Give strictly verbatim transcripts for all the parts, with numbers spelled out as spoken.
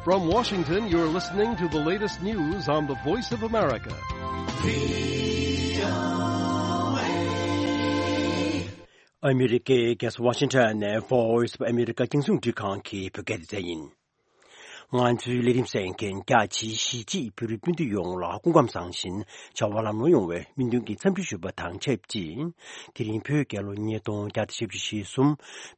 From Washington, you're listening to the latest news on the Voice of America. ཨ་མི་རི་ཀའི་རྒྱལ་ས་ཝ་ཤིང་ཊོན་ནས་Voice of America རྒྱང་སྲིང་འཕྲིན་ཁང་གི་བོད་སྐད་སྡེ་ཚན་ཡིན། ང་ཚོའི་ལས་རིམ་གསན་མཁན་རྒྱ་ཆེའི་གཞིས་བྱེས་བོད་རིགས་སྤུན་ཟླ་ཡོངས་ལ་སྐུ་ཁམས་བཟང་ཞིང་བྱ་བ་ལམ་ལྷོང་ཡོང་བའི་སྨོན་འདུན་གྱི་འཚམས་འདྲི་ཞུ་བ་དང་ཆབས་ཅིག་དེ་རིང་བོད་རྒྱལ་ལོ་ཉིས་སྟོང་བརྒྱ་དང་བཞི་བཅུ་ཞེ་གསུམ་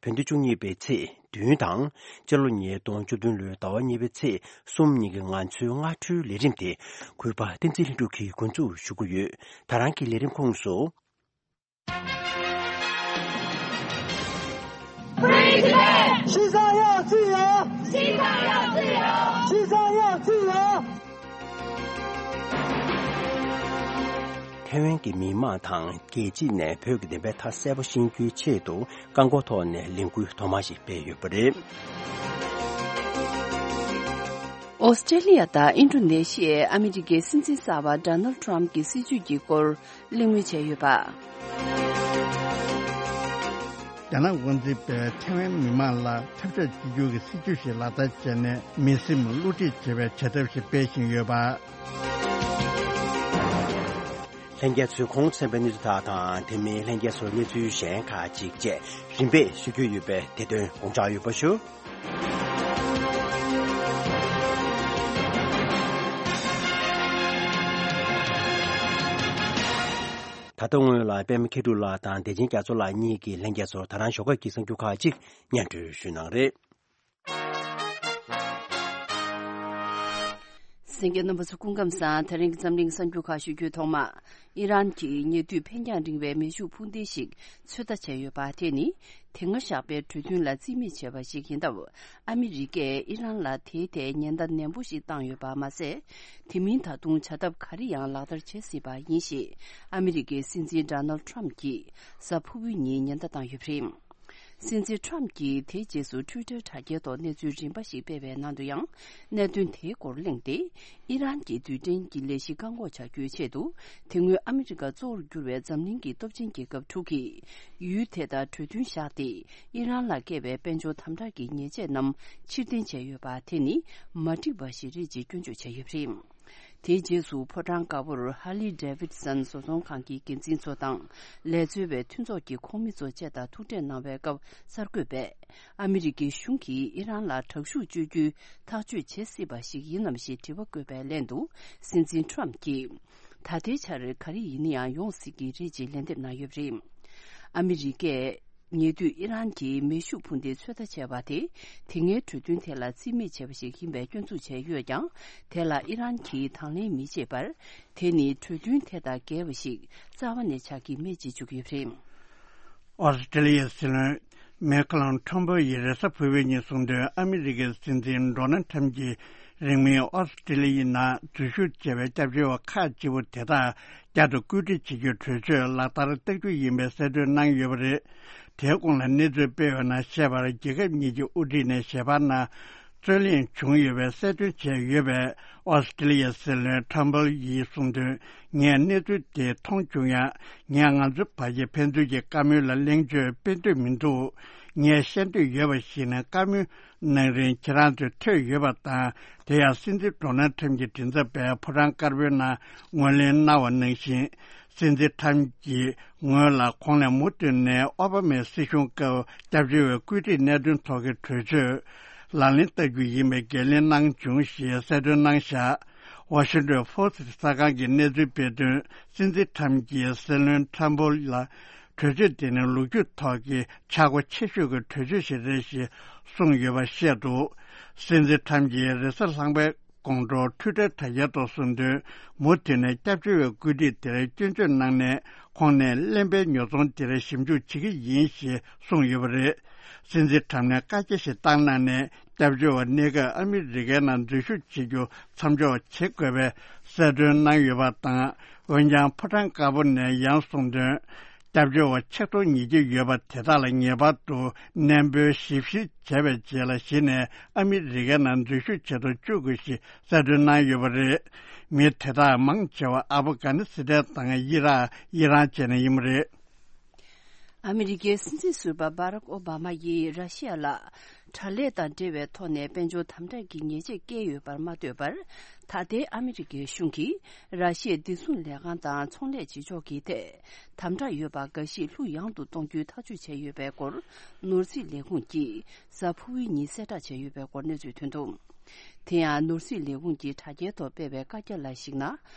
བོད་ཟླ་བཅུ་གཉིས་པའི་ཚེས་བདུན་དང་སྤྱི་ལོ་ཉིས་སྟོང་བཅུ་བདུན་ལོའི་ཟླ་བ་གཉིས་པའི་ཚེས་གསུམ་ཉིན་གྱི་ང་ཚོའི་སྔ་དྲོའི་ལས་རིམ་དེ་གུས་པ་བསྟན་འཛིན་ལྷུན་གྲུབ་ཀྱིས་འགོ་འཛུགས་ཞུ་གི་ཡོད། ད་རང་གི་ལས་རིམ་ཁོངས་སུ། Free Tibet! 西藏要自由！西藏要自由！西藏要自由！ཐའེ་ཝན་གྱི་མི་མང་དང་རྒྱལ་སྤྱི་ནས་བོད་ཀྱི་བདེན་པའི་མཐའ་གསལ་པོ་ཤེས་རྒྱུའི་ཆེད་དུ་རྐང་འཁོར་ཐོག་ནས་ལས་འགུལ་ཐོག་མ་ཞིག་སྤེལ་ཡོད་པ་རེད། ཨོ་སི་ཀྲེ་ལི་ཡ་དང་ཨིན་ཌོ་ནེ་ཤི་ཡའི་ཨ་མི་རི་ཀའི་སྲིད་འཛིན་གསར་པ་ཌོ་ནལ་ཌི་ཊརམ་ཕི་གྱི་སྲིད་བྱུས་ཀྱི་སྐོར་གླེང་མོལ་བྱས་ཡོད་པ། རྒྱ་ནག་དབང་འཛིན་པས་ཐའེ་ཝན་མི་མང་ལ་འཐབ་ཕྱོགས་གཅིག་གྱུར་གྱི་སྲིད་བྱུས་ཤིག་ལག་བསྟར་བྱས་ནས་མི་སེམས་བསླུ་བྲིད་བྱེད་པའི་བྱ་ཐབས་ཤིག་སྤེལ་བཞིན་ཡོད་པ། ལྷན་རྒྱས་ཚོས་ཁོང་གསན་པའི་གནས་ཚུལ་དག་དང་དེ་མིན་ལྷན་རྒྱས་ཚོར་གནས་ཚུལ་གཞན་ཁག་ཅིག་བཅས་རིམ་པས་ཞུ་རྒྱུ་ཡོད་པས་དེ་དོན་དགོངས་འཇགས་ཡོད་པ་ཞུ། ད་ལྟ་སྔོན་ལ་པད་མ་མཁས་གྲུབ་ལགས་དང་བདེ་ཆེན་རྒྱ་མཚོ་ལགས་གཉིས་ཀྱིས་ལྷན་རྒྱས་ཚོར་ད་རང་ཞོགས་ཀས་ཀྱི་གསར་འགྱུར་ཁག་ཅིག་སྙན་སྒྲོན་ཞུས་གནང་རེད། གསན་མཁན་རྣམ་པ་ཚོ་སྐུ་ཁམས་བཟང་། དེ་རིང་གི་འཛམ་གླིང་གསར་འགྱུར་ཁག་ཞུ་རྒྱུའི་ཐོག་མ། ཨི་རན་གྱིས་ཉེ་དུས་འཕེན་རྒྱང་རིང་བའི་མེ་ཤུགས་འཕུར་མདེལ་ཞིག་ཚོད་ལྟ་བྱས་ཡོད་པ་དེ་ནི་དེ་སྔ་བཞག་པའི་གྲོས་མཐུན་ལ་རྩིས་མེད་བྱས་པ་ཞིག་ཡིན་སྟབས། ཨ་མི་རི་ཀས་ཨི་རན་ལ་དེའི་ཐད་ཉེན་བརྡ་ནན་པོ་ཞིག་བཏང་ཡོད་པ་མ་ཟད། དེ་མིན་ད་དུང་བྱ་ཐབས་ག་རེ་ཡང་ལག་བསྟར་བྱེད་སྲིད་པ་ཡིན་ཞེས་ཨ་མི་རི་ཀའི་སྲིད་འཛིན་ཌོ་ནལ་ཌི་ཊརམ་ཕི་གྱིས་གཟའ་ཕུར་བུའི་ཉིན་ཉེན་བརྡ་བཏང་ཡོད་པ་རེད། སྲིད་འཛིན་ཊརམ་ཕི་གྱིས་དེའི་རྗེས་སུ་ཊུའི་ཊར་དྲ་རྒྱའི་ཐོག་གནས་ཚུལ་རིམ་པ་ཞིག་སྤེལ་བའི་ནང་དུ་ཡང་། གནད་དོན་དེའི་སྐོར་གླེང་སྟེ། ཨི་རན་གྱི་རྡུལ་ཕྲན་གྱི་ལས་གཞི་བཀག་འགོག་བྱ་རྒྱུའི་ཆེད་དུ། དེ་སྔོན་ཨ་མི་རི་ཀ་གཙོ་བོར་གྱུར་བའི་འཛམ་གླིང་གི་སྟོབས་ཆེན་རྒྱལ་ཁབ་དྲུག་གིས། ཡུལ་དེ་དང་གྲོས་མཐུན་བཞག་སྟེ། ཨི་རན་ལ་བཀལ་བའི་དཔལ་འབྱོར་དམ་དྲག་གི་ཉེས་ཆད་རྣམས་ཕྱིར་འཐེན་བྱས་ཡོད་པ་དེ་ནི། མ་འགྲིག་པ་ཞིག་རེད་ཅེས་སྐྱོན་བརྗོད་བྱས་ཡོད་པ་རེད། དེའི་རྗེས་སུ་ཕོ་བྲང་དཀར་པོར་ཧར་ལི་ཌེ་བིད་སན་བཟོ་ཚོང་ཁང་གི་འགན་འཛིན་ཚོ་དང་ལས་རྩོལ་བའི་མཐུན་ཚོགས་ཀྱི་ཁོངས་མི་ཚོ་བཅས་དང་ཐུག་འཕྲད་གནང་བའི་སྐབས་གསར་འགོད་པས། ཨ་མི་རི་ཀའི་གཞུང་གིས་ཨི་རན་ལ་དྲག་ཤུགས་སྤྱོད་རྒྱུའི་ཐག་གཅོད་བྱེད་སྲིད་པ་ཞིག་ཡིན་ནམ་ཞེས་དྲི་བ་བཀོད་པའི་ལན་དུ། སྲིད་འཛིན་ཊརམ་ཕི་གྱིས། ད་ལྟའི་ཆར་ག་རེ་ཡིན་ན་ཡང་ཡོང་སྲིད་ཀྱི་རེད་ཅེས་ལན་འདེབས་གནང་ཡོད་པ་རེད། ཨ་མི་རི་ཀས། ཉེ་དུས་ཨི་རན་གྱིས་མེ་ཤུགས་འཕུར་མདེལ་ཚོད་ལྟ་བྱས་པ་དེ། དེ་སྔའི་གྲོས་མཐུན་དེ་ལ་རྩིས་མེད་བྱས་པ་ཞིག་ཡིན་པའི་སྐྱོན་འཛུགས་བྱས་ཡོད་ཀྱང་། དེ་ལ་ཨི་རན་གྱིས་དང་ལེན་མི་བྱེད་པར། དེ་ནི་གྲོས་མཐུན་དེ་དང་འགལ་བ་ཞིག་རྩ་བ་ནས་ཆགས་ཀྱི་མེད་ཅེས་བརྗོད་ཀྱི་ཡོད་པ་རེད། ཨོ་སི་ཀྲི་ལི་ཡའི་སྲིད་བློན་མེ་ཁ་ལོན་ཁྲོམ་ཕོ་ཡིས་རེས་གཟའ་ཕུར་བུའི་ཉིན་གསུངས་དོན། ཨ་མི་རི་ཀའི་སྲིད་འཛིན་ཌོ་ནལ་ཁྲམ་གྱིས་རིང་མིན་ཨོ་སི་ཀྲི་ལི་ཡའི་ནང་འཛུལ་ཞུགས་བྱས་པའི་སྐྱབས་བཅོལ་བ་ཁག་ཅིག་པོ་དེ་དག་བསྐྱར་དུ་བཀོད་སྒྲིག་བྱེད་རྒྱུའི་གྲོས་ཆོད་ལག་བསྟར་བསྟར་རྒྱུ་ཡིན་པའི་གསལ་སྟོན་གནང་ཡོད་པ་རེད། དེའི་གོང་ལ་གནས་ཚུལ་སྤེལ་བའི་ནང་བཤད་པར། རྒྱལ་ཁབ་གཉིས་ཀྱི་དབུ་ཁྲིད་ནས་ཞལ་པར་ནང་རྩོད་གླེང་བྱུང་ཡོད་པའི་གསལ་སྟོན་བྱས་ཡོད་པས། ཨོ་སི་ཀྲི་ལི་ཡའི་སྲིད་བློན་ཁྲོམ་ཕོ་ཡིས་གསུངས་དོན། ངས་གནས་ཚུལ་དེ་མཐོང་བྱུང་ཡང་། ངས་ང་ཚོའི་བར་གྱི་ཕན་ཚུན་གྱི་བཀའ་མོལ་ལ་གླེང་བརྗོད་སྤེལ་འདོད་མི་འདུག་ངས་བཤད་འདོད་ཡོད་པ་ཞིག་ནི། བཀའ་མོལ་གནང་རིང་ཁྱེད་རང་ཚོས་ཐོས་ཡོད་པ་དང་། དེ་ཡང་སྲིད་འཛིན་ཌོ་ནལ་ཁྲམ་གྱི་མགྲིན་ཚབ་པས་ཕོ་བྲང་དཀར་པོའི་ནང་ངོས་ལེན་གནང་བ་ནང་བཞིན། སྲིད་འཛིན་ཁྲམ་གྱི་ངོས་ལ་གོང་ནས་མུ་མཐུད་ནས་ཨོ་བྷ་མའི་སྲིད་གཞུང་སྐབས་སྐྱབས་བཅོལ་བའི་བཀོད་སྒྲིག་གནད་དོན་ཐོག་གི་གྲོས་ཆོད་ལག་ལེན་བསྟར་རྒྱུ་ཡིན་པའི་འགན་ལེན་གནང་བྱུང་ཞེས་གསལ་སྟོན་གནང་བཞག་ཝ་ཤིང་ཏོན་ཕོ་སི་ཊི་གསར་ཁང་གིས་གནས་ཚུལ་སྤེལ་དོན། སྲིད་འཛིན་ཁྲམ་གྱིས་སྲིད་བློན་ཁྲོམ་ཕོ་ལ། གྲོས་ཆོད་དེ་ནི་ལོ་རྒྱུས་ཐོག་གི་ཆག་སྒོ་ཆེ་ཤོས་ཀྱི་གྲོས་ཆོད་ཞིག་རེད་ཞེས་གསུངས་ཡོད་པ་བཤད་འདུག་སྲིད་འཛིན་ཁྲམ་གྱིས་རེས་གཟའ་ལྷག་པའི་དགོང་དྲོ་ཊུའི་ཊར་དྲ་རྒྱའི་ཐོག་གསུངས་དོན། མུ་མཐུད་ནས་སྐྱབས་བཅོལ་བའི་བཀོད་སྒྲིག་དེར་སྐྱོན་བརྗོད་གནང་ནས། ཁོང་ནས་གླེན་པའི་ཉོ་ཚོང་དེར་ཞིབ་འཇུག་བྱེད་ཀྱི་ཡིན་ཞེས་གསུངས་ཡོད་པ་རེད། སྲིད་འཛིན་ཁྲམ་ནས་བཀའ་རྒྱ་ཞིག་བཏང་གནང་ནས། སྐྱབས་བཅོལ་བ་གནས་སྐབས་ཨ་མི་རི་ཀའི་ནང་འཛུལ་ཞུགས་བྱེད་རྒྱུ་མཚམས་འཇོག་བྱེད་དགོས་པའི་གསལ་སྟོན་གནང་ཡོད་པ་དང་། འོན་ཀྱང་ཕོ་བྲང་དཀར་པོ་ནས་ཡང་གསུངས་དོན། སྐྱབས་བཅོལ་བ་ཆིག་སྟོང་ཉིས་བརྒྱ་ཡོད་པ་དེ་དག་ལ་ངེས་པར་དུ་གནས་སྤོ་ཞིབ་བཤེར་བྱས་པའི་རྗེས་ལ་གཞི་ནས་ཨ་མི་རི་ཀའི་ནང་འཛུལ་ཞུགས་བྱེད་དུ་བཅུག་དགོས་ཞེས་གསལ་སྟོན་གནང་ཡོད་པ་རེད། མི་དེ་དག་མང་ཆེ་བ་ཨབ་གྷ་ནི་སི་ཐན་དང་ཨི་རག་ཨི་རན་བཅས་ནས་ཡིན་པ་རེད། ཨ་མི་རི་ཀའི་སྲིད་འཛིན་ཟུར་པ་བྷ་རག་ཨོ་བྷ་མ་ཡིས་ར་ཤི་ཡ་ལ་དྲག་ལས་དང་འབྲེལ་བའི་ཐོག་ནས་དཔལ་འབྱོར་དམ་དྲག་གི་ཉེས་ཆད་བཀལ་ཡོད་པར་མ་ལྟོས་པར། ད་ལྟའི་ཨ་མི་རི་ཀའི་གཞུང་གིས་ར་ཤི་ཡའི་བདེ་སྲུང་ལས་ཁང་དང་ཚོང་ལས་བྱེད་ཕྱོགས་ཀྱི་ཐད་དམ་དྲག་ཡོད་པ་འགའ་ཞིག་ལྷུག་ཡངས་དུ་གཏོང་རྒྱུའི་ཐག་གཅོད་བྱས་ཡོད་པའི་སྐོར། ནོར་སྲིད་ལས་ཁུངས་ཀྱིས་གཟའ་ཕུར་བུའི་ཉིན་གསལ་བསྒྲགས་བྱས་ཡོད་པའི་སྐོར་གནས་ཚུལ་ཐོན་འདུག་དེ་ཡང་ནོར་སྲིད་ལས་ཁུངས་ཀྱིས་དྲ་རྒྱའི་ཐོག་སྤེལ་བའི་བཀའ་རྒྱ་ལ་གཞིགས་ན།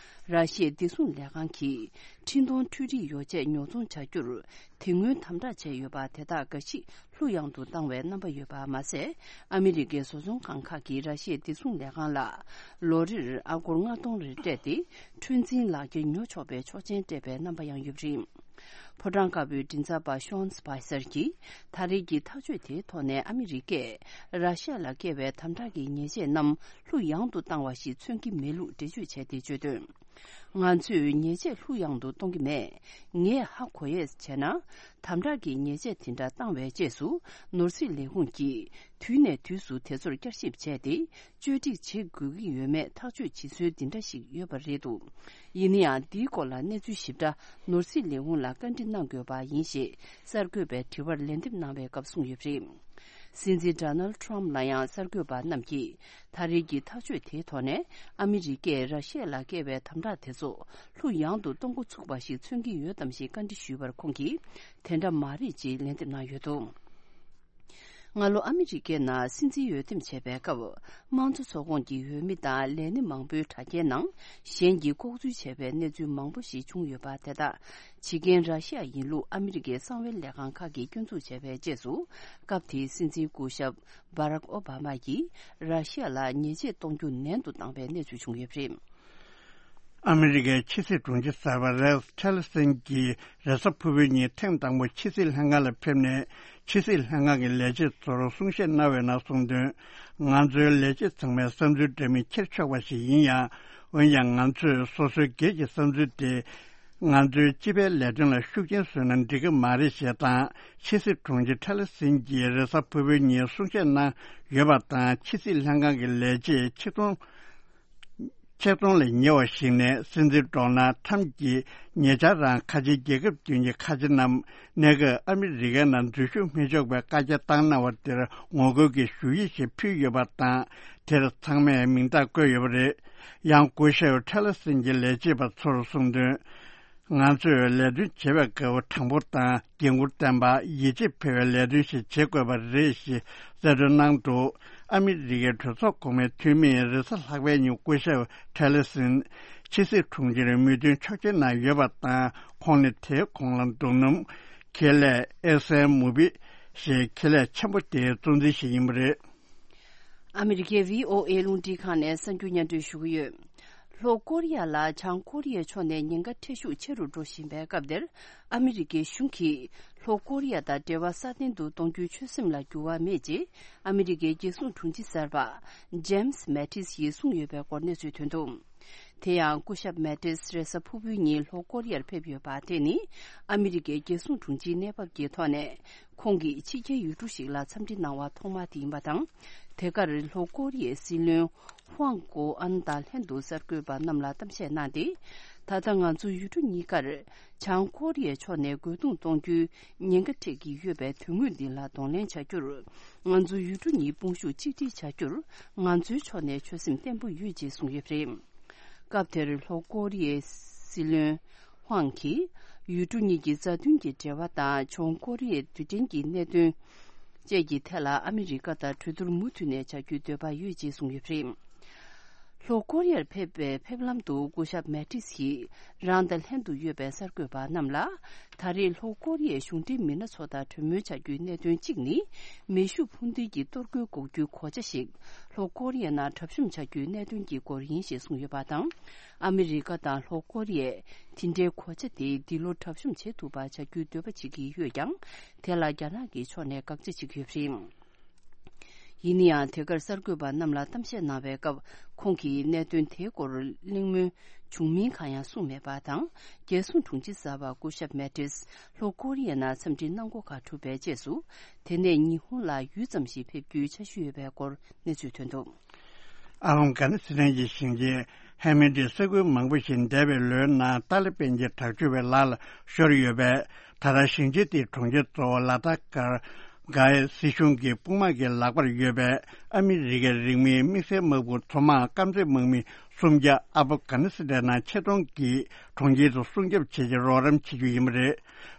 ར་ཤི་ཡའི་བདེ་སྲུང་ལས་ཁང་གིས་འཕྲིན་གཏོང་འཕྲུལ་རིག་ཡོ་ཆས་ཉོ་ཚོང་བྱ་རྒྱུར་དེ་སྔོན་དམ་དྲག་བྱས་ཡོད་པ་དེ་དག་འགའ་ཞིག་ལྷུག་ཡངས་དུ་བཏང་བའི་རྣམ་པ་ཡོད་པ་མ་ཟད། ཨ་མི་རི་ཀའི་བཟོ་ཚོང་ཁང་ཁག་གིས་ར་ཤི་ཡའི་བདེ་སྲུང་ལས་ཁང་ལ་ལོ་རེར་ཨ་སྒོར་ལྔ་སྟོང་རེ་སྤྲད་དེ། འཁྲོལ་འཛིན་ལག་འཁྱེར་ཉོ་ཆོག་པའི་ཆོག་མཆན་སྤྲད་པའི་རྣམ་པ་ཡང་ཡོད་པ་རེད། ཕོ་བྲང་དཀར་པོའི་མགྲིན་ཚབ་པ་ཤོན་སི་པའི་སར་གྱིས་ད་རེས་ཀྱི་ཐག་གཅོད་དེའི་ཐོག་ནས་ཨ་མི་རི་ཀས་ར་ཤི་ཡ་ལ་བཀལ་བའི་དམ་དྲག་གི་ཉེས་ཆད་རྣམས་ལྷུག་ཡངས་དུ་བཏང་བ་ཞིག་མཚོན་གྱི་མེད་ལུགས་འགྲེལ་བརྗོད་བྱས་ཏེ་བརྗོད་དོན། ང་ཚོས་ཉེས་ཆད་ལྷུག་ཡངས་དུ་གཏོང་གི་མེད། ངས་ཧ་གོ་ཡས་བྱས་ན། དམ་དྲག་གི་ཉེས་ཆད་དེ་འདྲ་བཏང་བའི་རྗེས་སུ་ནོར་སྲིད་ལས་ཁུངས་ཀྱིས་དུས་ནས་དུས་སུ་དེ་ཚོར་བསྐྱར་ཞིབ་བྱས་ཏེ། བཅོས་སྒྲིག་བྱེད་དགོས་ཀྱི་ཡོད་མེད་ཐག་གཅོད་བྱེད་སྲོལ་འདི་འདྲ་ཞིག་ཡོད་པ་རེད་འདུག་ཡིན་ན་ཡང་། འདིའི་སྐོར་ལ་གནས་ཚུལ་ཞིབ་ཕྲ་ནོར་སྲིད་ལས་ཁུངས་ལ་བཀའ་འདྲི་གནང་དགོས་པ་ཡིན་ཞེས་གསར་འགོད་པའི་དྲི་བར་ལན་འདེབས་གནང་བའི་སྐབས་གསུངས་ཡོད་པ་རེད། སྲིད་འཛིན་ཌོ་ནལ་ཊམ་ལ་ཡང་གསར་འགོད་པ་རྣམས་ཀྱིས་ད་རེས་ཀྱི་ཐག་གཅོད་དེའི་ཐོག་ནས་ཨ་མི་རི་ཀས་ར་ཤི་ཡ་ལ་བཀལ་བའི་དམ་དྲག་དེ་ཚོ་ལྷུག་ཡངས་དུ་གཏོང་འགོ་ཚུགས་པ་ཞིག་མཚོན་གྱི་ཡོད་དམ་ཞེས་བཀའ་འདྲི་ཞུས་པར་ཁོང་གིས། དེ་འདྲ་མ་རེད་ཅེས་ལན་འདེབས་གནང་ཡོད་འདུག་སྔ་ལོ་ཨ་མི་རི་ཀའི་ནང་སྲིད་འཛིན་འོས་འདེམས་བྱས་པའི་སྐབས། དམངས་གཙོ་ཚོགས་ཁོངས་ཀྱི་འོས་མི་དང་ལས་སྣེ་མང་པོའི་དྲ་རྒྱའི་ནང་གཞན་གྱིས་ལྐོག་འཛུལ་བྱས་པའི་གནས་ཚུལ་མང་པོ་ཞིག་བྱུང་ཡོད་པ་དེ་དག་བྱེད་མཁན་ར་ཤི་ཡ་ཡིན་ལུགས་ཨ་མི་རི་ཀའི་གསང་བའི་ལས་ཁང་ཁག་གིས་སྐྱོན་འཛུགས་བྱས་པའི་རྗེས་སུ། སྐབས་དེའི་སྲིད་འཛིན་སྐུ་ཞབས་བྷ་རག་ཨོ་བྷ་མ་ཡིས་ར་ཤི་ཡ་ལ་ཉེས་ཆད་གཏོང་རྒྱུ་ནན་དུ་བཏང་བའི་གནས་ཚུལ་བྱུང་ཡོད་པ་རེད། ཨ་མི་རི་ཀའི་ཕྱི་སྲིད་དྲུང་ཆེ་གསར་པ་རེགས་ཊི་ལི་སན་གྱིས་རེས་གཟའ་ཕུར་བུའི་ཉིན་ཐེངས་དང་པོ་ཕྱི་སྲིད་ལྷན་ཁང་ལ་ཕེབས་ནས། ཕྱི་སྲིད་ལྷན་ཁང་གི་ལས་བྱེད་ཚོར་གསུང་བཤད་གནང་བའི་ནང་གསུངས་དོན། ང་ཚོའི་ལས་བྱེད་ཚང་མའི་བསམ་ཚུལ་འདྲ་མིན་འཁྱེར་ཆོག་པ་ཞིག་ཡིན་ཡང་། འོན་ཀྱང་ང་ཚོས་སོ་སོའི་སྒེར་གྱི་བསམ་ཚུལ་དེ། ང་ཚོའི་སྤྱི་པའི་ལས་དོན་ལ་ཤུགས་རྐྱེན་བཟོས་ན་འགྲིག་གི་མ་རེད་ཞེས་དང་། ཕྱི་སྲིད་དྲུང་ཆེ་ཊི་ལི་སན་གྱིས་རེས་གཟའ་ཕུར་བུའི་ཉིན་གསུང་བཤད་གནང་ཡོད་པ་དང་། ཕྱི་སྲིད་ལྷན་ཁང་གི་ལས་བྱེད་ཆིག་སྟོང་ཆིག་སྟོང་ལས་ཉེ་བ་ཞིག་ནས་སྲིད་འཛིན་ཌོ་ནལ་ཁྲམ་གྱིས་ཉེ་ཆར་རང་ཁ་ཆེའི་རྒྱལ་ཁབ་བདུན་གྱི་ཁ་ཆེ་རྣམས་གནས་སྐབས་ཨ་མི་རི་ཀའི་ནང་འཛུལ་ཞུགས་མི་ཆོག་པའི་བཀའ་རྒྱ་བཏང་གནང་བ་དེར་ངོ་རྒོལ་གྱི་ཞུ་ཡིག་ཞིག་ཕུལ་ཡོད་པ་དང་། དེར་ཚང་མས་མིང་རྟགས་བཀོད་ཡོད་པ་རེད། ཡང་སྐུ་ཞབས་ཊི་ལི་སན་གྱི་ལས་བྱེད་པ་ཚོར་གསུངས་དོན། ང་ཚོས་ལས་དོན་བྱེད་པའི་སྐབས་དྲང་པོ་དང་། འགན་འཁུར་ལྡན་པ། ཡིད་ཆེས་འཕེར་བའི་ལས་དོན་ཞིག་བྱེད་དགོས་པ་རེད་ཞེས་གསལ་སྟོན་གནང་འདུག་ཨ་མི་རི་ཀའི་གྲོས་ཚོགས་གོང་མའི་འཐུས་མིས་རེས་གཟའ་ལྷག་པའི་ཉིན་སྐུ་ཞབས་ཊི་ལི་སན་ཕྱི་སྲིད་དྲུང་ཆེར་མོས་མཐུན་ཆོག་མཆན་གནང་ཡོད་པ་དང་། ཁོང་ནི་དེའི་གོང་ལ་འདུག་སྣུམ། ཁེ་ལས་ཨེག་སན་མུ་བི་ཞེས་ཁེ་ལས་ཆེན་པོ་དེའི་གཙོ་འཛིན་ཞིག་ཡིན་པ་རེད། ཨ་མི་རི་ཀའི་བྷི་ཨོ་ཨེ་རླུང་འཕྲིན་ཁང་ནས་གསར་འགྱུར་སྙན་སྒྲོན་ཞུ་གི་ཡོད། ལྷོ་ཀོ་རི་ཡ་ལ་བྱང་ཀོ་རི་ཡའི་ཕྱོགས་ནས་ཉེན་ཁ་འཕྲད་ཤུགས་ཆེ་རུ་འགྲོ་བཞིན་པའི་སྐབས་འདིར། ཨ་མི་རི་ཀའི་གཞུང་གིས་ལྷོ་ཀོ་རི་ཡ་དང་འབྲེལ་བ་སྲ་བརྟན་དུ་གཏོང་རྒྱུའི་ཆོད་སེམས་ལ་འགྱུར་བ་མེད་ཅེས། ཨ་མི་རི་ཀའི་རྒྱལ་སྲུང་དྲུང་ཆེ་གསར་པ་ཇེམ་སི་མེ་ཏིས་ཡིས་གསུངས་ཡོད་པའི་སྐོར་གནས་ཚུལ་ཐོན་འདུག་དེ་ཡང་སྐུ་ཞབས་མེ་ཏིས་རེས་གཟའ་ཕུར་བུའི་ཉིན་ལྷོ་ཀོ་རི་ཡར་ཕེབས་ཡོད་པ་དེ་ནི། ཨ་མི་རི་ཀའི་རྒྱལ་སྲུང་དྲུང་ཆེའི་གནས་བབ་ཀྱི་ཐོག་ནས། ཁོང་གིས་ཕྱི་རྒྱལ་ཡུལ་གྲུ་ཞིག་ལ་འཚམས་འདྲི་གནང་བ་ཐོག་མ་དེ་ཡིན་པ་དང་། དེ་གར་ལྷོ་ཀོ་རི་ཡའི་སྲིད་བློན་ཧུའང་གོ་ཨན་དང་ལྷན་དུ་གསར་འགོད་པ་རྣམས་ལ་གཏམ་བཤད་གནང་སྟེ། ད་ལྟ་ང་ཚོ་ཡུལ་གྲུ་གཉིས་ཀར་བྱང་ཀོ་རི་ཡའི་ཕྱོགས་ནས་རྒོལ་རྡུང་གཏོང་རྒྱུའི་ཉེན་ཁ་འཕྲད་ཀྱི་ཡོད་པའི་དོན་དངོས་འདི་ལ་གདོང་ལེན་བྱ་རྒྱུར། ང་ཚོ་ཡུལ་གྲུ་གཉིས་དཔུང་ཤུགས་གཅིག་སྒྲིལ་བྱ་རྒྱུར་ང་ཚོའི་ཕྱོགས་ནས་ཆོད་སེམས་བརྟན་པོ་ཡོད་ཅེས་གསུངས་ཡོད་པ་རེད། སྐབས་དེར་ལྷོ་ཀོ་རི་ཡའི་སྲིད་བློན་ཧུའང་གིས་ཡུལ་གྲུ་གཉིས་ཀྱི་མཛའ་མཐུན་གྱི་འབྲེལ་བ་དང་བྱང་ཀོ་རི་ཡའི་རྡུལ་ཕྲན་གྱི་གནད་དོན་བཅས་ཀྱི་ཐད་ལ་ཨ་མི་རི་ཀ་དང་གྲོས་བསྡུར་མུ་མཐུད་ནས་བྱ་རྒྱུའི་འདོད་པ་ཡོད་ཅེས་གསུངས་ཡོད་པ་རེད། ལྷོ་ཀོ་རི་ཡར་ཕེབས་པའི་ཕེབས་ལམ་དུ་སྐུ་ཞབས་མེ་ཏིས་ཡིས་རང་དང་ལྷན་དུ་ཡོད་པའི་གསར་འགོད་པ་རྣམས་ལ། ད་རེས་ལྷོ་ཀོ་རི་ཡའི་གཞུང་འབྲེལ་མི་སྣ་ཚོ་དང་གྲོས་མོལ་བྱ་རྒྱུའི་གནད་དོན་གཅིག་ནི། མེ་ཤུགས་འཕུར་མདེལ་གྱི་གཏོར་རྒོལ་འགོག་རྒྱུའི་གོ་ཆ་ཞིག་ལྷོ་ཀོ་རི་ཡའི་ནང་གྲབས་གཤོམ་བྱ་རྒྱུའི་གནད་དོན་གྱི་སྐོར་ཡིན་ཞེས་གསུངས་ཡོད་པ་དང་། ཨ་མི་རི་ཀ་དང་ལྷོ་ཀོ་རི་ཡས་དེ་འདྲའི་གོ་ཆ་དེ་འདི་ལོ་གྲབས་གཤོམ་བྱེད་ཐུབ་པ་བྱ་རྒྱུའི་འདོད་པ་བྱེད་ཀྱི་ཡོད་ཀྱང་། དེ་ལ་རྒྱ་ནག་གི་ཕྱོགས་ནས་དགག་བྱ་བྱེད་ཀྱི་ཡོད་པ་རེད། ཡིན་ན་ཡང་། དེ་གར་གསར་འགོད་པ་རྣམས་ལ་གཏམ་བཤད་གནང་བའི་སྐབས། ཁོང་གིས་གནད་དོན་དེའི་སྐོར་གླེང་མོལ་བྱུང་མིན་གང་ཡང་གསུངས་མེད་པ་དང་། རྒྱལ་སྲུང་དྲུང་ཆེ་གསར་པ་སྐུ་ཞབས་མེ་ཏིས་ལྷོ་ཀོ་རི་ཡའི་ནང་འཚམས་འདྲི་གནང་འགོ་ག་གྲུབ་པའི་རྗེས་སུ། དེ་ནས་ཉི་ཧོང་ལ་ཡུད་ཙམ་ཞིག་ཕེབས་རྒྱུའི་འཆར་གཞི་ཡོད་པའི་སྐོར་གནས་ཚུལ་ཐོན་འདུག་ཨ་ཧྥ་གྷ་ནི་སི་ཐན་གྱི་ཞིང་ཆེན་ཧེ་མེ་ཏི་ས་ཁུལ་མང་པོ་ཞིག་འདས་པའི་ལོའི་ནང་ཏཱ་ལི་པན་གྱི་དྲག་སྤྱོད་པའི་ལག་ལ་ཤོར་ཡོད་པས། ད་ལྟ་ཞིང་ཆེན་དེའི་གྲོང་ཁྱེར་གཙོ་བོ་ལ་ཏཱ་ཀར་གྷའི་སྲིད་གཞུང་གི་དཔུང་དམག་གི་ལག་པར་ཡོད་པའི་ཨ་མི་རི་ཀའི་རིང་མིན་དམིགས་བསལ་དམག་དཔུང་མཚོ་དམག་དཀར་མཛེས་དམག་མི་སུམ་བརྒྱ་ཨབ་གྷ་ནི་སི་ཐན་ནང་ཆེད་གཏོང་གིས་གྲོང་ཁྱེར་དུ་སྲུང་སྐྱོབ་བྱེད་ཆེད་རོགས་རམ་བྱེད་རྒྱུ་ཡིན་པ་རེད།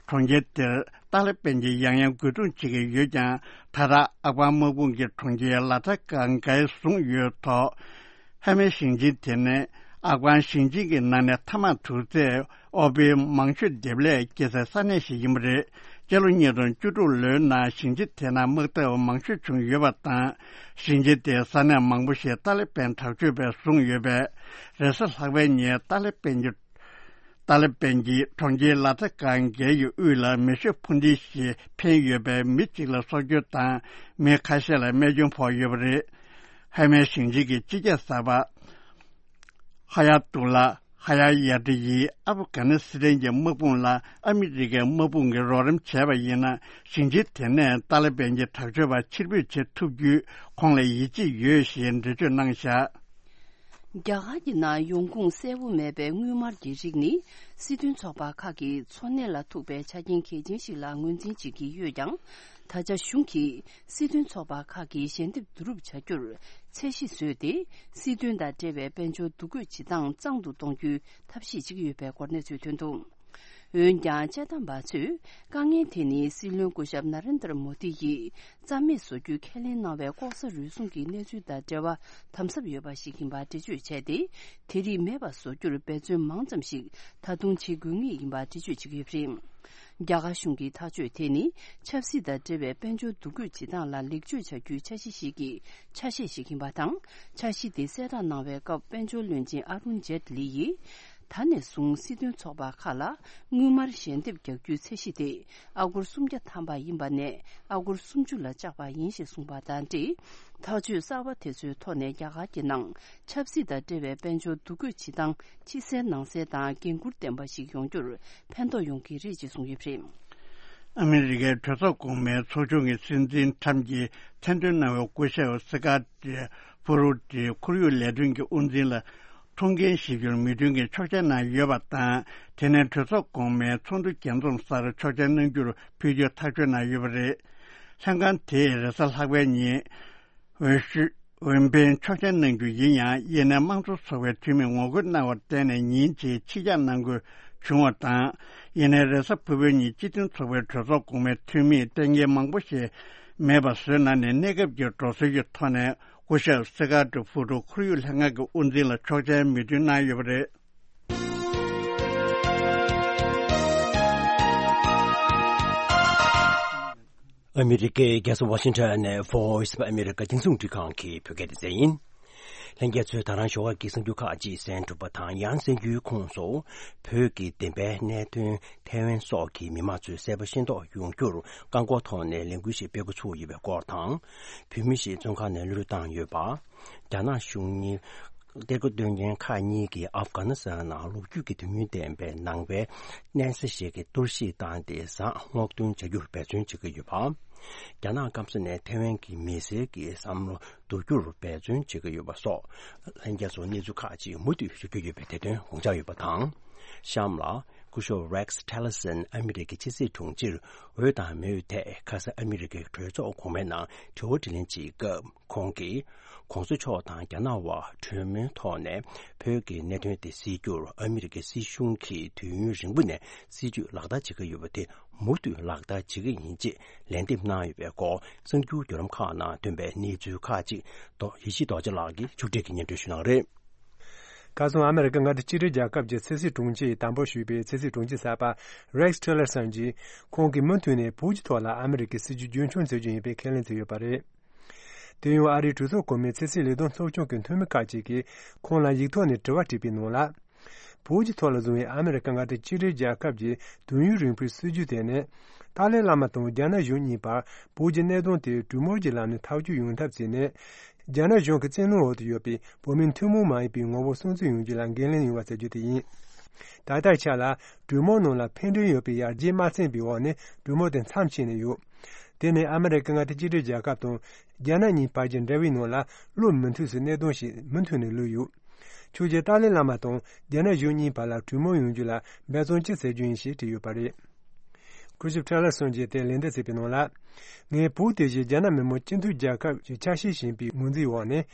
གྲོང་ཁྱེར་དེར་ཏཱ་ལི་པན་གྱིས་ཡང་ཡང་རྒོལ་རྡུང་བྱེད་ཀྱི་ཡོད་ཀྱང་། ད་ལྟ་ཨབ་གྷན་དམག་དཔུང་གིས་གྲོང་ཁྱེར་ལ་ཏཱ་ཀར་གྷའི་བཟུང་ཡོད་ཐོག་ཧེ་མའི་ཞིང་ཆེན་དེ་ནི་ཨབ་གྷན་ཞིང་ཆེན་གྱི་ནང་ནས་ཐ་མག་དུར་རྫས་ཨོ་པི་མང་ཤོས་འདེབས་ལས་སྐྱེ་སའི་ས་གནས་ཤིག་ཡིན་པ་རེད། སྤྱི་ལོ་ཉིས་སྟོང་བཅུ་དྲུག་ལོའི་ནང་ཞིང་ཆེན་དེ་ནང་དམག་འཐབ་མང་ཤོས་བྱུང་ཡོད་པ་དང་། ཞིང་ཆེན་དེའི་ས་གནས་མང་པོ་ཞིག་ཏཱ་ལི་པན་དྲག་སྤྱོད་པས་བཟུང་ཡོད་པས། རེས་གཟའ་ལྷག་པའི་ཉིན་ཏཱ་ལི་པན་གྱི་ཏཱ་ལི་པན་གྱིས་གྲོང་ཁྱེར་ལ་ཏཱ་ཀར་གྷའི་དབུས་ལ་མེ་ཤོད་འཕུར་མདེལ་ཞིག་འཕེན་ཡོད་པས། མི་གཅིག་ལ་སྲོག་སྐྱོན་དང་མི་ཁ་ཤས་ལ་རྨས་སྐྱོན་ཕོག་ཡོད་པ་རེད། ཧེ་མའི་ཞིང་ཆེན་གྱི་སྤྱི་ཁྱབ་གསར་པ་ཧ་ཡ་ཏུ་ལ་ཧ་ཡ་ཡ་ཏི་ཡིས་ཨབ་གྷ་ནི་སི་ཐན་གྱི་དམག་དཔུང་ལ་ཨ་མི་རི་ཀའི་དམག་དཔུང་གིས་རོགས་རམ་བྱས་པ་ཡིན་ན། ཞིང་ཆེན་དེ་ནས་ཏཱ་ལི་པན་གྱི་དྲག་སྤྱོད་པ་ཕྱིར་འབུད་བྱེད་ཐུབ་རྒྱུའི་ཁོང་ལ་ཡིད་ཆེས་ཡོད་ཞེས་འགྲེལ་བརྗོད་གནང་བཞག་རྒྱ་གར་གྱི་ནང་ཡོང་ཁུངས་གསལ་པོ་མེད་པའི་དངུལ་སྨར་གྱི་རིགས་ནི། སྲིད་དོན་ཚོགས་པ་ཁག་གི་འཚོ་གནས་ལ་ཐུག་པའི་ཆ་རྐྱེན་གལ་ཆེན་ཞིག་ལ་ངོས་འཛིན་བྱེད་ཀྱི་ཡོད་ཀྱང་། ད་ཆ་གཞུང་གིས་སྲིད་དོན་ཚོགས་པ་ཁག་གི་ཞལ་འདེབས་བསྡུ་རུབ་བྱ་རྒྱུར་ཚད་གཞི་བཟོས་ཏེ། སྲིད་དོན་དང་འབྲེལ་བའི་དཔལ་འབྱོར་འདུ་འགོད་བྱེད་སྟངས་གཙང་དུ་གཏོང་རྒྱུའི་ཐབས་ཤེས་བྱེད་ཀྱི་ཡོད་པའི་སྐོར་གནས་ཚུལ་ཐོན་འདུག་འོན་ཀྱང་། དཔྱད་གཏམ་པ་ཚོས་དཀའ་ངལ་དེ་ནི་སྲིད་བློན་སྐུ་ཞབས་ན་རེན་དར་མོ་དི་ཡིས་རྩ་མེད་བཟོ་རྒྱུའི་ཁས་ལེན་གནང་བའི་ལྐོག་ཟ་རུལ་སུངས་ཀྱི་གནས་ཚུལ་དང་འབྲེལ་བ་དམ་ཟབ་ཡོད་པ་ཞིག་ཡིན་པར་འགྲེལ་བརྗོད་བྱས་ཏེ། དེ་རིགས་མེད་པ་བཟོ་རྒྱུར་འབད་བརྩོན་མང་ཙམ་ཞིག་ད་དུང་བྱེད་དགོས་ངེས་ཡིན་པར་འགྲེལ་བརྗོད་བྱེད་ཀྱི་ཡོད་པ་རེད། རྒྱ་གར་གཞུང་གི་ཐག་གཅོད་དེ་ནི་ཆབ་སྲིད་དང་འབྲེལ་བའི་དཔལ་འབྱོར་འདུ་འགོད་བྱེད་སྟངས་ལ་ལེགས་བཅོས་བྱ་རྒྱུའི་འཆར་གཞི་ཞིག་གི་ཆ་ཤས་ཤིག་ཡིན་པ་དང་། འཆར་གཞི་དེ་གསལ་བསྒྲགས་གནང་བའི་སྐབས་དཔལ་འབྱོར་བློན་ཆེན་ཨ་རུན་ཇེ་ཏི་ལི་ཡིས། ད་ནས་བཟུང་སྲིད་དོན་ཚོགས་པ་ཁག་ལ་དངུལ་སྨར་ཞལ་འདེབས་རྒྱག་རྒྱུའི་ཚད་གཞི་དེ་ཨ་སྒོར་སུམ་བརྒྱ་ཐམ་པ་ཡིན་པ་ནས་ཨ་སྒོར་སུམ་ཅུ་ལ་བཅག་པ་ཡིན་ཞེས་གསུངས་པ་དང་འབྲེལ། ཐག་གཅོད་གསར་པ་དེ་ཚོའི་ཐོག་ནས་རྒྱ་གར་གྱི་ནང་ཆབ་སྲིད་དང་འབྲེལ་བའི་དཔལ་འབྱོར་འདུ་འགོད་བྱེད་སྟངས་ཕྱི་གསལ་ནང་གསལ་དང་འགན་འཁུར་ལྡན་པ་ཞིག་ཡོང་རྒྱུར་ཕན་ཐོགས་ཡོང་གི་རེད་ཅེས་གསུངས་ཡོད་པ་རེད། ཨ་མི་རི་ཀའི་གྲོས་ཚོགས་གོང་མའི་ཚོགས་ཆུང་གི་སྲིད་འཛིན་ཁྲམ་གྱིས་མཚན་འདོན་གནང་བའི་སྐུ་ཞབས་སི་ཀ་ཏི་ཕུ་རུ་ཏི་ཁོར་ཡུག་ལས་དོན་གྱི་དབུ་འཛིན་ལ་ཐོངས་མཁན་ཞིབ་སྐྱོར་མོས་མཐུན་གྱི་ཆོག་མཆན་གནང་ཡོད་པ་དང་། དེ་ནས་གྲོས་ཚོགས་གོང་མའི་ཚོགས་འདུ་རྒྱས་འཛོམས་སར་ཆོག་མཆན་གནང་རྒྱུར་ཕུལ་རྒྱུའི་ཐག་གཅོད་གནང་ཡོད་པ་རེད། ལྷན་ཁང་དེས་རེས་གཟའ་ལྷག་པའི་ཉིན། འོས་ཤོག་འོས་འཕེན་ཆོག་མཆན་གནང་རྒྱུ་ཡིན་ཡང་། ཡིན་ནའི་དམངས་གཙོ་ཚོགས་པའི་འཐུས་མིས་ངོ་རྒོལ་གནང་བར་བརྟེན་ནས་ཉིན་གཅིག་ཕྱི་གྱར་གནང་དགོས་བྱུང་བ་དང་། ཡིན་ནའི་རེས་གཟའ་ཕུར་བུའི་ཉིན་སྤྱི་མཐུན་ཚོགས་པའི་གྲོས་ཚོགས་གོང་མའི་འཐུས་མིས་གཏན་འཁེལ་མང་པོ་ཞིག་མེད་པ་བཟོས་གནང་ནས། གནས་སྐབས་ཀྱི་འགྲོ་སྲོལ་གྱི་ཐོག་ནས་སྐུ་ཞབས་སི་ཀ་ཏི་ཕུ་ཏུ་ཁོར་ཡུག་ལྷན་ཁང་གི་དབུ་འཛིན་ལ་ཆོག་མཆན་མོས་མཐུན་གནང་ཡོད་པ་རེད། ཨ་མི་རི་ཀའི་རྒྱལ་ས་ཝ་ཤིང་ཊོན་ནས་Voice of America་རྒྱང་སྲིང་རླུང་འཕྲིན་ཁང་གི་བོད་སྐད་སྡེ་ཚན་ཡིན། ལྷན་རྒྱས་ཚོས་ད་རང་ཞོགས་ཀ་གི་གསར་འགྱུར་ཁག་ཅིག་གསན་གྲུབ་པ་དང་། ཡང་གསར་འགྱུར་ཁོངས་སུ་བོད་ཀྱི་བདེན་པའི་གནད་དོན་ཐའེ་ཝན་སོགས་ཀྱི་མི་མང་ཚོས་གསལ་པོ་ཤེས་རྟོགས་ཡོང་རྒྱུར་བཀག་འགོག་ཐོག་ནས་ལས་འགུལ་ཞིག་སྤེལ་འགོ་ཚུགས་ཡོད་པའི་སྐོར་དང་། བོད་མི་ཞིག་བཙོན་ཁང་ནས་གློད་གྲོལ་བཏང་ཡོད་པ། རྒྱ་ནག་གཞུང་གཉིས། གཏེར་སྒོ་འདོན་མཁན་ཁག་གཉིས་ཀྱིས་ཨབ་གྷ་ནི་སི་ཐན་ནང་ལོ་རྒྱུས་ཀྱི་དུས་ཡུན་ལྡན་པའི་ནང་པའི་གནས་ས་ཞིག་གི་གཏོར་བཤིག་བཏང་སྟེ་ཟངས་སྔོག་འདོན་བྱ་རྒྱུར་འབད་བརྩོན་བྱེད་ཀྱི་ཡོད་པ། རྒྱ་ནག་སྐམ་ས་ནས་ཐའེ་ཝན་གྱི་མི་སེར་གྱི་བསམ་བློ་བསྡུ་རྒྱུར་འབད་བརྩོན་བྱེད་ཀྱི་ཡོད་པ་སོགས། ལྷན་རྒྱས་ཚོར་གནས་ཚུལ་ཁག་ཅིག་མུ་མཐུད་ཞུ་རྒྱུ་ཡོད་པའི་དེ་དོན་དགོངས་འཇགས་ཡོད་པ་དང་། གཤམ་ལ། སྐུ་ཞབས་Rex Tillerson་ཨ་མི་རི་ཀའི་ཕྱི་སྲིད་དྲུང་ཆེར་འོས་དང་མི་འོས་ཐད་ཁ་སང་ཨ་མི་རི་ཀའི་གྲོས་ཚོགས་གོང་མའི་ནང་དྲི་བ་དྲིས་ལན་བྱེད་སྐབས། ཁོང་གིས། གོང་ས་མཆོག་དང་རྒྱ་ནག་དབར་གྲོས་མོལ་ཐོག་ནས་བོད་ཀྱི་གནད་དོན་དེ་སེལ་རྒྱུར་ཨ་མི་རི་ཀའི་སྲིད་གཞུང་གིས་དུས་ཡུན་རིང་པོ་ནས་སྲིད་ཇུས་ལག་བསྟར་བྱེད་ཀྱི་ཡོད་པ་དེ་མུ་མཐུད་ལག་བསྟར་བྱེད་ཀྱི་ཡིན་ཅེས་ལན་འདེབས་གནང་ཡོད་པའི་སྐོར། གསར་འགྱུར་བརྒྱུད་ལམ་ཁག་ནང་ཐོན་པའི་གནས་ཚུལ་ཁག་ཅིག་རྡོ་ཡེ་ཤེས་རྡོ་རྗེ་ལགས་ཀྱིས་ཕྱོགས་སྒྲིག་གིས་སྙན་སྒྲོན་ཞུ་གནང་བ་རེད། ཁ་སང་ཨ་མི་རི་ཀ་མངའ་སྡེ་གཅིག་སྒྲིལ་རྒྱལ་ཁབ་ཀྱི་ཕྱི་སྲིད་དྲུང་ཆེ་ཡིས་དམ་པོ་ཞུས་པའི་ཕྱི་སྲིད་དྲུང་ཆེ་གསར་པ་Rex Tillerson་གྱིས། ཁོང་གིས་མུ་མཐུད་ནས་བོད་ཀྱི་ཐོག་ལ་ཨ་མི་རི་ཀའི་སྲིད་ཇུས་རྒྱུན་འཁྱོངས་བྱེད་རྒྱུ་ཡིན་པའི་ཁས་ལེན་བྱས་ཡོད་པ་རེད། དེ་ཡང་ཨ་རིའི་གྲོས་ཚོགས་གོང་མའི་ཕྱི་སྲིད་ལས་དོན་ཚོགས་ཆུང་གི་འཐུས་མི་ཁག་ཅིག་གིས་ཁོང་ལ་ཡིག་ཐོག་ནས་དྲི་བ་དྲིས་པའི་ནང་ལ། བོད་ཀྱི་ཐོག་ལ་བཟུང་བའི་ཨ་མི་རི་ཀ་མངའ་སྡེ་གཅིག་སྒྲིལ་རྒྱལ་ཁབ་ཀྱི་དུས་ཡུན་རིང་པོའི་སྲིད་ཇུས་དེ་ནི། ཏཱ་ལའི་བླ་མ་དང་རྒྱ་ནག་གཞུང་གཉིས་བར་བོད་ཀྱི་གནད་དོན་དེ་གྲོས་མོལ་གྱི་ལམ་ནས་ཐག་གཅོད་ཡོང་ཐབས་བྱས་ནས། རྒྱ་ནག་གཞུང་གི་བཙན་གནོན་འོག་ཏུ་ཡོད་པའི་བོད་མི་ཐུན་མོང་མ་ཡིན་པའི་ངོ་བོ་སྲུང་བརྩི་ཡོང་རྒྱུ་ལ་འགན་ལེན་ཡོང་བ་ཟེར་རྒྱུ་དེ་ཡིན། ད་ལྟའི་ཆ་ལ་གྲོས་མོལ་ནང་ལ་ཕན་འབྲས་ཡོད་པའི་ཡར་རྒྱས་མ་ཕྱིན་པའི་འོག་ནས་གྲོས་མོལ་དེ་མཚམས་ཆད་ནས་ཡོད། དེ་ནི་ཨ་མི་རི་ཀ་མངའ་སྡེ་གཅིག་སྒྲིལ་རྒྱལ་ཁབ་དང་རྒྱ་ནག་གཉིས་བར་གྱི་འབྲེལ་བའི་ནང་ལ་བློ་མི་མཐུན་སའི་གནད་དོན་ཞིག་མུ་མཐུད་ནས་ལུས་ཡོད། ཁྱོད་ཀྱིས་ཏཱ་ལའི་བླ་མ་དང་རྒྱ་ནག་གཞུང་གཉིས་བར་ལ་གྲོས་མོལ་ཡོང་རྒྱུ་ལ་འབད་བརྩོན་ཅི་བྱེད་རྒྱུ་ཡིན་ཞེས་དྲིས་ཡོད་པ་རེད། སྐུ་ཞབས་ཁྲེ་ལར་སོན་རྗེས་དེ་ལན་འདེབས་བྱས་པའི་ནང་ལ། ངས་བོད་དེ་བཞིན་རྒྱ་ནག་མི་དམངས་སྤྱི་མཐུན་རྒྱལ་ཁབ་ཀྱི་ཆ་ཤས་ཤིག་ཡིན་པའི་ངོས་འཛིན་འོག་ནས།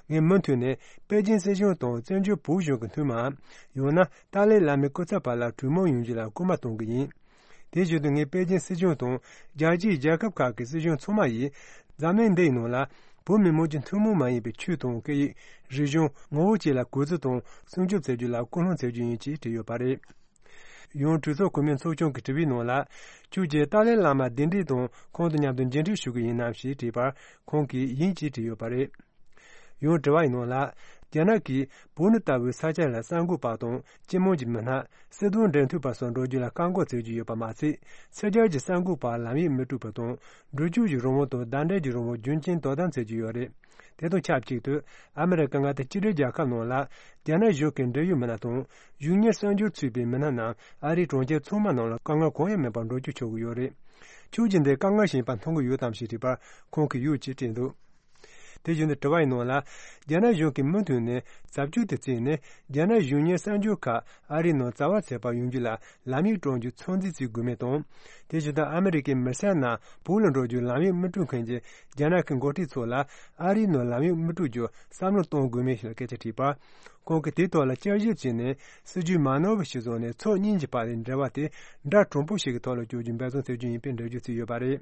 ངས་མུ་མཐུད་ནས་པེ་ཅིན་སྲིད་གཞུང་དང་བཙན་བྱོལ་བོད་གཞུང་གི་མཐུན་མའམ། ཡང་ན་ཏཱ་ལའི་བླ་མའི་སྐུ་ཚབ་བར་ལ་གྲོས་མོལ་ཡོང་རྒྱུ་ལ་སྐུལ་མ་གཏོང་གི་ཡིན། དེ་བཞིན་དུ་ངས་པེ་ཅིན་སྲིད་གཞུང་དང་རྒྱལ་སྤྱིའི་རྒྱལ་ཁབ་ཁག་གི་སྲིད་གཞུང་ཚང་མ་ཡིས་འཛམ་གླིང་འདིའི་ནང་ལ་བོད་མི་མང་གི་ཐུན་མོང་མ་ཡིན་པའི་ཆོས་དང་སྐད་ཡིག་རིག་གཞུང་ངོ་བོ་བཅས་ལ་གུས་བརྩི་དང་སྲུང་སྐྱོབ་བྱ་རྒྱུ་ལ་སྐུལ་སློང་བྱ་རྒྱུ་ཡིན་ཅེས་བྲིས་ཡོད་པ་རེད། ཡང་གྲོས་ཚོགས་གོང་མའི་ཚོགས་ཆུང་གི་དྲི་བའི་ནང་ལ། ཁྱོད་ཀྱིས་ཏཱ་ལའི་བླ་མ་གདན་འདྲེན་དང་ཁོང་དང་མཉམ་དུ་མཇལ་འཕྲད་ཞུ་གི་ཡིན་ནམ་ཞེས་དྲིས་པར། ཁོང་གིས་ཡིན་ཅེས་བྲིས་ཡོད་པ་རེད། ཡང་དྲི་བ་ཡི་ནང་ལ། རྒྱ་ནག་གིས་བོད་ནི་ལྟ་བུའི་ས་ཆ་ལ་གསར་འགོད་པ་དང་སྤྱི་དམངས་ཀྱི་མི་སྣ། སྲིད་དོན་འབྲེལ་མཐུད་པ་སོགས་འགྲོ་རྒྱུ་ལ་བཀག་འགོག་བྱེད་ཀྱི་ཡོད་པ་མ་ཚད། ཕྱི་རྒྱལ་གྱི་གསར་འགོད་པར་ལམ་ཡིག་མི་སྤྲོད་པ་དང་། འགྲུལ་སྐྱོད་ཀྱི་རང་དབང་དང་བརྡ་འཕྲིན་གྱི་རང་དབང་རྒྱུན་རྐྱེན་དོ་དམ་བྱེད་ཀྱི་ཡོད་རེད། དེ་དང་ཆབས་ཅིག་ཏུ། ཨ་མི་རི་ཀ་མངའ་སྡེ་གཅིག་སྒྲིལ་རྒྱལ་ཁབ་ནང་ལ། རྒྱ་ནག་གཞུང་གི་འབྲེལ་ཡོད་མི་སྣ་དང་། གཞུང་གཉེར་གསར་འགྱུར་ཚུད་པའི་མི་སྣ་རྣམས་ཨ་རིའི་གྲོང་ཁྱེར་ཚང་མ་ནང་ལ་དཀའ་ངལ་གང་ཡང་མེད་པར་འགྲོ་སྐྱོད་ཆོག་གི་ཡོད་རེད། ཁྱོད་ཀྱིས་འདི་དཀའ་ངལ་ཞིག་ཡིན་པ་མཐོང་གི་ཡོད་དམ་ཞེས་དྲིས་པར། ཁོང་གིས་ཡོད་ཅེས་བྲིས་འདུག་དེ་བཞིན་དུ་དྲི་བ་ཡི་ནང་ལ། རྒྱ་ནག་གཞུང་གིས་མུ་མཐུད་ནས་བྱ་སྤྱོད་དེ་བརྩིས་ནས། རྒྱ་ནག་གཞུང་གཉེར་གསར་འགྱུར་ཁག་ཨ་རིའི་ནང་རྩ་བ་ཚད་པར་ཡོང་རྒྱུ་ལ་ལམ་ཡིག་སྤྲོད་རྒྱུ་ཚོད་འཛིན་བྱེད་དགོས་མིན་དང་། དེ་བཞིན་དུ་ཨ་མི་རི་ཀའི་མི་སེར་རྣམས་བོད་ལ་འགྲོ་རྒྱུའི་ལམ་ཡིག་མི་སྤྲོད་མཁན་གྱི་རྒྱ་ནག་གི་འགོ་ཁྲིད་ཚོ་ལ་ཨ་རིའི་ནང་ལམ་ཡིག་མི་སྤྲོད་རྒྱུ་བསམ་བློ་གཏོང་དགོས་མིན་ཞེས་སྐད་ཆ་དྲིས་པར། ཁོང་གིས་དེའི་ཐོག་ལ་བསྐྱར་ཞིབ་བྱས་ནས་སྲིད་ཇུས་མ་ནོར་བ་ཞིག་བཟུང་ནས་ཕྱོགས་གཉིས་ཀྱི་བར་ལ་འབྲེལ་བ་དེ་འདྲ་དྲང་པོ་ཞིག་གི་ཐོག་ལ་བསྐྱོད་རྒྱུ་འབད་བརྩོན་བྱེད་རྒྱུ་ཡིན་པའི་འགྲེལ་བརྗོད་བྱས་ཡོད་པ་རེད།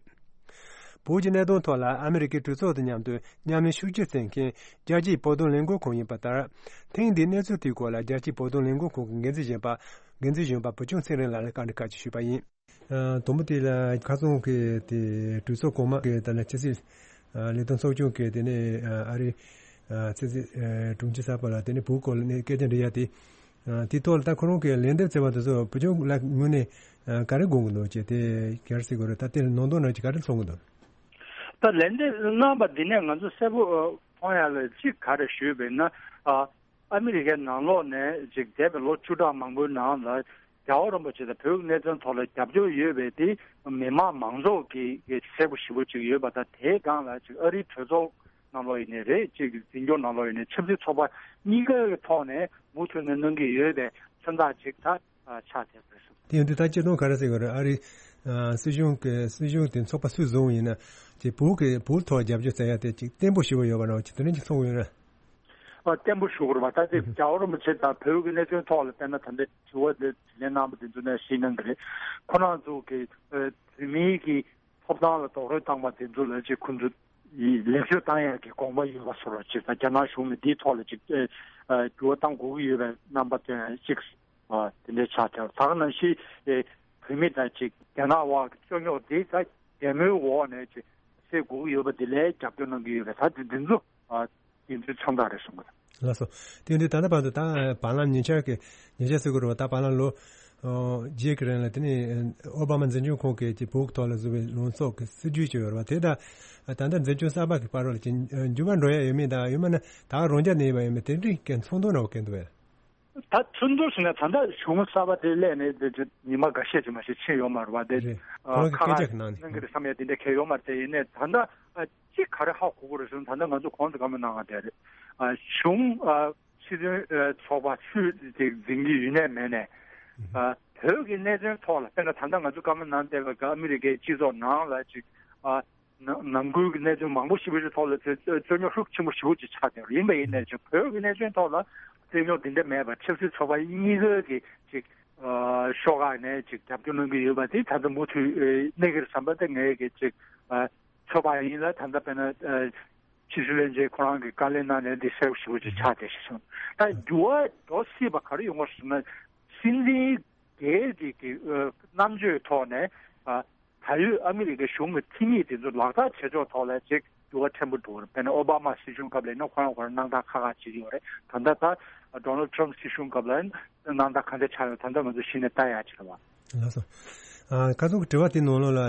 བོད་ཀྱི་གནད་དོན་ཐོག་ལ་ཨ་མི་རི་ཀའི་གྲོས་ཚོགས་དང་མཉམ་དུ་མཉམ་ལས་ཤུགས་ཆེ་བྱེད་མཁན་རྒྱལ་སྤྱིའི་བོད་དོན་ལས་འགུལ་ཁང་ཡིན་པ་ལྟར། ཐེངས་འདིའི་གནས་ཚུལ་དེའི་སྐོར་ལ་རྒྱལ་སྤྱིའི་བོད་དོན་ལས་འགུལ་ཁང་གི་འགན་འཛིན་གཞོན་པ། འགན་འཛིན་གཞོན་པ་བུ་ཆུང་ཚེ་རིང་ལགས་ལ་བཀའ་འདྲི་ཁག་ཅིག་ཞུས་པ་ཡིན། ཨ། དང་པོ་དེ་ལ་ཁ་སང་གི་དེ་གྲོས་ཚོགས་གོང་མ་གི་ད་ལ་ཕྱི་སྲིད་ཨ་ལས་དོན་ཚོགས་ཆུང་གི་དེ་ནས་ཨ་ཨ་རི་ཨ་ཕྱི་སྲིད་ཨ་དྲུང་ཆེ་གསར་པ་ལ་དེ་ནས་བོད་སྐོར་ལ་ནས་སྐད་ཆ་འདྲི་ཡ་དེ། ཨ་དེའི་ཐོག་ལ་ད་ཁོ་རང་གི་ལན་འདེབས་བྱས་པ་དེ་ཚོ་བུ་ཆུང་ལགས་ངོས་ནས་ཨ་ག་རེ་དགོངས་ཀྱི་འདུག་ཅེས་དེ་ག་རེ་ཟེར་དགོས་རེད། ད་དེ་ནང་དོན་ནང་ཅིག་ག་རེ་མཐོང་གི་འདུག་ད་ལན་འདེབས་གནང་པ་འདི་ནས་ང་ཚོ་གསལ་པོ་མཐོང་ཡ་ལ་གཅིག་ག་རེ་ཞུས་པས་ན། ཨ་ཨ་མི་རི་ཀའི་ནང་ལོགས་ནས་ཅིག་འདས་པའི་ལོ་བཅུ་ཕྲག་མང་པོའི་ནང་ལ་རྒྱལ་བ་རིན་པོ་ཆེ་དང་བོད་ཀྱི་གནད་དོན་ཐོག་ལ་རྒྱབ་སྐྱོར་ཡོད་པའི་དེ་མི་མང་མང་ཚོགས་ཀྱི་གསལ་པོ་ཞེ་པོ་ཅིག་ཡོད་པ་དང་། དེའི་སྒང་ལ་ཅིག་ཨ་རིའི་གྲོས་ཚོགས་ནང་ལོགས་ཡིན་ནའི་རེད། ཅིག་འཛིན་སྐྱོང་ནང་ལོགས་ཡིན་ནའི་ཆབ་སྲིད་ཚོགས་པ་གཉིས་ཀའི་ཐོག་ནས་མུ་མཐུད་ནས་གནང་གི་ཡོད་པའི་མཚོན་རྟགས་ཅིག་ད་ཆགས་བསྡད་པ་རེད་གསུངས། དེ་ཡིན་དུས་ད་སྤྱིར་བཏང་ག་རེ་ཟེར་དགོས་རེད། ཨ་རིའི་ཨ་སྲིད་གཞུང་གི་སྲིད་གཞུང་དེ་ཚོགས་པ་སུས་བཟུང་ཡིན་ན་ཅིག་བོད་ཀྱི་བོད་ཐོག་རྒྱབ་སྐྱོར་བྱ་ཡ་དེ་ཅིག་བརྟན་པོ་ཞེ་པོ་ཡོད་པ་འདྲ་བ་ཅིག་དེ་འདྲ་ཅིག་མཐོང་གི་ཡོད་རེད། ཨ་བརྟན་པོ་ཞུ་དགོས་རེད་པ། ད་ཅིག་རྒྱལ་བ་རིན་པོ་ཆེ་དང་བོད་ཀྱི་གནད་དོན་ཐོག་ལ་དཔེར་ན་ད་ལྟ་དྲི་བ་དེ་དྲིས་ལན་གནང་བ་དེ་ཚོ་ནས་ཤེས་གནང་གི་རེད། ཁོ་རང་ཚོ་གི་ཨ་བོད་མིའི་གི་ཐོབ་ཐང་ལ་རྡོག་རོལ་བཏང་བ་དེ་ཚོ་ལ་ཅིག་ཁོ་ཚོ་ཡིས་ལེགས་བཅོས་བཏང་ཡག་གི་དགོངས་པ་ཡོད་པ་བཟོ་འདྲ་ཅིག་དང་། རྒྱ་ནག་གཞུང་ལ་འདིའི་ཐོག་ལ་ཅིག་ཨ་ཨ་འགྱུར་བ་གཏང་དགོས་ཀྱི་ཡོད་པའི་རྣམ་པ་སྟོན་ཡག་ཅིག་ཨ་དེ་འདྲའི་ཆགས་བསྡད། ད་ག་ནང་བཞིན་ཨེ་བོད་མི་དང་ཅིག་རྒྱ་ནག་དབར་གྱི་རྩོད་རྙོག་འདི་ད་རྒྱལ་མོའི་འོག་ནས་ཅིག་སེལ་དགོས་ཀྱི་ཡོད་པ་འདི་ལ་རྒྱབ་སྐྱོར་གནང་གི་ཡོད་པས། ད་དེ་འདི་ཚོ་ཨ་དེ་ཚོའི་མཚོན་རྟགས་རེད་གསུང་གི་འདུག་ལགས་སོ། དེ་ཡིན་དུས་ད་ལྟ་བར་དུ་ད་བར་ལམ་ཉེ་ཆར་གྱི་ཉེ་ཆར་ཟེར་དགོས་རེད་པ། ད་བར་ལམ་ལོ་ཨོ་བརྒྱད་ཀྱི་རིང་ལ་དེ་ནས་ཨོ་བྷ་མ་འཛིན་སྐྱོང་ཁང་གིས་ཀྱི་བོད་ཐོག་ལ་བཟོ་བའི་ལངས་ཕྱོགས་ཀྱི་སྲིད་ཇུས་ཅིག་ཡོད་རེད་པ། དེ་ད་ད་ལྟ་འཛིན་སྐྱོང་གསར་པ་གི་བར་ལ་ཀྱི་འགྱུར་བ་འགྲོ་ཡ་ཡོད་མེད་དང་། ཡང་མིན་ན་ད་ག་རང་འཇགས་གནས་ཡོད་པ་ཡིན་མིན་དེ་འདྲའི་གི་ཚོར་སྣང་འདྲ་བོ་གང་འདུག་བས། ད་ཚོར་སྣང་ཟེར་ན་ད་ལྟ་གཞུང་གསར་པ་དེ་སླེབས་ནས་དེ་ཚོ་ཉི་མ་འགའ་ཤས་ཅིག་མ་ཞིག་ཕྱིན་ཡོད་མ་རེད་པ། དེ་རེད། ཨ་ཁོ་རང་གི་ཁ་སྐད་ཆ་ཁག་གི་ནང་ནས་གནང་གི་རེད་བསམ་ཡ་དེ་འདྲ་གང་ཡང་ཡོད་མ་རེད། དེ་ཡིན་ནའི་ད་ལྟ་ཨ་གཅིག་ག་རེ་ཧ་གོ་གི་རེད་ཟེར་ན། ད་ལྟ་ང་ཚོ་གོང་དུ་བཀའ་མོལ་གནང་བ་དེ་རེད། ཨ་གཞུང་ཨ་སྲིད་དོན་ཨ་ཚོགས་པ་སུས་དེ་འཛིན་གྱི་ཡོད་ནའི་མེད་ནའི། ཨ་བོད་ཀྱི་གནད་དོན་ཐོག་ལ་དཔེར་ན་ད་ལྟ་ང་ཚོ་བཀའ་མོལ་གནང་བསྡད་པ་ག་ཨ་མི་རི་ཀའི་སྤྱི་ཚོགས་ནང་ལ་ཅིག་ཨ་ནང་ནང་ཁུལ་གྱི་གནད་དོན་མང་པོ་ཞིག་པའི་ཐོག་ལ་རྩོད་རྩོད་རྩོད་རྙོག་ཤུགས་ཆེན་པོ་ཞེ་པོ་ཅིག་ཆགས་བསྡད་པ་ཡིན་པ་ཡིན་ནའི་ཅིག་བོད་ཀྱི་གནད་དོན་ཐོག་ལ་རྩོད་རྙོག་འདི་འདྲ་མེད་པར་ཆབ་སྲིད་ཚོགས་པ་གཉིས་ཀའི་གི་ཅིག་ཨ་ཤོག་ཁག་ནས་ཅིག་རྒྱབ་སྐྱོར་གནང་གི་ཡོད་པ་དེ་ད་ལྟ་མུ་མཐུད་ཨེ་གནས་ཀྱི་རེད་བསམ་པ་དེ་ངའི་གི་ཅིག་ཨ་ཚོད་དཔག་ཡིན་ལ། ད་ལྟ་དཔེར་ན་ཨ་ཕྱི་སྲིད་བློན་ཆེན་ཁོ་རང་གིས་བཀའ་ལན་གནང་ནས་འདི་གསལ་པོ་ཞེ་པོ་ཅིག་ཆགས་བསྡད་ཤག་གསུངས། ད་འགྱུར་བ་འགྲོ་སྲིད་པ་ག་རེ་ཡོང་གི་རེད་ཟེར་ན། སྲིད་འཛིན་སྒེར་གྱི་གི་ཨ་རྣམ་དཔྱོད་ཐོག་ནས་ཨ་ད་ཡོད་ཨ་མི་རི་ཀའི་གཞུང་གི་ཐེངས་གཉིས་དེ་ཚོ་ལག་བསྟར་བྱེད་ཕྱོགས་ཐོག་ལ་ཅིག་འགྱུར་བ་ཕྲན་བུ་འགྲོ་རེད། དཔེར་ན་ཨོ་བྷ་མ་སྲིད་གཞུང་སྐབས་ལ་ཡིན་ན་ཁོ་རང་ཁོ་རང་སྣང་དག་ཁག་ཁག་ཅིག་ཡོད་རེད། ད་ལྟ་ད་ཌོ་ནལ་ཊམ་སྲིད་གཞུང་སྐབས་ལ་སྣང་དག་ག་འདྲ་ཆགས་ཡོད་ད་ལྟ་ང་ཚོ་གཞི་ནས་ལྟ་ཡག་ཅིག་རེད་བ། ལགས་སོ། ཨ་ཁ་སང་གི་དྲི་བ་དེ་ནང་ལོགས་ལ་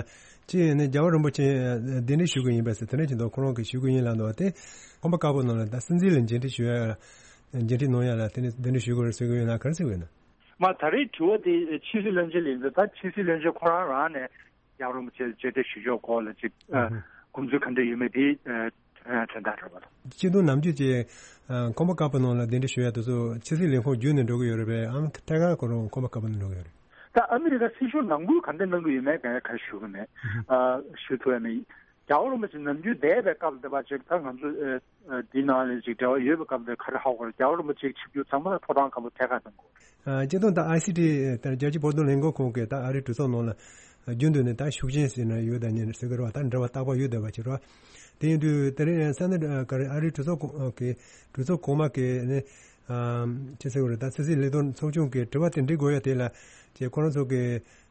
ཅི་ཡིན་ནའི་རྒྱལ་བ་རིན་པོ་ཆེ་གདན་འདྲེན་ཞུ་གི་ཡིན་པས་ཟེར་དེ་འདྲ་ཅིག་འདུག་ཁོ་རང་གིས་ཞུ་གི་ཡིན་ལབ་འདུག་དེ་ཁང་པ་དཀར་པོ་ནང་ལ་ད་སྲིད་འཛིན་ལ་མཇལ་འཕྲད་ཞུ་ཡ་མཇལ་འཕྲད་གནང་ཡ་ལ་དེ་ནས་གདན་འདྲེན་ཞུ་དགོས་རེད་ཟེར་གི་ཡོད་ན་ག་རེ་ཟེར་གི་ཡོད་ན། མ་ད་རེས་དྲི་བ་དེ་ཕྱི་སྲིད་བློན་ཆེན་ལ་ཡིན་ཙང་ད་ཕྱི་སྲིད་བློན་ཆེན་ཁོ་རང་རང་ནས་རྒྱལ་བ་རིན་པོ་ཆེ་ལ་མཇལ་འཕྲད་ཞུ་ཕྱོགས་སྐོར་ལ་ཅིག་ཨ་ཨུ་ཧུ། དགོངས་ཚུལ་ག་འདྲ་ཡོད་མེད་དེ་ཨ་དྲན་དྲན་བསྡད་རེད་པ། སྤྱི་དོན་ནམ་རྒྱུན་གྱི་ཨ་ཁང་པ་དཀར་པོ་ནང་ལ་གདན་འདྲེན་ཞུ་ཡ་དེ་ཚོ་ཕྱི་སྲིད་ལས་ཁུངས་བརྒྱུད་ནས་འགྲོ་གི་ཡོད་རེད་པས། ཨམ་ཐད་ཀར་ཁོ་རང་ཁང་པ་དཀར་པོ་ནས་འགྲོ་གི་ཡོད་རེད། ད་ཨ་མི་རི་ཀ་སྲིད་གཞུང་ནང་ཁུལ་ག་འདྲ་གནང་གི་ཡོད་མེད་ག་ཡ་ག་ཞུ་གི་མེད། ཨ་ཞུ་ཐུབ་ཡ་མེད། རྒྱལ་བ་རིན་པོ་ཆེ་ནམ་རྒྱུན་འདས་པའི་སྐབས་འདི་བ་ཅིག་ད་ང་ཚོ་ཨ་འདི་ནང་ལ་ཅིག་འབྲེལ་བ་ཡོད་པའི་སྐབས་འདི་ག་རེ་ཧ་གོ་རེད། རྒྱལ་བ་རིན་པོ་ཆེ་ཆིབས་བསྒྱུར་ཚང་མ་ལ་ཕོ་བྲང་སྒམ་པོ་ཐད་ཀར་གནང་དགོས་རེད། ཨ་སྤྱིར་བཏང་ད་ཨའི་སི་ཊི་ད་རྒྱལ་སྤྱིའི་བོད་དོན་ལས་འགུལ་ཁང་གིས་ད་ཨ་རིའི་གྲོས་ཚོགས་ནང་ལ་རྒྱུན་དུ་ནས་ད་ཤུགས་རྐྱེན་ཟེར་ན་ཡོད་ད་ཉན་ཟེར་གི་རེད་བ། ད་འབྲེལ་བ་བརྟག་པ་ཡོད་བསྡད་པ་ཅིག་རེད་བ། དེ་ཡིན་དུས་དེ་རིང་ས་གནས་ག་རེ་ཨ་རིའི་གྲོས་ཚོགས་གོང་གི་གྲོས་ཚོགས་གོང་མ་གི་ནི་ཨ་ཅི་ཟེར་གི་རེད། ད་ཕྱི་སྲིད་ལས་དོན་ཚོགས་ཆུང་གི་དྲི་བ་དེ་འདྲི་དགོས་ཡ་དེ་ལ་ཅེ་ཁོ་རང་ཚོ་གི་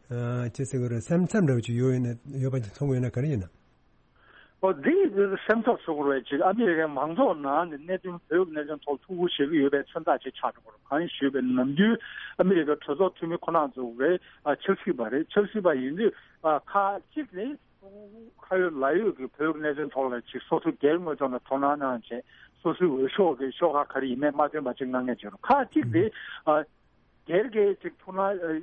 ཨ་ཅི་ཟེར་གི་རེད། སེམས་འཚབ་འདྲ་བོ་ཅིག་ཡོད་ཡོད་ན་ཡོད་པ་ཅིག་མཐོང་གི་ཡོད་ན་ག་རེ་ཡིན་ན། ཨོ་འདི་སེམས་འཚབ་བཟོ་དགོས་རེད། ཅིག་ཨ་མི་རི་ཀའི་མང་ཚོགས་ནང་ནས་གནད་དོན་བོད་ཀྱི་གནད་དོན་ཐོག་ཐུགས་ཁུར་བཞེས་ཀྱི་ཡོད་པའི་མཚོན་རྟགས་ཅིག་ཆགས་འགྲོ་གི་རེད། གང་ཞུས་པའི་ནམ་རྒྱུན་ཨ་མི་རི་ཀའི་གྲོས་ཚོགས་འཐུས་མི་ཁོ་རང་ཚོ་རེད། ཨ་ཆབ་སྲིད་པ་རེད། ཆབ་སྲིད་པ་ཡིན་དུས་ཨ་ཁག་ཅིག་ནི་ཁ་ཡོད་ལག་ཡོད་ཀྱི་བོད་ཀྱི་གནད་དོན་ཐོག་ལ་ཅིག་སོ་སོ་སྒེར་ངོས་ཕྱོགས་ནས་དོ་སྣང་གནང་བྱས། སོ་སོའི་འོས་ཤོག་གི་ཤོག་ཁག་ག་རེ་ཡིན་མིན་མ་སྟོན་པ་ཅིག་གནང་མཁན་ཅིག་རེད། ཁག་ཅིག་དེ་ཨ་སྒེར་གྱི་ཅིག་ཐུགས་སྣང་ཨ་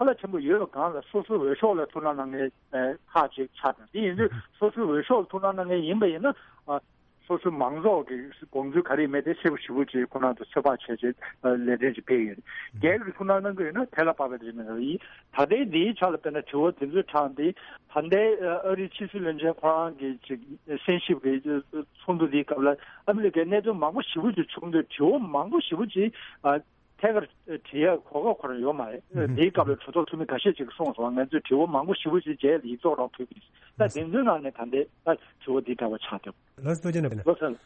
ཚ་ལ་ཆེན་པོ་ཡོད་པའི་སྒང་ལ་སོ་སོའི་འོས་ཤོག་ལ་ཐུགས་སྣང་གནང་མཁན་ཨ་ཁག་ཅིག་ཆགས་འདུག་དེ་ཡིན་དུས་སོ་སོའི་འོས་ཤོག་ལ་ཐུགས་སྣང་གནང་མཁན་ཡིན་པ་ཡིན་ན་ཨ་སོ་སོའི་མང་ཚོགས་ཀྱི་དགོངས་ཚུལ་ག་རེ་ཡིན་མིན་དེ་གསལ་པོ་ཞེ་པོ་ཅིག་ཁོ་རང་ཚོ་ཚོད་དཔག་བྱས་བྱས་ཨ་ལས་དོན་ཅིག་སྤེལ་ཡོད་རེད། སྒེར་གྱི་ཐུགས་སྣང་གནང་གི་ཡོད་ན་དེ་ལ་དཔག་པའི་རེ་མི་རེད། ཡིན་ད་ལྟའི་འདིའི་ཆ་ལ་དཔེར་ན་དྲི་བ་དེ་ཚོའི་གྲངས་དེ་ད་ལྟའི་ཨ་རིའི་ཕྱི་སྲིད་བློན་ཆེན་ཁོ་རང་གི་ཅིག་སེམས་ཤིབ་ཀྱི་ཚོགས་འདུ་འདིའི་སྐབས་ལ་ཨ་མི་རི་ཀའི་གནད་དོན་མང་པོ་ཞེ་པོ་ཅིག་བྱུང་དུས་དྲི་བ་མང་པོ་ཞེ་པོ་ཅིག་ཨ་ཐད་ཀར་དྲི་ཡག་གོ་སྐབས་ཁོ་རང་ཡོད་མ་རེད། དེའི་སྐབས་ལ་གྲོས་ཚོགས་འཐུས་མི་འགའ་ཤས་ཅིག་གིས་གསུངས་སོང་། ང་ཚོས་དྲི་བ་མང་པོ་ཞེ་པོ་ཅིག་མཇལ་ཡིག་ཚོགས་རང་ཕུལ་གྱི་རེད། ད་དེ་ཚོའི་ནང་ནས་ད་ལྟའི་ད་དྲི་བ་འདི་འདྲ་བ་ཆགས་འདུག་ལགས་སོ། ཐུགས་རྗེ་གནང་བ་ཡིན། ལགས་སོ།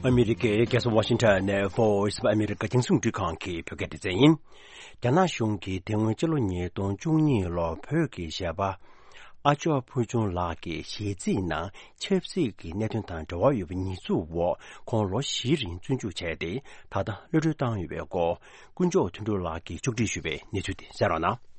ཨ་མི་རི་ཀའི་རྒྱལ་ས་ཝ་ཤིང་ཊོན་ནས་Voice of America་རྒྱང་སྲིང་རླུང་འཕྲིན་ཁང་གི་བོད་སྐད་སྡེ་ཚན་ཡིན། རྒྱ་ནག་གཞུང་གིས་དེ་སྔོན་སྤྱི་ལོ་ཉིས་སྟོང་བཅུ་གཉིས་ལོར་བོད་ཀྱི་གཞས་པ་ཨ་ཅོག་ཕུར་ཆུང་ལགས་ཀྱི་གཞས་ཚིག་ནང་ཆབ་སྲིད་ཀྱི་གནད་དོན་དང་འབྲེལ་བ་ཡོད་པའི་ཉེས་འཛུགས་འོག་ཁོང་ལོ་བཞིའི་རིང་བཙོན་འཇུག་བྱས་ཏེ་ད་ལྟ་གློད་གྲོལ་བཏང་ཡོད་པའི་སྐོར་དཀོན་མཆོག་དོན་གྲུབ་ལགས་ཀྱིས་ཕྱོགས་སྒྲིག་ཞུས་པའི་གནས་ཚུལ་དེ་གསན་རོགས་གནང་།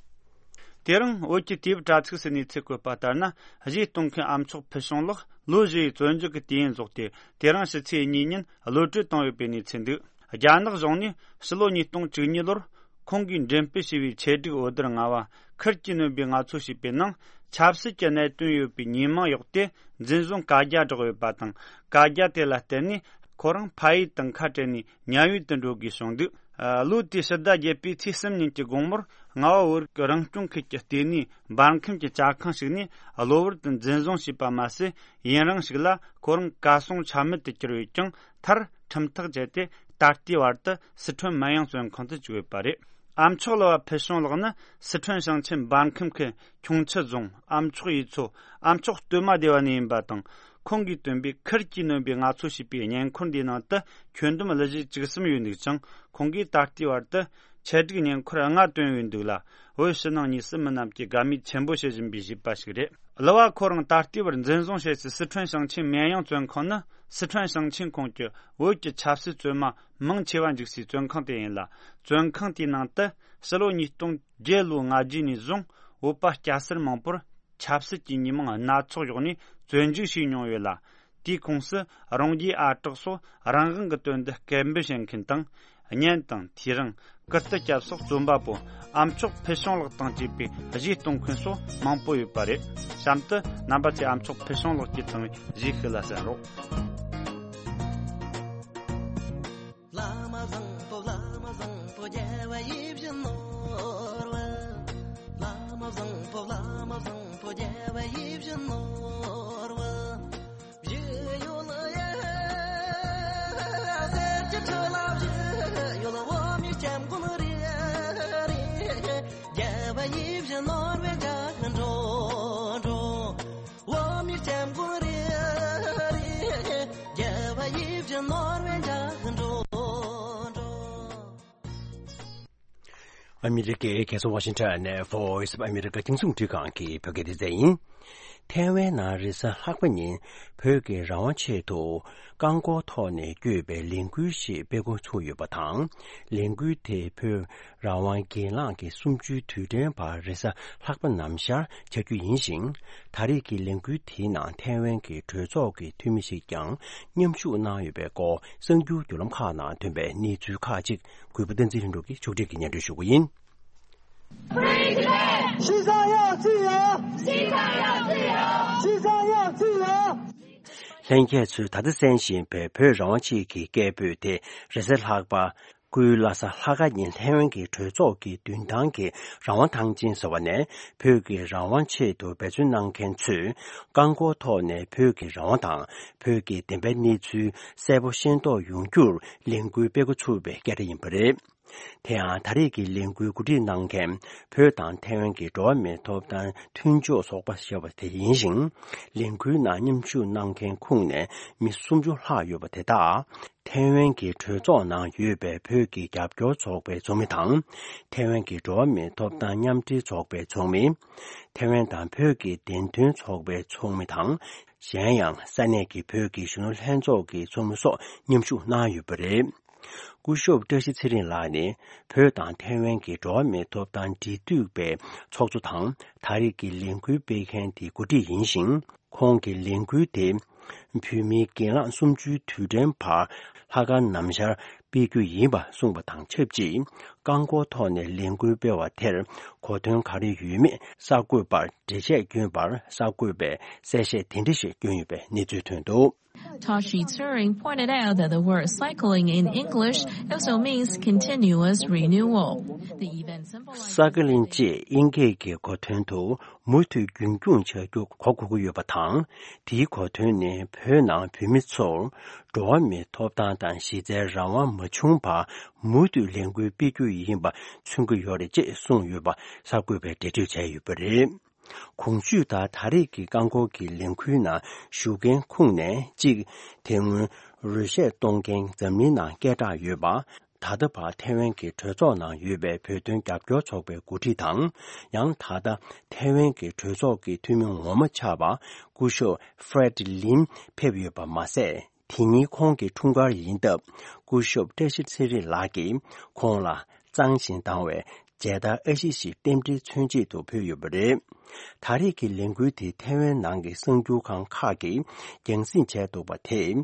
དེ་རིང་བོད་ཀྱི་དུས་བབ་དྲ་ཚིགས་སུ་གནས་ཚུལ་བཀོད་པ་ལྟར་ན། གཞས་གཏོང་མཁན་ཨ་མཆོག་ཕུར་བྱུང་ལགས་ལོ་བཞི་ཡི་བཙོན་འཇུག་གི་དུས་ཡུན་རྫོགས་ཏེ་དེ་རིང་ཕྱི་ཚེས་གཉིས་ཉིན་གློད་གྲོལ་བཏང་ཡོད་པའི་གནས་ཚུལ་འདུག་རྒྱ་ནག་གཞུང་ནས་ཕྱི་ལོ་ཉིས་སྟོང་བཅུ་གཉིས་ལོར་ཁོང་གིས་འགྲེམས་སྤེལ་བྱས་པའི་ཆེད་སྒྲིག་འོད་སྡེར་ལྔ་བ་ཁུར་གྱིས་སྣོན་པའི་ངལ་རྩོལ་ཞེས་པའི་ནང་ཆབ་སྲིད་ཀྱི་གནད་དོན་ཡོད་པའི་ཉེས་མིང་གཡོགས་ཏེ་འཛིན་བཟུང་བཀའ་རྒྱ་བསྒྲགས་ཡོད་པ་དང་། བཀའ་རྒྱ་དེ་ལ་བརྟེན་ནས་ཁོ་རང་ཕ་ཡུལ་དང་ཁ་བྲལ་ནས་ཉ་ཡུལ་དུ་འགྲོ་དགོས་བྱུང་འདུག་ལོ་དེའི་ཕྱི་ཟླ་བརྒྱད་པའི་ཚེས་གསུམ་ཉིན་གྱི་དགོང་མོར་རྔ་བ་བོད་རིགས་རང་སྐྱོང་ཁུལ་གྱི་ལྟེ་གནས་འབར་ཁམས་ཀྱི་ཇ་ཁང་ཞིག་ནས་གློ་བུར་དུ་འཛིན་བཟུང་བྱས་པ་མ་ཟད། ཡུན་རིང་ཞིག་ལ་ཁོ་རང་གར་སོང་ཆ་མེད་དུ་གྱུར་ཡོད་ཀྱང་། མཐར་ཁྲིམས་ཐག་བཅད་དེ་ད་ལྟའི་བར་དུ་སི་ཁྲོན་མི་ཡོང་བཙོན་ཁང་དུ་བཅུག་ཡོད་པ་རེད། ཨ་མཆོག་ལགས་ཕུར་བྱུང་ལགས་ནི་སི་ཁྲོན་ཞིང་ཆེན་འབར་ཁམས་ཁུལ་ཁྱུང་མཆུ་རྫོང་ཨ་མཆོག་ཡུལ་ཚོ་ཨ་མཆོག་སྟོད་མ་སྡེ་བ་ནས་ཡིན་པ་དང་། ཁོང་གིས་བཏོན་པའི་ཁུར་གྱིས་སྣོན་པའི་ངལ་རྩོལ་ཞེས་པའི་བརྙན་འཁོར་འདིའི་ནང་དུ་ཁྱོན་བསྡོམས་གླུ་གཞས་བཅུ་གསུམ་ཡོད་འདུག་ཅིང་། ཁོང་གིས་ད་ལྟའི་བར་དུ་ཆེད་སྒྲིག་བརྙན་འཁོར་ལྔ་བཏོན་ཡོད་འདུག་ལ། བོད་ཕྱི་ནང་གཉིས་སུ་མི་རྣམས་ཀྱིས་དགའ་མོས་ཆེན་པོ་བྱེད་བཞིན་པའི་གཞས་པ་ཞིག་རེད། གླུ་བ་ཁོ་རང་ད་ལྟའི་བར་འཛིན་བཟུང་བྱས་སའི་སི་ཁྲོན་ཞིང་ཆེན་མེན་ཡང་བཙོན་ཁང་ནི་སི་ཁྲོན་ཞིང་ཆེན་ཁོངས་ཀྱི་བོད་ཀྱི་ཆབ་སྲིད་བཙོན་མ་མང་ཆེ་བ་འཇུག་སའི་བཙོན་ཁང་དེ་ཡིན་ལ། བཙོན་ཁང་དེའི་ནང་དུ་ཕྱི་ལོ་ཉིས་སྟོང་བརྒྱད་ལོའི་ལྔ་བརྒྱ་ནས་བཟུང་བོད་པ་སྐྱ་སེར་མང་པོར་ཆབ་སྲིད་ཀྱི་ཉེས་མིང་སྣ་ཚོགས་གཡོགས་ནས་བཙོན་འཇུག་བྱས་མྱོང་ཡོད་ལ། དེའི་ཁོངས་སུ་རང་རྒྱུད་ཨ་གྲགས་སོགས་རང་དབང་གི་དོན་དུ་སྐད་འབོད་བྱེད་མཁན་དང་། གཉེན་དང་། དེ་རིང་། ཀིརྟི་སྐྱབས་སོགས་རྩོམ་པ་པོ་ཨ་མཆོག་ཕུར་བྱུང་ལགས་དང་བཅས་པའི་གཞས་གཏོང་མཁན་སོགས་མང་པོ་ཡོད་པ་རེད། གཤམ་དུ་རྣམ་པ་ཚོས་ཨ་མཆོག་ཕུར་བྱུང་ལགས་ཀྱིས་བཏང་བའི་གཞས་ཤིག་ལ་གསན་རོགས། བླ་མ་བཟང་པོ་བླ་མ་བཟང་པོ་རྒྱལ་བ་ཡིད་བཞིན་ནོར་བུ། བླ་མ་བཟང་པོ་བླ་མ་བཟང་པོ་རྒྱལ་བ་ཡིད་བཞིན་ནོར་བུ། བཞི་ཡོད་ལ་ཡ། གསེར་གྱི་ཁྲི་ལ་བཞི་ཡོད་ལ། འོ་མའི་སྐྱབས་མགོན་རེ་རེ། རྒྱལ་བ་ཡིད་བཞིན་ནོར་བུའི་འཇའ་འགྲོ་འགྲོ། འོ་མའི་སྐྱབས་མགོན་རེ་རེ། རྒྱལ་བ་ཡིད་བཞིན་ནོར་བུའི་འཇའ་འགྲོ་འགྲོ། ཨ་མི་རི་ཀའི་རྒྱལ་ས་ཝ་ཤིང་ཊོན་ནས་Voice of America་རྒྱང་སྲིང་རླུང་འཕྲིན་ཁང་གི་བོད་སྐད་སྡེ་ཚན་ཡིན། ཐའེ་ཝན་ནང་རེས་གཟའ་ལྷག་པ་ཉིན་བོད་ཀྱི་རང་དབང་ཆེད་དུ་རྐང་འཁོར་ཐོག་ནས་བསྐྱོད་པའི་ལས་འགུལ་ཞིག་སྤེལ་འགོ་ཚུགས་ཡོད་པ་དང་། ལས་འགུལ་དེ་བོད་རང་དབང་སྒེར་ལངས་ཀྱི་གསུམ་བཅུའི་དུས་དྲན་བར་རེས་གཟའ་ལྷག་པ་ནམ་ཞར་བྱ་རྒྱུ་ཡིན་ཞིང་། ད་རེས་ཀྱི་ལས་འགུལ་དེའི་ནང་ཐའེ་ཝན་གྱི་གྲོས་ཚོགས་ཀྱི་འཐུས་མི་ཞིག་ཀྱང་མཉམ་ཞུགས་གནང་ཡོད་པའི་སྐོར་གསར་འགྱུར་བརྒྱུད་ལམ་ཁག་ནང་ཐོན་པའི་གནས་ཚུལ་ཁག་ཅིག་གུས་པ་བསྟན་འཛིན་ལྷུན་གྲུབ་ཀྱིས་ཕྱོགས་སྒྲིག་གིས་སྙན་སྒྲོན་ཞུ་རྒྱུ་ཡིན། Free Tibet! 西藏要自由！西藏要自由！ 西藏要自由！ ལྷན་རྒྱས་ཚོས་ད་ལྟ་གསན་བཞིན་པའི་བོད་རང་དབང་ཆེད་ཀྱི་སྐད་འབོད་དེ་རེས་གཟའ་ལྷག་པ། སྐུའི་བླ་གཟའ་ལྷག་དཀར་ཉིན་ཐའེ་ཝན་གྱི་གྲོས་ཚོགས་ཀྱི་མདུན་ཐང་གི་རང་དབང་ཐང་ཆེན་ཟེར་བ་ནས་བོད་ཀྱི་རང་དབང་ཆེད་དུ་འབད་བརྩོན་གནང་མཁན་ཚོས་རྐང་འཁོར་ཐོག་ནས་བོད་ཀྱི་རང་དབང་དང་བོད་ཀྱི་བདེན་པའི་གནས་ཚུལ་གསལ་པོ་ཤེས་རྟོགས་ཡོང་རྒྱུར་ལས་འགུལ་སྤེལ་འགོ་ཚུགས་པའི་སྐད་ཆ་ཡིན་པ་རེད། དེ་ཡང་ད་རེས་ཀྱི་ལས་འགུལ་གོ་སྒྲིག་གནང་མཁན་བོད་དང་ཐའེ་ཝན་གྱི་འགྲོ་བ་མིའི་ཐོབ་ཐང་མཐུན་ཕྱོགས་ཚོགས་པ་ཞེས་པ་དེ་ཡིན་ཞིང་། ལས་འགུལ་ནང་མཉམ་ཞུགས་གནང་མཁན་ཁོངས་ནས་མི་སུམ་ཅུ་ལྷག་ཡོད་པ་དེ་དག་ཐའེ་ཝན་གྱི་གྲོས་ཚོགས་ནང་ཡོད་པའི་བོད་ཀྱི་རྒྱབ་སྐྱོར་ཚོགས་པའི་ཚོགས་མི་དང་། ཐའེ་ཝན་གྱི་འགྲོ་བ་མིའི་ཐོབ་ཐང་མཉམ་འབྲེལ་ཚོགས་པའི་ཚོགས་མི། ཐའེ་ཝན་དང་བོད་ཀྱི་བདེན་དོན་ཚོགས་པའི་ཚོགས་མི་དང་། གཞན་ཡང་ས་གནས་ཀྱི་བོད་ཀྱི་གཞོན་ནུ་ལྷན་ཚོགས་ཀྱི་ཚོགས་མི་སོགས་མཉམ་ཞུགས་གནང་ཡོད་པ་རེད། སྐུ་ཞབས་བཀྲ་ཤིས་ཚེ་རིང་ལགས་ནི་བོད་དང་ཐའེ་ཝན་གྱི་འགྲོ་བ་མིའི་ཐོབ་ཐང་འབྲེལ་མཐུད་པའི་ཚོགས་གཙོ་དང་ད་རེས་ཀྱི་ལས་འགུལ་སྤེལ་མཁན་དེ་འགོ་ཁྲིད་ཡིན་ཞིང་། ཁོང་གི་ལས་འགུལ་དེ་བོད་མིའི་སྒེར་ལངས་གསུམ་བཅུའི་དུས་དྲན་བར་ལྷག་དཀར་ནམ་ཞར་སྤེལ་རྒྱུ་ཡིན་པ་གསུངས་པ་དང་ཆབས་ཅིག་རྐང་འཁོར་ཐོག་ནས་ལས་འགུལ་སྤེལ་བ་དེར་གོ་དོན་ག་རེ་ཡོད་མེད་གསར་འགོད་པར་འགྲེལ་བཤད་བསྐྱོན་པར་གསར་འགོད་པས་གསལ་བཤད་དེ་འདྲ་ཞིག་བསྐྱོན་ཡོད་པའི་གནས་ཚུལ་ཐོན་འདུག Tashi Tsering pointed out that the word cycling in English also means continuous renewal. The event symbolizes ས་ཀ་ལིན་ཅེས་དབྱིན་སྐད་ཀྱི་གོ་དོན་དུ་མུ་མཐུད་རྒྱུན་འཁྱོངས་བྱ་རྒྱུ་གོ་དགོས་ཀྱི་ཡོད་པ་དང་། དེའི་གོ་དོན་ནི་བོད་ནང་བོད་མི་ཚོར་འགྲོ་བ་མིའི་ཐོབ་ཐང་དང་གཞི་རྩའི་རང་དབང་མ་བྱུང་བར་མུ་མཐུད་ལས་འགུལ་སྤེལ་རྒྱུ་ཡིན་པ་མཚོན་གྱི་ཡོད་རེད་ཅེས་གསུངས་ཡོད་པ་གསར་འགོད་པས་འགྲེལ་བརྗོད་བྱས་ཡོད་པ་རེད། གོང་ཞུས་ལྟར་ད་རེས་ཀྱི་རྐང་འཁོར་གྱི་ལས་འགུལ་ནང་ཞུགས་མཁན་ཁོངས་ནས་གཅིག་དེ་སྔོན་རོལ་གཞས་གཏོང་མཁན་འཛམ་གླིང་ནང་སྐད་གྲགས་ཡོད་པ། ད་ལྟ་བར་ཐའེ་ཝན་གྱི་གྲོས་ཚོགས་ནང་ཡོད་པའི་བོད་དོན་རྒྱབ་སྐྱོར་ཚོགས་པའི་འགོ་ཁྲིད་དང་། ཡང་ད་ལྟ་ཐའེ་ཝན་གྱི་གྲོས་ཚོགས་ཀྱི་འཐུས་མི་ངོ་མ་ཆགས་པ་སྐུ་ཞབས་Fred Lim་ཕེབས་ཡོད་པ་མ་ཟད། དེ་ཉིན་ཁོང་གི་འཁྲུངས་སྐར་ཡིན་སྟབས་སྐུ་ཞབས་བཀྲ་ཤིས་ཚེ་རིང་ལགས་ཀྱིས་ཁོང་ལ་གཙང་ཞིང་དྭངས་བའི་མཇལ་དར་ཨ་ཤི་ཞིག་རྟེན་འབྲེལ་མཚོན་ཆེད་དུ་ཕུལ་ཡོད་པ་རེད། ད་རེས་ཀྱི་ལས་འགུལ་དེ་ཐའེ་ཝན་ནང་གི་གསར་འགྱུར་ཁང་ཁག་གིས་རྒྱང་སྲིང་བྱས་འདུག་པ་དེས།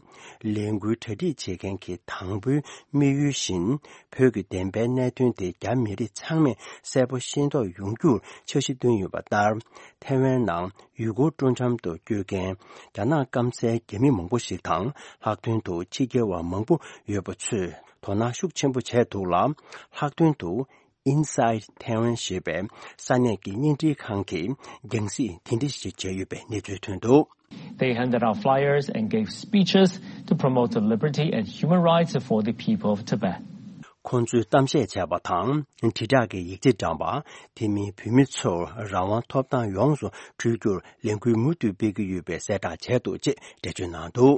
ལས་འགུལ་གྲ་སྒྲིག་བྱེད་མཁན་གྱི་དང་པོའི་དམིགས་ཡུལ་བཞིན། བོད་ཀྱི་བདེན་པའི་གནད་དོན་དེ་རྒྱ་མི་རིགས་ཚང་མས་གསལ་པོ་ཤེས་རྟོགས་ཡོང་རྒྱུར་འཆར་གཞི་བཏོན་ཡོད་པ་ལྟར། ཐའེ་ཝན་ནང་ཡུལ་སྐོར་སྤྲོ་འཆམ་དུ་སྐྱོད་མཁན་རྒྱ་ནག་སྐམ་སའི་རྒྱ་མི་མང་པོ་ཞིག་དང་། ལྷག་དོན་དུ་ཕྱི་རྒྱལ་བ་མང་པོ་ཡོད་པ་ཚོས་དོ་སྣང་ཤུགས་ཆེན་པོ་བྱས་འདུག་ལ། ལྷག་དོན་དུ། Inside Taiwan ཞེས་པའི་ས་གནས་ཀྱི་བརྙན་འཕྲིན་ཁང་གིས་རྒྱང་སྲིང་དེ་འདྲ་ཞིག་བྱས་ཡོད་པའི་གནས་ཚུལ་ཐོན་འདུག They handed out flyers and gave speeches to promote the liberty and human rights for the people of Tibet. ཁོང་ཚོས་གཏམ་བཤད་བྱས་པ་དང་། དྲིལ་བསྒྲགས་ཀྱི་ཡིག་ཆ་བཀྲམ་པ། དེ་མིན་བོད་མི་ཚོར་རང་དབང་ཐོབ་ཐང་ཡོངས་སུ་འཕྲོད་རྒྱུར་ལས་འགུལ་མུ་མཐུད་སྤེལ་གྱི་ཡོད་པའི་གསལ་བསྒྲགས་བྱས་འདུག་ཅེས་འགྲེལ་བརྗོད་གནང་འདུག་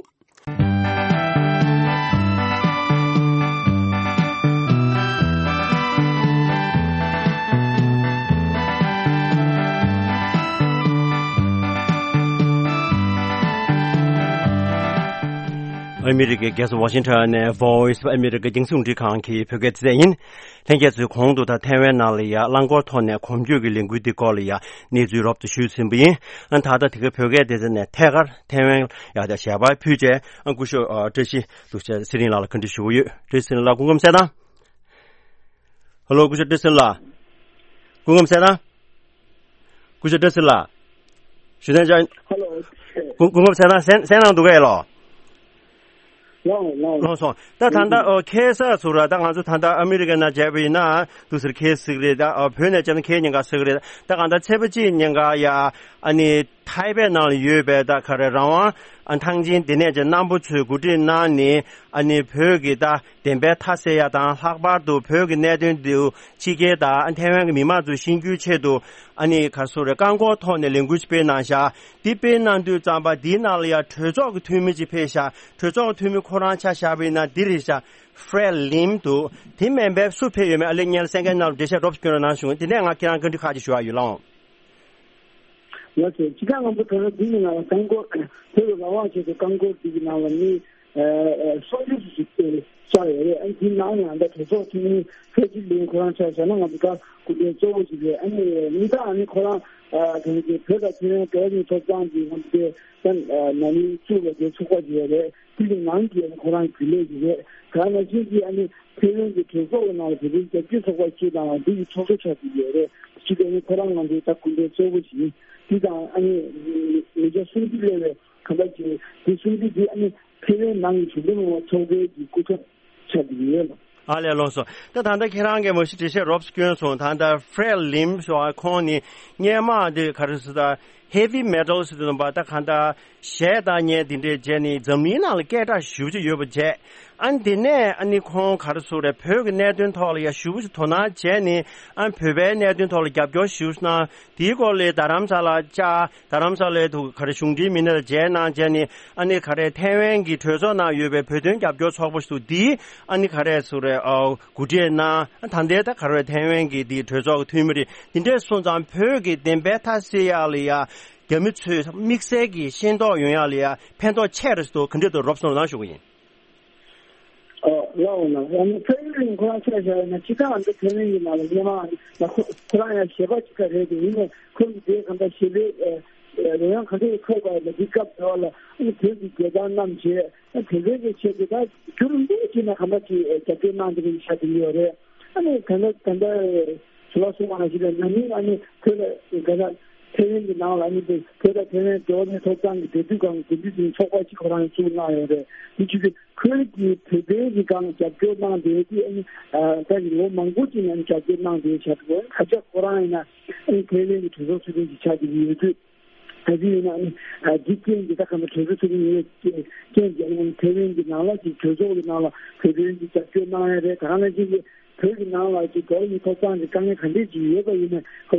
ཨ་མི་རི་ཀའི་རྒྱལ་ས་ཝ་ཤིང་ཊོན་ནས་Voice of America རྒྱང་སྲིང་རླུང་འཕྲིན་ཁང་གི་བོད་སྐད་སྡེ་ཚན་ཡིན། ལྷན་རྒྱས་ཚོས་གོང་དུ་ད་ཐའེ་ཝན་ནང་ལ་ཡ་རླངས་འཁོར་ཐོག་ནས་གོམ་བགྲོད་ཀྱི་ལས་འགུལ་འདི་སྐོར་ལ་ཡ་གནས་ཚུལ་རོབ་ཏུ་ཞུས་ཟིན་པ་ཡིན། ཨ་ད་ལྟ་དེ་གའི་བོད་སྐད་སྡེ་ཚན་ནས་ཐད་ཀར་ཐའེ་ཝན་ཡ་ད་ཞལ་པར་ཕུལ་བྱས། ཨ་སྐུ་ཞབས་ཨ་བཀྲ་ཤིས་ལུག་ཤ་ཚེ་རིང་ལགས་ལ་བཀའ་འདྲི་ཞུ་གི་ཡོད། བཀྲ་ཤིས་ཚེ་རིང་ལགས་སྐུ་ཁམས་གསལ་ཐང་། ཧེ་ལོ། སྐུ་ཞབས་བཀྲ་ཤིས་ཚེ་རིང་ལགས། སྐུ་ཁམས་གསལ་ཐང་། སྐུ་ཞབས་བཀྲ་ཤིས་ལགས། ཞུ་དན་ཅང་། ཧེ་ལོ། སྐུ་སྐུ་ཁམས་གསལ་ཐང་། གསན་གསན་གནང་འདུག་གས་ལོ། ལོངས་ལོངས། ལོངས་སོང་། ད་ད་ལྟ་ཨོ་ཁ་སང་ཚུར་ད་ང་ཚོ་ད་ལྟ་ཨ་མི་རི་ཀ་ནང་བྱས་པ་ཡིན་ན་འདུག་ཟེར། ཁ་སང་རེད། ད་ཨོ་བོད་ནས་བྱས་ན་ཁ་ཉིན་ག་ཟེར་གི་རེད། ད་གང་ལྟར་ཚེས་པ་གཅིག་ཉིན་ག་ཡ་ཨ་ནི་ཐའེ་པེ་ནང་ལ་ཡོད་པའི་ད་ག་རེ་རང་དབང་ཨ་ཐང་ཆེན་དེ་ནས་ཀྱི་རྣམ་པ་ཚོས་གོ་སྒྲིག་གནང་ནས་ཨ་ནི་བོད་ཀྱི་ད་བདེན་པའི་མཐའ་གསལ་ཡ་དང་། ལྷག་པར་དུ་བོད་ཀྱི་གནད་དོན་འདི་ཕྱི་རྒྱལ་དང་ཐའེ་ཝན་གྱི་མི་མང་ཚོས་ཤེས་རྒྱུའི་ཆེད་དུ་ཨ་ནི་ག་རེ་ཟེར་རེད། རྐང་འཁོར་ཐོག་ནས་ལས་འགུལ་ཞིག་སྤེལ་གནང་བཞག་འདི་སྤེལ་གནང་དུས་ཙམ་པ་འདིའི་ནང་ལ་ཡང་གྲོས་ཚོགས་ཀྱི་འཐུས་མི་ཅིག་ཕེབས་ཤག་གྲོས་ཚོགས་ཀྱི་འཐུས་མི་ཁོ་རང་ཆ་བཞག་པ་ཡིན་ན་འདི་རེད་ཤག Fred Lim འདུག་དེ་མིན་པའི་སུ་ཕེབས་ཡོད་མེད་ཨ་ལེ་སྙན་ལ་གསན་མཁན་རྣམས་འགྲེལ་བཤད་རོབ་ཀྱི་སྐྱོན་རོགས་གནང་ཞུ། དེ་ནས་ང་ཁྱེད་རང་བཀའ་འདྲི་ཁག་ཅིག་ཞུ་ཡ་ཡོད་ལགས། ལགས་སོ། སྤྱི་ཁྱབ་རྣམ་པ་ད་ལྟ་འདི་ཡི་ནང་ལ་རྐང་འཁོར་བོད་ཀྱི་རང་དབང་ཆེད་དུ་རྐང་འཁོར་འདི་ཡི་ནང་ལ་མི་ཨ་ཨ་སུམ་ཅུ་ཞིག་ཆགས་ཡོད་རེད། ཨ་ ནང་ཡང་ད་གྲོས་ཚོགས་འཐུས་མི་ཧྥེ་ཅི་ལིན་ཁོ་རང་ཆ་བཞག་ན་ང་ཚོ་ད་སྐུ་མགྲོན་གཙོ་བོ་ཞིག་རེད། ཨ་ནི་གཉིས་ད་ཨ་ནི་ཁོ་རང་ཨ་དེ་ནི་བོད་དང་ཐའེ་ཝན་འབྲེལ་བ་གཉིས་ཐོབ་ཐང་གི་ང་ཚོ་དེ་ད་ནང་མི་བཙུགས་པ་དེ་ཚོགས་པ་ཞིག་རེད། དེ་གི་ནང་གི་ཨ་ནི་ཁོ་རང་རྒྱུན་ལས་ཞིག་རེད། ད་ནང་བཞིན་གྱི་ཨ་ནི་ཐའེ་ཝན་གྱི་གྲོས་ཚོགས་ཀྱི་ནང་ལ་བོད་པའི་རྒྱ་སྐྱེད་ཚོགས་པ་ཞིག་དང་འདི་གི་ཚོགས་གཙོ་ཆགས་ཀྱི་ཡོད་རེད། ཅི་སྟེ་ཨ་ནི་ཁོ་རང་ང་ཚོའི་ད་སྐུ་མགྲོན་གཙོ་བོ་ཞིག་ཡིན། དེ་དང་ཨ་ནི་མི་སྐྱ་སུམ་ཅུ་སླེབས་པའི་གང་ལྟར་གྱི་དེ་གསུམ་གྱི་དེ་ཨ་ནི་ཐའེ་ཝན་ནང་གི་གཞུང་འབྲེལ་མི་མང་ཚོགས་པའི་གི་སྐུ་ཚབ་ཆགས་ཀྱི་ཡོད། ཨ་ལས། ལགས་སོ། ད་ད་ལྟ་ཁྱེད་རང་གིས་མ་གཞི་འགྲེལ་བཤད་རོབ་ཙམ་བསྐྱོན་སོང་། ད་ལྟ་ཧྥྲེད་ལིམ་ཟེར་བ་ཁོང་ནི་སྔོན་མ་དེ་ག་རེ་ཟེར་ད་ཧེ་ཝི་མེ་ཊལ་ཟེར་དུས་ཙམ་པ་ད་གང་ལྟར་གཞས་བཏང་མཁན་དེ་འདྲས་བྱས་ནས་འཛམ་གླིང་ནང་ལ་སྐད་གྲགས་ཞེ་པོ་ཅིག་ཡོད་པ་བྱས། ཨ་ནི་དེ་ནས་ཨ་ནི་ཁོང་ག་རེ་ཟེར་རེད། བོད་ཀྱི་གནད་དོན་ཐོག་ལ་ཡ་ཞེ་པོ་ཅིག་དོ་སྣང་བྱས་ནས། ཨ་ནི་བོད་པའི་གནད་དོན་ཐོག་ལ་རྒྱབ་སྐྱོར་ཞེ་པོ་ཅིག་གནང་། དེའི་སྐོར་ལ་རྡ་རམ་ས་ལ་བཅར། རྡ་རམ་ས་ལའི་དུ་ག་རེ་གཞུང་འབྲེལ་མི་སྣ་ལ་མཇལ་གནང་བྱས་ནས། ཨ་ནི་ག་རེ་ཐའེ་ཝན་གྱི་གྲོས་ཚོགས་ནང་ཡོད་པའི་བོད་དོན་རྒྱབ་སྐྱོར་ཚོགས་པ་ཞིག་འདུག་དེའི་ཨ་ནི་ག་རེ་ཟེར་རེད། ཨ་གོ་སྒྲིག་གནང་། ད་ལྟའི་ད་ག་རེ་ཐའེ་ཝན་གྱི་དེའི་གྲོས་ཚོགས་ཀྱི་འཐུས་མི་རེད། དེ་འདྲས་སོང་ཙང་བོད་ཀྱི་བདེན་པའི་མཐའ་གསལ་ཡག་ལ་ཡ་རྒྱ་མི་ཚོས་དམིགས་བསལ་གྱི་ཤེས་རྟོགས་ཡོང་ཡག་ལ་ཡ་ཕན་ཐོགས་ཆེ་རེད་ཟེར་དུས་ག་འདྲས་འདུག་རོབ་ཙམ་ལབ་ན་ཞུ་གི་ཡིན། ཨ་ལགས་འོ་ན་ཨ་ནི་ཕ་ཡུལ་ཁོ་རང་ཆ་བཞག་ན་ཅི་ད་ཨ་ནི་ཕ་ཡུལ་ཡིན་ན་ལ་སྔོན་མ་ཨ་ནི་ཁོ་ཁོ་རང་ཡང་གཞས་པ་ཅིག་ཀ་རེད་དེ། ཡིན་ནའི་ཁོ་གི་དེ་གང་ལྟར་གཞས་པའི་ཨ་ཨ་རོལ་དབྱངས་གང་འདྲ་ཡི་ཐོག་པ་ལ་འདི་སྐབས་དེ་བ་ལ་ཨ་ནི་བོད་ཀྱི་རྒྱལ་ཐང་བསྣམས་བྱས། ཨ་དེ་འདྲའི་གི་ཆེད་དུ་ད་རྒྱུན་ལས་ཀྱི་ན་གང་ལྟར་གྱི་རྒྱབ་སྐྱོར་གནང་བསྡད་པའི་ཆ་དེ་ཡོད་རེད། ཨ་ནི་གང་ལྟར་གང་ལྟར་ཞུ་བ་གསུངས་པ་ནང་བཞིན་ལ་ན་ནིང་ཨ་ནི་བོད་ལ་ག་ལ་ཐའེ་ཝན་གྱི་ནང་ལ་ཨ་ནི་བོད་དང་ཐའེ་ཝན་འབྲེལ་བ་གཉིས་ཐོབ་ཐང་གི་འབྲེལ་མཐུད་ཁང་གི་འབྲེལ་མཐུད་ཀྱི་ཚོགས་པ་གཅིག་ཁོ་རང་བཙུགས་གནང་ཡོད་རེད། དེ་བྱས་ཏེ་ཁོའི་གི་བོད་པའི་གི་སྒང་རྒྱབ་སྐྱོར་གནང་བསྡད་དེ་ཨ་ནི་ད་གི་ལོ་མང་པོ་ཅིག་ནས་རྒྱབ་སྐྱོར་གནང་བསྡད་བྱས་ཏེ་ད་ཆ་ཁོ་རང་ཡིན་ན་ཨ་ནི་ཐའེ་ཝན་གྱི་གྲོས་ཚོགས་ཚོགས་དོན་གྱི་ཆ་དེ་ཡོད་དུས། ད་ཅི་ཡིན་ན་ཨ་ནི་ཨ་འདི་རྐྱེན་གྱིས་ད་ག་ནང་གྲོས་ཚོགས་ཚོགས་མཁན་ཡིན་རྐྱེན་གྱིས་ཨ་ནི་ཐའེ་ཝན་གྱི་ནང་ལ་ཅིག་གྲོས་ཚོགས་ཀྱི་ནང་ལ་བོད་དོན་གྱི་རྒྱབ་སྐྱོར་གནང་ཡ་རེད། ད་ག་ནང་བཞིན་གྱི་བོད་ཀྱི་ནང་ལ་ཅིག་འགྲོ་བ་མིའི་ཐོབ་ཐང་གི་དཀའ་ངལ་ག་འདྲས་ཅིག་ཡོད་པ་ཡིན་ན་ཁོ་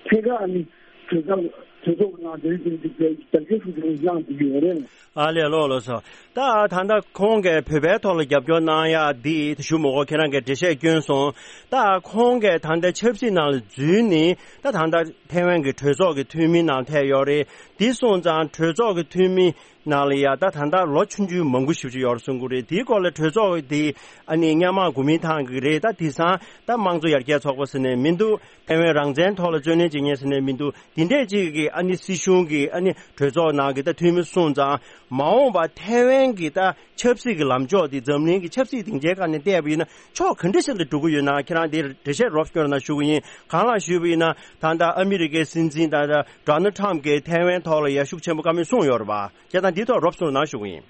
ཐད་ཀར་ཨ་ནི་གྲོས་ཚོགས་གྲོས་ཚོགས་ཀྱི་ནང་དོན་དེ་འདི་རྒྱབ་སྐྱོར་ཤུགས་ཆེན་པོ་གནང་བསྡད་ཀྱི་ཡོད་རེད། ཨ་ལས། ལགས་ལགས་སོ། ད་ད་ལྟ་ཁོང་གིས་བོད་པའི་ཐོག་ལ་རྒྱབ་སྐྱོར་གནང་ཡ་འདི་ཞུ་མ་དགོས། ཁྱེད་རང་གིས་འགྲེལ་བཤད་བསྐྱོན་སོང་། ད་ཁོང་གིས་ད་ལྟ་ཆབ་སྲིད་ནང་ལ་འཛུལ་ནས་ད་ད་ལྟ་ཐའེ་ཝན་གྱི་གྲོས་ཚོགས་ཀྱི་འཐུས་མི་ནང་ཐད་ཡོད་རེད། འདི་སོང་ཙང་གྲོས་ཚོགས་ཀྱི་འཐུས་མི་ནང་ལ་ཡ་ད་ད་ལྟ་ལོ་ཆུང་ཆུང་མང་པོ་ཞེ་པོ་ཅིག་ཡོད་རེད་གསུང་གི་རེད། དེའི་སྐོར་ལ་གྲོས་ཚོགས་འདི་ཨ་ནི་སྔོན་མ་གོ་མིན་ཏང་གི་རེད། ད་དེང་སང་ད་དམངས་གཙོ་ཡར་རྒྱས་ཚོགས་པ་ཟེར་ནས་མི་འདུག་ཐའེ་ཝན་རང་བཙན་ཐོག་ལ་རྩོད་ལེན་བྱེད་མཁན་ཟེར་ནས་མི་འདུག་དེ་འདྲས་ཅིག་གི་ཨ་ནི་སྲིད་གཞུང་གི་ཨ་ནི་གྲོས་ཚོགས་ནང་གི་ད་འཐུས་མི་སོང་ཙང་མ་འོངས་པ་ཐའེ་ཝན་གྱི་ད་ཆབ་སྲིད་ཀྱི་ལམ་ཕྱོགས་དེ་འཛམ་གླིང་གི་ཆབ་སྲིད་སྡིངས་ཆའི་སྒང་ནས་བལྟས་པ་ཡིན་ན་ཕྱོགས་ག་འདྲ་ཞིག་ལ་འགྲོ་གི་ཡོད་ན། ཁྱེད་རང་དེར་འགྲེལ་བཤད་རོབ་སྐྱོར་གནང་ཞུ་གི་ཡིན། གང་ལགས་ཞུས་པ་ཡིན་ན་ད་ལྟ་ཨ་མི་རི་ཀའི་སྲིད་འཛིན་ད་ལྟ་ཌོ་ནལ་ཊམ་གྱིས་ཐའེ་ཝན་ཐོག་ལ་ཡ་ཤུགས་ཆེན་པོ་བཀའ་མོལ་གསུངས་ཡོད་རེད་པ། བྱས་ཙང་འདིའི་ཐོག་རོབ་ཙམ་གནང་ཞུ་གི་ཡིན།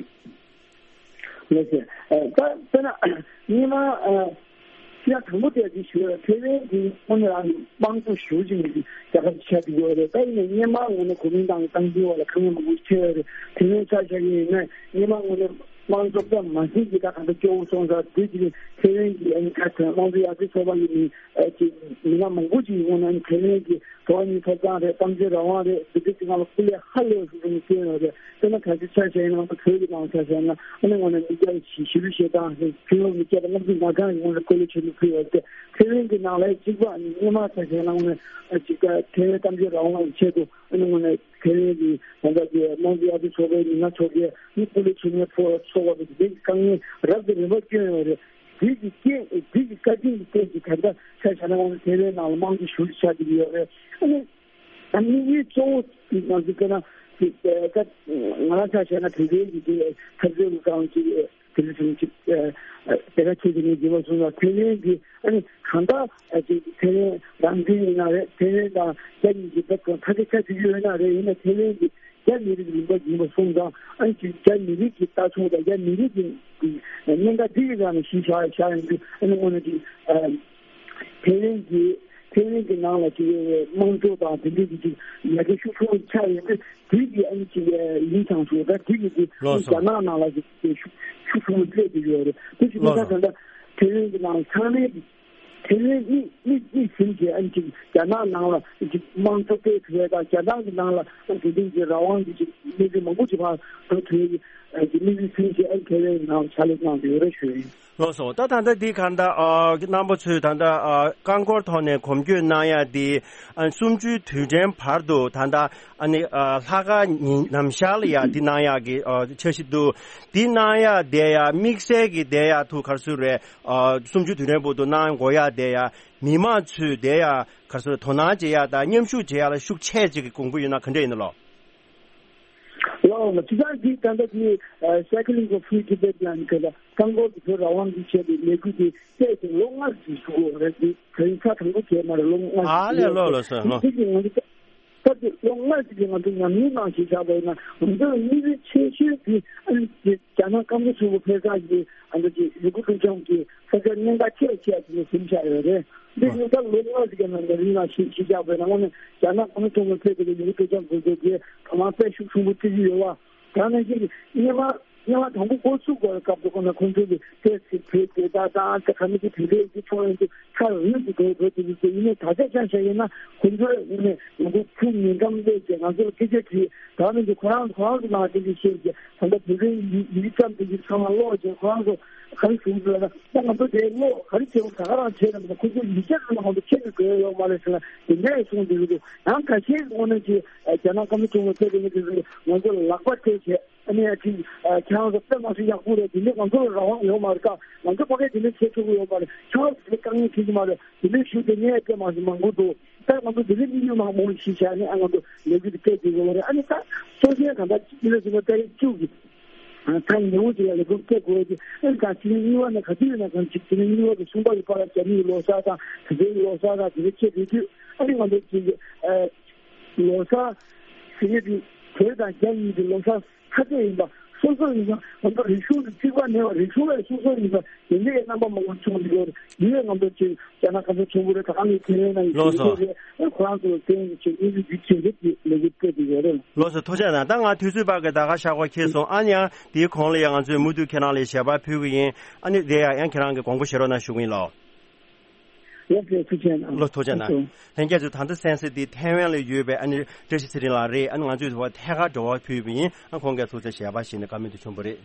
ལགས་སོ། ཨ་ད་དཔེར་ན་སྔོན་མ་ཨ་ཕྱི་ལ་དང་པོ་དེ་ག་ཞུ་ཡ་ཐའེ་ཝན་གྱི་དངོས་གནས་རང་དམངས་གཙོ་ཞེ་པོ་ཅིག་ནས་རྒྱལ་ཁབ་ཆགས་ཀྱི་ཡོད་རེད། ད་ཡིན་ནའི་སྔོན་མ་ངོས་ནས་གོ་མིན་ཏང་གི་སྟངས་འཛིན་འོག་ལ་དཀའ་ངལ་མང་པོ་ཞིག་འཕྲད་ཡོད་རེད། དེ་ནས་ཆ་བཞག་ཡིན་ན་སྔོན་མ་ངོས་ནས་དམངས་གཙོ་ཙམ་མ་ཟིན་གྱི་ད་ག་འདྲ་སྐྱོ་བོ་སོང་ཙང་དེ་གཅིག་ནས་ཐའེ་ཝན་གྱི་ཨ་ནི་ཁ་ཐོན་དམངས་གཙོ་ཡར་རྒྱས་ཚོགས་པ་ཡིན་ནའི་ཨ་ཅིག་མི་སྣ་མང་པོ་ཅིག་ཡིན་ན་ཨ་ནི་ཐའེ་ཝན་གྱི་འགྲོ་བ་མིའི་ཐོབ་ཐང་རེད། གཏམ་བརྗོད་རང་དབང་རེད། འདི་འདྲ་ཅིག་སྒང་ལ་སྐུ་ལས་ཧ་ལས་པ་ཞིག་ཅིག་བསྐྱོན་ཡོད་རེད། དཔེར་ན་ད་ཆ་ཆ་བཞག་ཡིན་ན་ང་ཚོ་བོད་ཀྱི་ནང་ཆ་བཞག་ན་ཨ་ནི་ངོས་ནས་མི་སྐྱ་ཞི་ལུ་ཞེ་སྡང་རེད། ཕུན་ལོ་མི་སྐྱ་དང་བསླབ་སྤྱི་ང་གང་གི་ངོས་ནས་སྐུ་ལས་ཆེན་པོ་ཕུལ་ཡོད་རེད། ཐའེ་ཝན་གྱི་ནང་ལ་གཅིག་པ་ཨ་ནི་སྔོན་མ་ཆ་བཞག་ན་ངོས་ནས་ཨ་ཅིག་ཐའེ་ཝན་གཏམ་བརྗོད་རང་དབང་གི་ཆེད་དུ་ཨ་ནི་ངོས་ནས་ཐའེ་ཝན་གྱི་ད་ལྟ་གི་དམངས་གཙོ་ཡར་རྒྱས་ཚོགས་པའི་མི་སྣ་ཚོ་གིས་ཨ་ནི་སྐུ་ལས་ཆེན་མོའི་ཕོ་ཚོགས་པ་དེ་དེ་གི་དཀའ་ངལ་རབ་དང་རིམ་པ་བསྐྱོན་ཡོད་རེད། དེ་གི་རྐྱེན་དེ་གི་བཀའ་དྲིན་གྱི་རྐྱེན་གྱིས་ད་ལྟ་ཆ་བཞག་ན་ང་ཚོ་ཐའེ་ཝན་ནང་ལ་དམངས་གཙོ་ཞེ་པོ་ཅིག་ཆགས་ཀྱི་ཡོད་རེད། ཨ་ནི་ད་དམིགས་ཡུལ་གཙོ་བོ་ང་ཚོ་བལྟས་ན་ད་ང་རང་ཆ་བཞག་ན་དེ་འདྲའི་གི་འཐབ་རྩོད་ཀྱི་སྒང་གི་དེ་འདྲ་བྱུང་ཅིག་དེ་ག་ཁྱེད་ཀྱིས་ངས་བརྗོད་པ་སོང་ཙང་ཐའེ་ཝན་གྱི་ཨ་ནི་གང་ལྟར་ཨ་ཅིག་ཐའེ་ཝན་རང་བཙན་ཡིན་ན་རེད། ཐའེ་ཝན་དང་རྒྱ་གཉིས་ཀྱི་ད་ཐ་ཀ་ཆ་དུས་ཡོད་ན་རེད། ཡིན་ན་ཐའེ་ཝན་གྱི་རྒྱ་མི་རིགས་ལུང་པ་ཡིན་པ་སོང་ཙང་ཨ་ནི་ཅིག་རྒྱ་མི་རིགས་ཀྱི་ལྟ་ཕྱོགས་དང་རྒྱ་མི་རིགས་ཀྱི་གནད་འགག་འདི་ཡི་སྒང་ནས་གཞི་བཞག་བཞག་ཡོང་དུས་ཨ་ནི་དངོས་གནས་ཅིག་ཨ་ཐའེ་ཝན་གྱི་ཐའེ་ཝན་གྱི་ནང་ལ་ཅིག་དམངས་གཙོ་དང་དེ་འདྲའི་ཅིག་ཡར་རྒྱས་ཤུགས་ཆེན་པོ་ཆགས་ཡོང་དུས་དེ་གི་ཨ་ནི་ཅིག་ཡིན་ཙང་ཞུ་ད་དེ་གི་ཅིག་ལགས་སོ། རྒྱ་ནག་ནང་ལ་ཅིག་ཤུགས་ཤུགས་ཆེན་པོ་སླེབས་ཀྱི་ཡོད་རེད། དེ་ཅིག་མི་ལགས་ཚང་སོ། ད་ལྟ་ཐའེ་ཝན་གྱི་ནང་ཚང་མའི་ཐའེ་ཝན་གཉིས། མིག་མིག་ཟིན་གྱི་ཨ་ནི་ཅིག་རྒྱ་ནག་ནང་ལ་ཅིག་དམངས་གཙོ་སྤེལ་ཐུབ་ཡས་དང་རྒྱ་ནག་གི་ནང་ལ་ཨ་དེ་འདྲའི་ཅིག་རང་དབང་གི་ཅིག་གནས་ཚུལ་མང་པོ་ཅིག་ཕར་འགྲོ་ཐུབ་ཡས་ཀྱི་ཨ་ཅིག་མིག་ཟིན་གྱི་ཨ་ནི་ཁེ་ལས་ནང་ཕྱག་ལས་གནང་བསྡད་ཡོད་རེད་ཞུ་ཡིན། ལགས་སོ། ད་ད་ལྟ་འདི་གང་ལྟར་ཨ་རྣམ་པ་ཚོས་ད་ལྟ་ཨ་རྐང་འཁོར་ཐོག་ནས་གོམ་བགྲོད་གནང་ཡ་འདི་ཨ་གསུམ་བཅུའི་དུས་དྲན་བར་དུ་ད་ལྟ་ཨ་ནི་ཨ་ལྷག་དཀར་ཉིན་ནམ་ཞག་ལ་ཡ་འདི་གནང་ཡ་གི་ཨ་འཆར་གཞི་འདུག་འདི་གནང་ཡ་བསྡད་ཡ་དམིགས་བསལ་གྱི་བསྡད་ཡ་ཐུགས་ག་རེ་ཟེར་རེད། ཨ་གསུམ་བཅུའི་དུས་དྲན་བར་དུ་གནང་དགོས་ཡ་བསྡད་ཡ་མི་མང་ཚོས་བསྡད་ཡ་ག་རེ་ཟེར་དོ་སྣང་བྱེད་ཡ་དང་མཉམ་ཞུགས་བྱེད་ཡ་ལ་ཤུགས་ཆེ་ཅིག་གི་དགོངས་པ་ཡོད་ན་ག་འདྲ་ཡིན་ནོ། ལགས་སོ། དེ་དང་འདི་ད་ལྟ་དེ་Cycling for Free Tibet ལ་ནི་ག་ལ་རྐང་འཁོར་གྱི་བོད་རང་དབང་གི་ཆེད་དུ་ལས་འགུལ་དེ་བཙལ་ཏེ་ལོ་ལྔ་ཞིག་ཞུ་དགོས་རེད། དེ་དེ་རིང་ཚར་དང་པོ་བྱས་མ་རེད། ལོ་ལྔ་ཞིག་ཨ་ལས་ལོ་ལོ་སོ་ལོ། དེ་གི་ང་ཚོ་ད་དེ་ལོ་ལྔ་ཞིག་གི་ང་ཚོ་ཉམས་མྱོང་ནང་ཞིག་བཞག་པ་ཡིན་ན་ང་ཚོ་ལ་དམིགས་ཡུལ་ཆེ་ཤོས་དེ་ཨ་ནི་དེ་རྒྱ་ནག་སྐམ་ས་ཆེན་པོ་ཕེབས་ས་གི་ཨ་ནི་དེ་ཡུ་གུར་སྤྲོ་འཆམ་གྱི་ས་ཆ་གནད་འགག་ཆེ་ཆེ་དེ་ནས་ཟིན་བཞག་ཡོད་རེད། འདི་ཨ་ཉིན་ད་ལོ་ལྔ་ཞིག་གི་ནང་ལ་རིང་ལ་ཞིག་ཞིག་བཞག་པ་ཡིན་ན་དངོས་གནས་རྒྱ་ནག་སྐམ་ས་ཆེན་པོ་ཕེབས་པའི་ཡུ་གུར་སྤྲོ་འཆམ་དགོས་འདོད་དེ་དོ་སྣང་དཔེ་ཤུགས་ཆེན་པོ་སྤྲད་ཀྱི་ཡོད་པ། ད་ནང་བཞིན་གྱི་སྔོན་མ་སྔོན་མ་དང་པོ་འགོ་ཚུགས་དགོས་སྐབས་དུ་ཁོ་ན་ཁོང་ཚོ་གི་ཏོག་ཙམ་བོད་དེ་དག་དང་ད་ག་མི་གི་དེ་འདྲའི་གི་ཚོང་ཡོང་དུས་ཚར་རིང་དུ་འགྲོ་འགྲོ་དུས་དུས་ཡིན་ནའི་ད་ཆ་ཆ་བཞག་ཡིན་ན་ཁོང་ཚོ་ཡིན་ནའི་ང་ཚོ་ཐུགས་ཉེ་འགྲམ་སླེབས་ཀྱི་ང་ཚོ་ལ་སྐད་ཆ་དྲིས། ད་ནི་འདི་ཁོ་རང་ཁོ་རང་གི་ནང་དེ་འདྲ་བཤད་ཀྱི་ད་ལྟ་བོད་པའི་ཡིག་ཡིག་ཙམ་དེ་འདྲ་ཚང་མ་ཀློག་ཀྱི་ཁོ་རང་ཚོ་ག་རེ་ཞུ་དགོས་ལབ་ན་ད་ང་ཚོ་དེ་ཀློག་ག་རེ་བྱེད་དགོས་ད་ག་རང་བྱེད་རམ་ད་ཁོ་ཚོ་ཡིག་ཆ་ཚང་མ་ང་ཚོ་ཁྱེར་ནས་དགོས་ཡོད་མ་རེད་ཟེར་ན་དེ་འདྲ་ཡང་གསུངས་བསྡད་ཀྱི་འདུག་ཡང་ཁ་ཤས་ཀྱི་དངོས་གནས་ཀྱི་རྒྱ་ནག་སྐམ་ས་ཆུང་མ་ཚོ་དེ་ནི་དེ་ཚོ་ང་ཚོ་ལ་ལག་པ་སྤྲད་བྱས། ཨ་ནི་ཨ་ཅིག་ཁྱེད་རང་ཚོ་དཔེ་མ་སྲིད་ཡག་པོ་རེད། དེ་འདྲའི་ང་ཚོ་ལ་རང་དབང་ཡོད་མ་རེད་ཀ་ང་ཚོ་ཕ་གིར་དེ་འདྲའི་བྱེད་ཆོག་གི་ཡོད་མ་རེད། ཁྱེད་རང་ཚོ་དེ་འདྲའི་དཀའ་ངལ་འཕྲད་ཀྱི་མ་རེད། དེ་འདྲའི་ཞུ་དེ་ངས་དཔེ་མ་སྲིད་མང་པོ་འདུག་ད་ང་ཚོ་དེ་འདྲའི་དམིགས་ཡུལ་མང་པོ་ཞིག་བཞག་ནས་ཨ་ང་ཚོ་ལས་འགུལ་དེ་སྤེལ་དགོས་ཀྱི་ཡོད་རེད། ཨ་ནི་ད་སྲོག་ཤིང་གང་ལྟར་སྤྱི་ལོ་ཆེན་པོ་ཏ་རིག་བཅུ་གི་ད་ཉེ་བོ་ཅིག་ལ་ལས་འགུལ་སྤེལ་དགོས་ཀྱི་ཨ་ནི་ད་སྤྱི་ལོ་གཉིས་པ་ནས་ག་དུས་ཡིན་ན་གང་ཅིག་སྤྱི་ལོ་གཉིས་པ་གི་གསུམ་པ་གི་བར་ལ་རྒྱ་མིའི་ལོ་གསར་དང་དེ་ཚོའི་ལོ་གསར་དང་དེ་འདྲ་ཆེད་དུ་དུས་ཨ་ནི་ང་ཚོ་ཅིག་ལོ་གསར་ཟེར་ཡས་དེ་བོད་དང་རྒྱ་གཉིས་ཀྱི་ལོ་གསར་ཁ་ཤས་ཡིན་པ་སོ་སོ་ཡིན་ན་ང་ཚོ་རིག་གཞུང་དང་གཅིག་པ་མེད་པ་རིག་གཞུང་ལས་སོ་སོ་ཡིན་པ་དེ་འདྲའི་རྣམ་པ་མང་པོ་བྱུང་ཡོད་རེད། འདི་ལས་ང་ཚོ་ཅིག་རྒྱ་ནག་སྐམ་ས་ཆེན་པོ་རེད། ད་ག་ནས་ཁྱེད་རང་ནང་གི་ལགས་སོ། དེ་ཚོ་རེད། ཁོ་རང་ཚོ་ལ་བརྟེན་ནས་ཅིག་དངོས་གཞི་རྒྱུ་ཆེ་རེད་ཅེས་ལས་འགུལ་སྤེལ་གྱི་ཡོད་རེད། ལགས་སོ། ཐུགས་རྗེ་གནང་། ད་ང་དུས་ཚོད་བར་གྱི་ད་ག་ཤག་པ་འཁེལ་སོང་། ཨ་ནི་ཡང་དེའི་གོང་ལ་ཡང་ང་ཚོས་མུ་མཐུད་ཁྱེད་རང་ལ་ཞལ་པར་ཕུལ་གི་ཡིན། ཨ་ནི་དེ་ཡང་ཡང་ཁྱེད་རང་གི་དགོངས་པ་བཞེས་རོགས་གནང་ཞུ་གི་ཡིན་ལགས། ལགས་སོ། ཐུགས་རྗེ་གནང་། ལགས་སོ། ཐུགས་རྗེ་གནང་། ལྷན་རྒྱས་ཚོ་ད་ལྟ་གསན་གཟིགས་འདི་ཐའེ་ཝན་ལ་ཡོད་པའི་ཨ་ནི་བཀྲ་ཤིས་ཚེ་རིང་ལགས་རེད། ཨ་ནི་ང་ཚོས་ཐད་ཀར་འབྲེལ་བ་ཕུལ་བ་ཡིན། ཨ་ཁོང་གིས་ཐུགས་རྗེ་ཆེ་ཞལ་པར་བཞེས་ནས་བཀའ་མོལ་དེ་བྱུང་བ་རེད།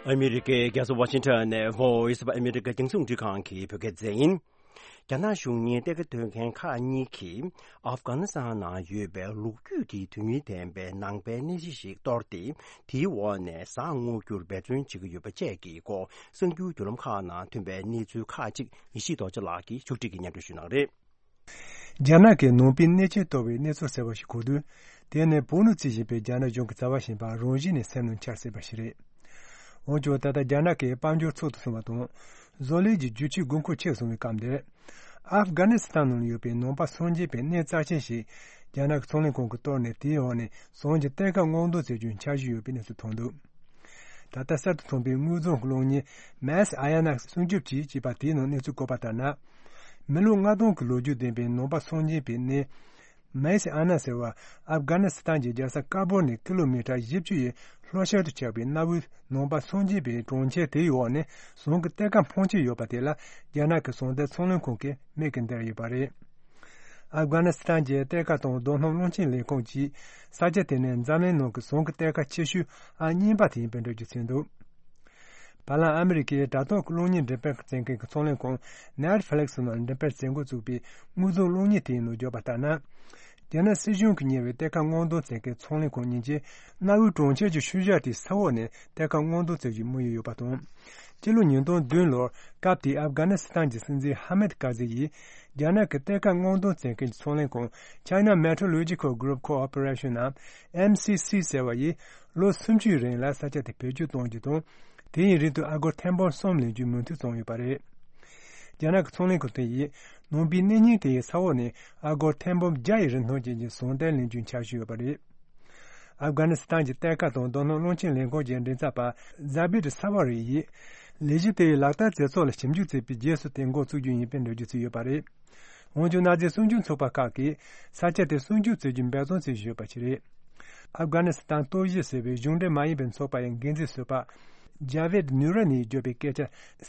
ཨ་མི་རི་ཀའི་རྒྱལ་ས་ཝ་ཤིང་ཊོན་ནས་Voice of America རྒྱང་སྲིང་རླུང་འཕྲིན་ཁང་གི་བོད་སྐད་སྡེ་ཚན་ཡིན། རྒྱ་ནག་གཞུང་གཉེར་གཏེར་ཁ་གཏོང་མཁན་ཁག་གཉིས་ཀྱིས་ཨབ་གྷ་ནི་སི་ཐན་ནང་ཡོད་པའི་ལོ་རྒྱུས་ཀྱི་དོན་སྙིང་ལྡན་པའི་ནང་པའི་གནས་གཞི་ཞིག་གཏོར་ཏེ། དེའི་འོག་ནས་ཟ་ཁང་སྔོག་རྒྱུར་འབད་བརྩོན་བྱེད་ཀྱི་ཡོད་པ་བཅས་ཀྱི་སྐོར་གསར་འགྱུར་བརྒྱུད་ལམ་ཁག་ནང་ཐོན་པའི་གནས་ཚུལ་ཁག་ཅིག་ཡེ་ཤེས་རྡོ་རྗེ་ལགས་ཀྱིས་ཕྱོགས་སྒྲིག་གིས་སྙན་སྒྲོན་ཞུ་གནང་རེད། རྒྱ་ནག་གི་ནང་པའི་གནས་ཆེན་གཏོར་བའི་གནས་ཚུལ་གསར་བ་ཞིག་གོ་དུས། དེ་ནི་བོད་ནང་རྩིས་བཞིན་པའི་རྒྱ་ནག་གཞུང་གི་རྩ་བ་ཞིག་ཡིན་པ་རང་བཞིན་ནས་སེམས་ནང་འཆར་སྲིད་པ་ཞིག་རེད། འོན་ཀྱང་ད་ལྟ་རྒྱ་ནག་གི་དཔལ་འབྱོར་ཚུགས་སུ་སོང་བ་དང་། བཟོ་ལས་ཀྱི་རྒྱུ་ཆའི་དགོས་མཁོ་ཆེ་སོང་བའི་སྐབས་འདིར། ཨབ་གྷ་ནི་སི་ཐན་ནང་ཡོད་པའི་ནང་པ་སངས་རྒྱས་པའི་གནས་རྩ་ཆེན་ཞིག་རྒྱ་ནག་གི་ཚོང་ལས་ཁང་གིས་གཏོར་ནས་དེའི་འོག་ནས་ཟ་ཁང་གི་གཏེར་ཁ་སྔོག་འདོན་བྱེད་རྒྱུའི་འཆར་གཞི་ཡོད་པའི་གནས་ཚུལ་ཐོན་འདུག་ད་ལྟ་གསར་དུ་ཐོན་པའི་དངོས་རྫོང་གི་གློག་བརྙན་Mass Ayanakh སྲུང་སྐྱོབ་ཅིག་ཅེས་པ་དེའི་ནང་གནས་ཚུལ་བཀོད་པ་ལྟར་ན། མི་ལོ་ལྔ་སྟོང་གི་ལོ་རྒྱུས་ལྡན་པའི་ནང་པ་སངས་རྒྱས་པའི་གནས། མེ་སི་ཨ་ན་ཟེར་བ། ཨབ་གྷ་ནི་སི་ཐན་གྱི་རྒྱལ་ས་ཀ་བུལ་ནས་ཀི་ལོ་མི་ཊར་བཞི་བཅུ་ཡི་ལྷོ་ཤར་དུ་ཆགས་པའི་གནའ་བོའི་ནང་པ་སངས་རྒྱས་པའི་གྲོང་ཁྱེར་དེའི་འོག་ནས་ཟ་ཁང་གི་གཏེར་ཁ་འཕོངས་ཆེན་ཡོད་པ་དེ་ལ་རྒྱ་ནག་གི་ཟ་ཁང་གཏེར་ཚོང་ལས་ཁང་གིས་མིག་གིས་བསྡད་ཡོད་པ་རེད། ཨབ་གྷ་ནི་སི་ཐན་གྱི་གཏེར་ཁ་དང་རྡོ་སྣུམ་རླུང་འཕྲིན་ལས་ཁུངས་ཀྱིས་ས་ཆ་དེ་ནི་འཛམ་གླིང་ནང་གི་ཟ་ཁང་གི་གཏེར་ཁ་ཆེ་ཤོས་ཨང་གཉིས་པ་དེ་ཡིན་པའི་འགྲེལ་བརྗོད་བྱས་འདུག་བར་ལམ་ཨ་མི་རི་ཀའི་དྲ་ཐོག་གི་གློག་བརྙན་འགྲེམས་སྤེལ་བྱེད་མཁན་གྱི་ཚོང་ལས་ཁང་Netflix ནང་འགྲེམས་སྤེལ་མཛད་འགོ་བཙུགས་པའི་དངོས་རྫོང་གློག་བརྙན་དེའི་ནང་བརྗོད་པ་ལྟར་ན། རྒྱ་ནག་སྲིད་གཞུང་གིས་གཉེར་བའི་གཏེར་ཁ་སྔོག་འདོན་མཛད་མཁན་ཚོང་ལས་ཁང་གཉིས་ཀྱིས་གནའ་བོའི་གྲོང་ཁྱེར་གྱི་ཤུལ་བཞག་དེའི་ས་འོག་ནས་གཏེར་ཁ་སྔོག་འདོན་མཛད་རྒྱུའི་དམིགས་ཡུལ་ཡོད་པ་དང་། སྤྱི་ལོ་ཉིས་སྟོང་བདུན་ལོར་སྐབས་དེའི་ཨབ་གྷ་ནི་སི་ཐན་གྱི་སྲིད་འཛིན་ཧ་མིད་ཀ་ཟི་ཡིས་རྒྱ་ནག་གི་གཏེར་ཁ་སྔོག་འདོན་མཛད་མཁན་གྱི་ཚོང་ལས་ཁང་China Metrological Group Corporation ནམ་M C C ཟེར་བ་ཡིས་ལོ་སུམ་ཅུའི་རིང་ལ་ས་ཆ་དེ་བེད་སྤྱོད་གཏོང་རྒྱུ་དང་། དེ་ཡི་རིང་དུ་ཨ་སྒོར་ཐེར་འབུམ་གསུམ་ལེན་རྒྱུའི་མོས་མཐུན་བྱུང་ཡོད་པ་རེད། རྒྱ་ནག་གི་ཚོང་ལས་ཁང་དེ་ཡིས་ནང་པའི་གནས་རྙིང་དེ་ཡི་ས་འོག་ནས་ཨ་སྒོར་ཐེར་འབུམ་བརྒྱ་ཡི་རིན་ཐང་ཅན་གྱི་ཟ་ཁང་གཏེར་ལེན་རྒྱུའི་འཆར་གཞི་ཡོད་པ་རེད། ཨབ་གྷ་ནི་སི་ཐན་གྱི་གཏེར་ཁ་དང་རྡོ་སྣུམ་རླུང་འཕྲིན་ལས་ཁང་གི་མགྲིན་ཚབ་པ་ཛ་བིད་ས་བྷ་རི་ཡིས། ལས་གཞི་དེ་ཡི་ལག་བསྟར་མཛད་ཚུལ་ལ་ཞིབ་འཇུག་བྱས་པའི་རྗེས་སུ་དེ་འགོ་བཙུགས་རྒྱུ་ཡིན་པའི་འགྲེལ་བརྗོད་བྱས་ཡོད་པ་རེད། འོན་ཀྱང་གནའ་རྫས་སྲུང་སྐྱོབ་ཚོགས་པ་ཁག་གིས་ས་ཆ་དེར་སྲུང་སྐྱོབ་བྱེད་རྒྱུ་འབད་བརྩོན་བྱེད་བཞིན་ཡོད་པ་ཞིག་རེད། ཨབ་གྷ་ནི་སི་ཐན་གཏོར་བཤིག་ཟེར་བའི་གཞུང་འབྲེལ་མ་ཡིན་པའི་ཚོགས་པ་ཡི་འགན་འཛིན་ཟུར་པ་ཇ་ཝེད་ནུ་ར་ནིས་བརྗོད་པའི་སྐད་ཆ་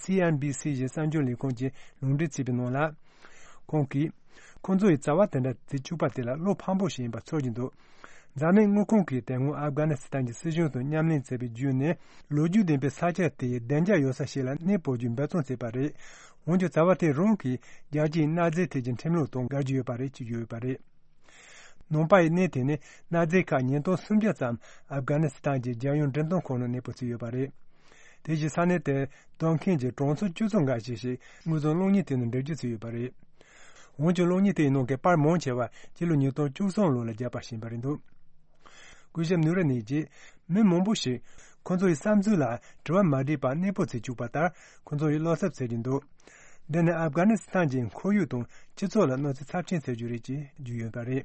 སི་ཨེན་བྷི་སི་ཡི་གསར་འགྱུར་ལས་ཁུངས་ཀྱིས་ལུང་འདྲེན་བྱས་པའི་ནང་ལ། ཁོང་གིས། ཁོང་ཚོ་ཡིས་བྱ་བ་དེ་འདྲ་བྱེད་བཅུག་པ་དེ་ལ་བློ་ཕམ་པོ་ཞིག་ཡིན་པ་ཚོར་གྱི་འདུག་འཛམ་གླིང་དངུལ་ཁང་གིས་དེ་སྔོན་ཨབ་གྷ་ནི་སི་ཐན་གྱི་སྲིད་གཞུང་དང་མཉམ་ལས་བྱས་པའི་བརྒྱུད་ནས་ལོ་རྒྱུས་ལྡན་པའི་ས་ཆ་དེའི་བདེ་འཇགས་ཡོད་ས་ཞིག་ལ་གནས་སྤོ་རྒྱུའི་འབད་བརྩོན་བྱས་པ་རེད། འོན་ཀྱང་བྱ་བ་དེ་རང་གིས་རྒྱལ་སྤྱིའི་གནའ་རྫས་ཐད་ཀྱི་ཁྲིམས་ལུགས་དང་འགལ་གྱི་ཡོད་པ་རེད་ཅེས་བརྗོད་ཡོད་པ་རེད། ནང་པ་ཡི་གནས་དེ་ནི་གནའ་རྫས་ཁག་ཉིས་སྟོང་སུམ་བརྒྱ་ཙམ་ཨབ་གྷ་ནི་སི་ཐན་གྱི་རྒྱལ་ཡོངས་འགྲེམས་སྟོན་ཁང་ནང་གནས་སྤོ་བྱས་ཡོད་པ་རེད། དེ་བཞིན་ས་གནས་དེར་སྡོད་མཁན་གྱི་གྲངས་ཚད་བཅུ་ཙམ་འགའ་ཞིག་ཞིག་དངོས་ཟོག་གློག་བརྙན་དེ་ནང་འགྲེལ་བརྗོད་བྱས་ཡོད་པ་རེད། འོན་ཀྱང་གློག་བརྙན་དེའི་ནང་གི་པར་མང་ཆེ་བ་སྤྱི་ལོ་ཉིས་སྟོང་བཅུ་གསུམ་ལོ་ལ་བརྒྱབ་པ་ཞིག་ཡིན་པ་རེད་འདུག་སྐུ་ཞབས་ནུ་ར་ནིས་ཀྱིས། མི་མང་པོ་ཞིག་ཁོ་ཚོ་ཡི་བསམ་ཚུལ་ལ་དྲི་བ་མ་དྲིས་པར་གནས་སྤོ་བྱེད་བཅུག་པ་ལྟར་ཁོ་ཚོ་ཡི་བློ་འཚབ་བྱེད་ཀྱིན་འདུག་འདི་ནི་ཨབ་གྷ་ནི་སི་ཐན་གྱི་ཁོར་ཡུག་དང་སྤྱི་ཚོགས་ལ་གནོད་འཚེ་ཚབས་ཆེན་བྱེད་རྒྱུ་རེད་ཅེས་བརྗོད་ཡོད་པ་རེད།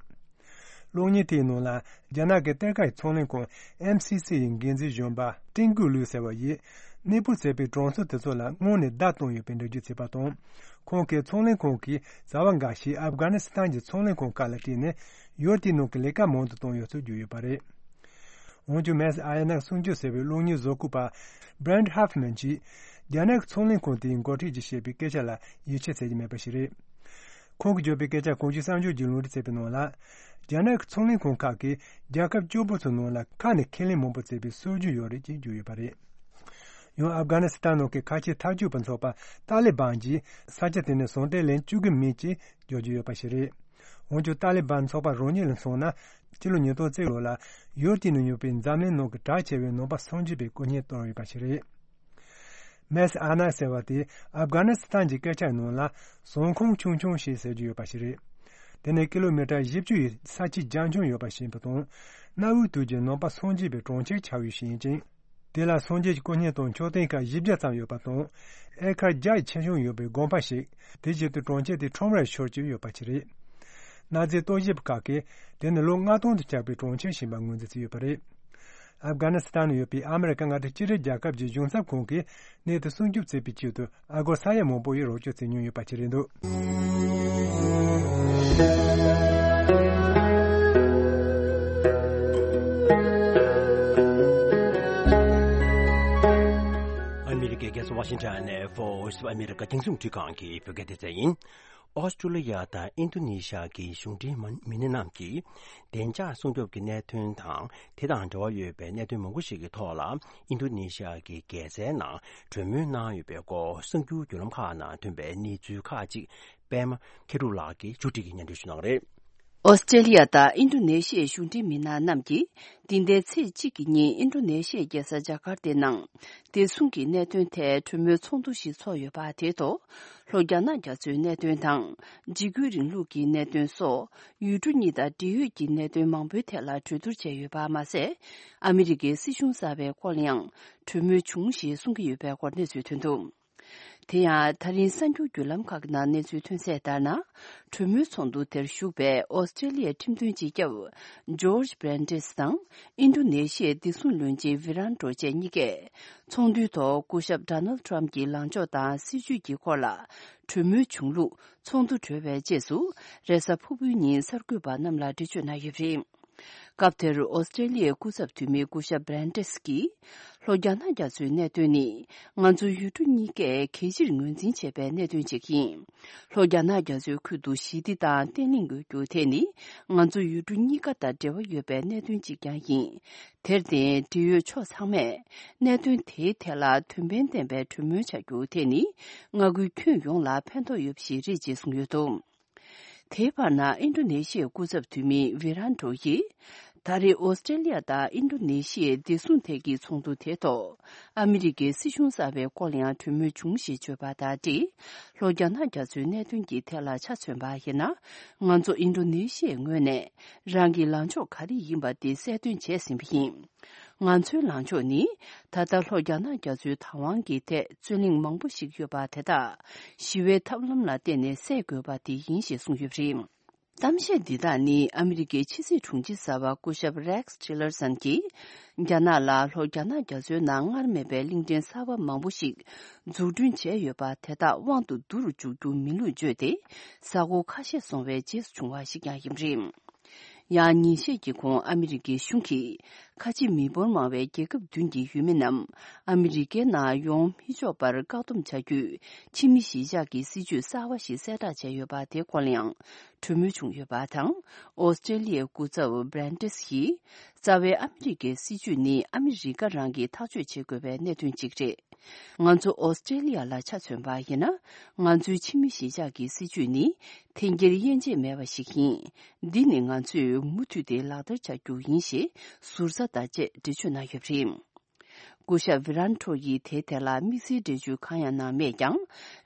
གློག་བརྙན་དེའི་ནང་ལ་རྒྱ་ནག་གི་གཏེར་ཁ་ཡི་ཚོང་ལས་ཁང་ཨེམ་སི་སི་ཡི་འགན་འཛིན་གཞོན་པ་ཀྲིན་ཀུའུ་ལུའུ་ཟེར་བ་ཡིས་གནས་སྤོ་བྱས་པའི་གྲངས་ཚད་དེ་ཚོ་ལ་སྔོན་ནས་བརྡ་བཏང་ཡོད་པའི་འགྲེལ་བརྗོད་བྱས་པ་དང་། ཁོང་གིས་ཚོང་ལས་ཁང་གིས་བྱ་བ་འགའ་ཞིག་ཨབ་གྷ་ནི་སི་ཐན་གྱི་ཚོང་ལས་ཁང་ཁག་ལ་སྤྲད་ནས་ཡུལ་དེའི་ནང་གི་ལས་ཀ་མང་དུ་བཏང་ཡོད་ཚུལ་བརྗོད་ཡོད་པ་རེད། འོན་ཀྱང་མེས་ཨ་ཡ་ནག་སྲུང་སྐྱོབ་ཟེར་བའི་གློག་བརྙན་བཟོ་བཀོད་པ་Brent Hoffman་གྱིས་རྒྱ་ནག་གི་ཚོང་ལས་ཁང་དེའི་འགོ་ཁྲིད་ཀྱིས་བཤད་པའི་སྐད་ཆ་ལ་ཡིད་ཆེས་བྱེད་ཀྱི་མེད་པ་ཞིག་རེད། ཁོང་གིས་བརྗོད་པའི་སྐད་ཆ་གོང་ཞུས་གསར་འགྱུར་གྱིས་ལུང་འདྲེན་བྱས་པའི་ནང་ལ། རྒྱ་ནག་གི་ཚོང་ལས་ཁང་ཁག་གིས་རྒྱལ་ཁབ་བཅུ་དགུ་ཚོའི་ནང་ལ་ཁ་ནས་ཁས་ལེན་མང་པོ་བྱས་པའི་སྲོལ་རྒྱུན་ཡོད་རེད་ཅེས་བརྗོད་ཡོད་པ་རེད། ཡང་ཨབ་གྷ་ནི་སི་ཐན་ནང་གི་ཁ་ཆེའི་འཐབ་ཇུས་པ་ཚོགས་པ་ཏཱ་ལི་བན་གྱིས་ས་ཆ་དེ་ནས་ཟོན་ཐལ་ལེན་བཅུག་གི་མེད་ཅེས་བརྗོད་ཀྱི་ཡོད་པ་ཞིག་རེད། འོན་ཀྱང་ཏཱ་ལི་བན་ཚོགས་པ་རང་ཉིད་ལ་མཚོན་ན་སྤྱི་ལོ་ཉིས་སྟོང་གཅིག་ལོ་ལ་ཡུལ་དེའི་ནང་ཡོད་པའི་འཛམ་གླིང་ནང་གི་གྲགས་ཆེ་བའི་ནང་པ་སངས་རྒྱས་པའི་དཀོན་གཉེར་བཏང་ཡོད་པ་ཞིག་རེད། མེས་ཨ་ནག་ཟེར་བ་དེ་ཨབ་གྷ་ནི་སི་ཐན་གྱི་སྐད་ཆ་ནང་ལ་ཟོན་ཁང་ཆུང་ཆུང་ཞེས་ཟེར་གྱི་ཡོད་པ་ཞིག་རེད། དེ་ནི་ཀི་ལོ་མི་ཊར་བཞི་བཅུ་ཡི་ས་ཆའི་རྒྱ་ཁྱོན་ཡོད་པ་ཞིག་ཡིན་པ་དང་། གནའ་བོའི་དུས་ཀྱི་ནང་པ་སངས་རྒྱས་པའི་གྲོང་ཁྱེར་ཆགས་ཡུལ་ཞིག་ཡིན་ཅིང་། དེ་ལ་སངས་རྒྱས་ཀྱི་དཀོན་གཉེར་དང་མཆོད་རྟེན་ཁག་བཞི་བརྒྱ་ཙམ་ཡོད་པ་དང་། ཨེ་ཀར་བརྒྱ་ཡི་ཆེ་ཆུང་ཡོད་པའི་དགོན་པ་ཞིག་དེ་བཞིན་དུ་གྲོང་ཁྱེར་དེ་ཁྲོམ་རར་ཤོར་གྱི་ཡོད་པ་ཞིག་རེད། གནའ་རྫས་རྟོག་ཞིབ་པ་ཁག་གིས་དེ་ནི་ལོ་ལྔ་སྟོང་དུ་བསྐྱལ་བའི་གྲོང་ཁྱེར་ཞིག་ཡིན་པ་ངོས་འཛིན་བྱས་ཡོད་པ་རེད། ཨབ་གྷ་ནི་སི་ཐན་ནང་ཡོད་པའི་ཨ་མི་རི་ཀ་མངའ་སྡེ་སྤྱི་ཁྱབ་རྒྱལ་ཁབ་ཀྱི་གཞུང་ཚབ་ཁང་གིས་གནས་དེ་སྲུང་སྐྱོབ་བྱེད་པའི་ཆེད་དུ་ཨ་སྒོར་ས་ཡ་མང་པོ་ཡི་རོགས་སྐྱོར་བྱེད་མྱོང་ཡོད་པ་ཞིག་རེད་འདུག་ཨ་མི་རི་ཀའི་རྒྱལ་ས་ཝ་ཤིང་ཊོན་ནས་Voice of America་རྒྱང་སྲིང་རླུང་འཕྲིན་ཁང་གི་བོད་སྐད་སྡེ་ཚན་ཡིན། ཨོ་སི་ཀྲུ་ལི་ཡ་དང་ཨིན་རྡུ་ནེ་ཤི་ཡ་གི་གཞུང་འབྲེལ་མི་སྣ་རྣམས་ཀྱིས་བདེ་འཇགས་སྲུང་སྐྱོབ་ཀྱི་གནད་དོན་དང་། དེ་དང་འབྲེལ་བ་ཡོད་པའི་གནད་དོན་མང་པོ་ཞིག་གི་ཐོག་ལ། ཨིན་རྡུ་ནེ་ཤི་ཡ་གི་རྒྱལ་སའི་ནང་གྲོས་མོལ་གནང་ཡོད་པའི་སྐོར། གསར་འགྱུར་བརྒྱུད་ལམ་ཁག་ནང་ཐོན་པའི་གནས་ཚུལ་ཁག་ཅིག་པད་མ་མཁས་གྲུབ་ལགས་ཀྱིས་མཇུག་སྒྲིལ་གྱིས་སྙན་སྒྲོན་ཞུ་གནང་བ་རེད། ཨོ་སི་ཀྲེ་ལི་ཡ་དང་ཨིན་རྡུ་ནེ་ཤི་ཡའི་གཞུང་འབྲེལ་མི་སྣ་རྣམས་ཀྱིས། འདི་ཟླའི་ཚེས་གཅིག་གི་ཉིན་ཨིན་རྡུ་ནེ་ཤི་ཡའི་རྒྱལ་ས་ཇ་ཀར་ཏའི་ནང་། བདེ་སྲུང་གི་གནད་དོན་ཐད་གྲོས་མོལ་ཚོགས་འདུ་ཞིག་ཚོགས་ཡོད་པ་དེའི་ཐོག་ལྷོ་རྒྱ་ནག་རྒྱ་མཚོའི་གནད་དོན་དང་། འཇིགས་སྐུལ་རིང་ལུགས་ཀྱི་གནད་དོན་སོགས་ཡུལ་གྲུ་གཉིས་དང་འབྲེལ་ཡོད་ཀྱི་གནད་དོན་མང་པོའི་ཐད་ལ་གྲོས་བསྡུར་བྱས་ཡོད་པ་མ་ཟད། ཨ་མི་རི་ཀའི་སྲིད་གཞུང་གསར་པའི་སྐོར་ལ་ཡང་གྲོས་མོལ་བྱུང་ཞེས་གསུང་གི་ཡོད་པའི་སྐོར་གནས་ཚུལ་ཐོན་འདུག་དེ་ཡང་ད་རིང་གསར་འགྱུར་བརྒྱུད་ལམ་ཁག་གི་ནང་གནས་ཚུལ་ཐོན་གསལ་ལྟར་ན། གྲོས་མོལ་ཚོགས་འདུ་དེར་ཞུགས་པའི་ཨོ་སི་ཀྲེ་ལི་ཡའི་ཁྲིམས་དོན་སྤྱི་ཁྱབ་ཇོརྗ་བྷེ་རན་ཌེས་དང་ཨིན་རྡུ་ནེ་ཤི་ཡའི་བདེ་སྲུང་བློན་ཆེན་ཝི་རན་ཌོ་བཅས་གཉིས་ཀས། ཚོགས་འདུའི་ཐོག་སྐུ་ཞབས་ཌོ་ནལ་ཌི་ཊརམ་ཕ་གྱི་ལངས་ཕྱོགས་དང་སྲིད་བྱུས་ཀྱི་སྐོར་ལ་གྲོས་མོལ་བྱུང་ལུགས་ཚོགས་འདུ་གྲོལ་བའི་རྗེས་སུ་རེས་གཟའ་ཕུར་བུའི་ཉིན་གསར་འགོད་པ་རྣམས་ལ་འགྲེལ་བརྗོད་གནང་ཡོད་པ་རེད། སྐབས་དེར་ཨོ་སི་ཀྲེ་ལི་ཡའི་སྐུ་ཚབ་འཐུས་མི་སྐུ་ཞབས་བྷེ་རན་ཌེས་ཀྱིས། ལྷོ་རྒྱ་ནག་རྒྱ་མཚོའི་གནད་དོན་ནི་ང་ཚོ་ཡུལ་གྲུ་གཉིས་ཀས་གལ་ཆེར་ངོས་འཛིན་བྱེད་པའི་གནད་དོན་ཅིག་ཡིན། ལྷོ་རྒྱ་ནག་རྒྱ་མཚོའི་ཁུལ་དུ་ཞི་བདེ་དང་བརྟན་ལྷིང་ཡོད་རྒྱུ་དེ་ནི་ང་ཚོ་ཡུལ་གྲུ་གཉིས་ཀ་དང་འབྲེལ་བ་ཡོད་པའི་གནད་དོན་ཅིག་ཀྱང་ཡིན། དེར་བརྟེན་འབྲེལ་ཡོད་ཕྱོགས་ཚང་མས་གནད་དོན་དེའི་ཐད་ལ་དོན་ཕན་ལྡན་པའི་གྲོས་མོལ་བྱ་རྒྱུ་དེ་ནི་མངའ་ཁུལ་ཁྱོན་ཡོངས་ལ་ཕན་ཐོགས་ཡོད་པ་ཞིག་རེད་ཅེས་གསུངས་ཡོད་འདུག་དེའི་བར་ན་ཨིན་ཌོ་ནེ་ཤི་ཡའི་སྐུ་ཚབ་འཐུས་མི་ཝི་རན་ཌོ་ཡིས། ད་རེས་ཨོ་སི་ཀྲེ་ལི་ཡ་དང་ཨིན་ཌོ་ནེ་ཤི་ཡའི་བདེ་སྲུང་ཐད་ཀྱི་ཚོགས་འདུ་དེའི་ཐོག་ཨ་མི་རི་ཀའི་སྲིད་གཞུང་གསར་པའི་སྐོར་ལ་ཡང་གྲོས་མོལ་བྱུང་ཞེས་བརྗོད་པ་དང་འབྲེལ། ལྷོ་རྒྱ་ནག་རྒྱ་མཚོའི་གནད་དོན་གྱི་ཐད་ལ་ཆ་མཚོན་པ་ཡིན་ན། ང་ཚོ་ཨིན་ཌོ་ནེ་ཤི་ཡའི་ངོས་ནས་རང་གི་ལངས་ཕྱོགས་ག་རེ་ཡིན་པ་དེ་གསལ་སྟོན་བྱས་ཟིན་པ་ཡིན། ང་ཚོའི་ལངས་ཕྱོགས་ནི། ད་ལྟ་ལྷོ་རྒྱ་ནག་རྒྱ་མཚོའི་བདག་དབང་གི་ཐད་རྩོད་གླེང་མང་པོ་ཞིག་ཡོད་པ་དེ་དག་ཞི་བའི་ཐབས་ལམ་ལ་བརྟེན་ནས་སེལ་དགོས་པ་དེ་ཡིན་ཞེས་གསུངས་ཡོད་པ་རེད། གཏམ་བཤད་འདི་དག་ནི་ཨ་མི་རི་ཀའི་ཕྱི་སྲིད་དྲུང་ཆེ་གསར་པ་སྐུ་ཞབས་Rex Tillerson གྱིས། རྒྱ་ནག་ལ་ལྷོ་རྒྱ་ནག་རྒྱ་མཚོའི་ནང་སྔར་མེད་པའི་གླིང་ཕྲན་གསར་པ་མང་པོ་ཞིག་འཛུགས་སྐྲུན་བྱས་ཡོད་པ་དེ་དག་དབང་དུ་བསྡུ་རུ་འཇུག་རྒྱུ་མིན་ལུགས་བརྗོད་དེ། ས་ཁུལ་ཁ་ཤས་བཟུང་བའི་རྗེས་སུ་བྱུང་བ་ཞིག་ཀྱང་ཡིན་པ་རེད། ཡང་ཉིན་ཤས་ཀྱི་གོང་ཨ་མི་རི་ཀའི་གཞུང་གིས་ཁ་ཆེ་མི་འབོར་མང་བའི་རྒྱལ་ཁབ་བདུན་གྱི་ཡུལ་མི་རྣམས་ཨ་མི་རི་ཀའི་ནང་ཡོང་མི་ཆོག་པར་བཀག་སྡོམ་བྱ་རྒྱུའི་ཕྱི་མི་གཞིས་ཆགས་ཀྱི་སྲིད་ཇུས་གསར་བ་ཞིག་གསལ་བསྒྲགས་བྱས་ཡོད་པ་དེའི་སྐོར་ལ་ཡང་གྲོས་མོལ་བྱུང་ཡོད་པ་དང་། ཨོ་སི་ཀྲེ་ལི་ཡའི་སྐུ་ཚབ་Brandis ཡིས། རྩ་བའི་ཨ་མི་རི་ཀའི་སྲིད་ཇུས་ནི་ཨ་མི་རི་ཀ་རང་གིས་ཐག་གཅོད་བྱེད་དགོས་པའི་གནད་དོན་ཅིག་རེད། ང་ཚོ་ཨོ་སི་ཀྲེ་ལི་ཡ་ལ་ཆ་མཚོན་པ་ཡིན་ན། ང་ཚོའི་ཕྱི་མི་གཞིས་ཆགས་ཀྱི་སྲིད་ཇུས་ནི་འཐེན་འཁྱེར་དབྱེ་འབྱེད་མེད་པ་ཞིག་ཡིན། འདི་ནི་ང་ཚོས་མུ་མཐུད་དེ་ལག་བསྟར་བྱ་རྒྱུ་ཡིན་ཞེས་ཟུར་ཟ་དང་བཅས་འགྲེལ་བརྗོད་གནང་ཡོད་པ་རེད། སྐུ་ཞབས་Wiranto ཡིས་དེའི་ཐད་ལ་དམིགས་བསལ་འགྲེལ་བརྗོད་གང་ཡང་གནང་མེད་ཀྱང་།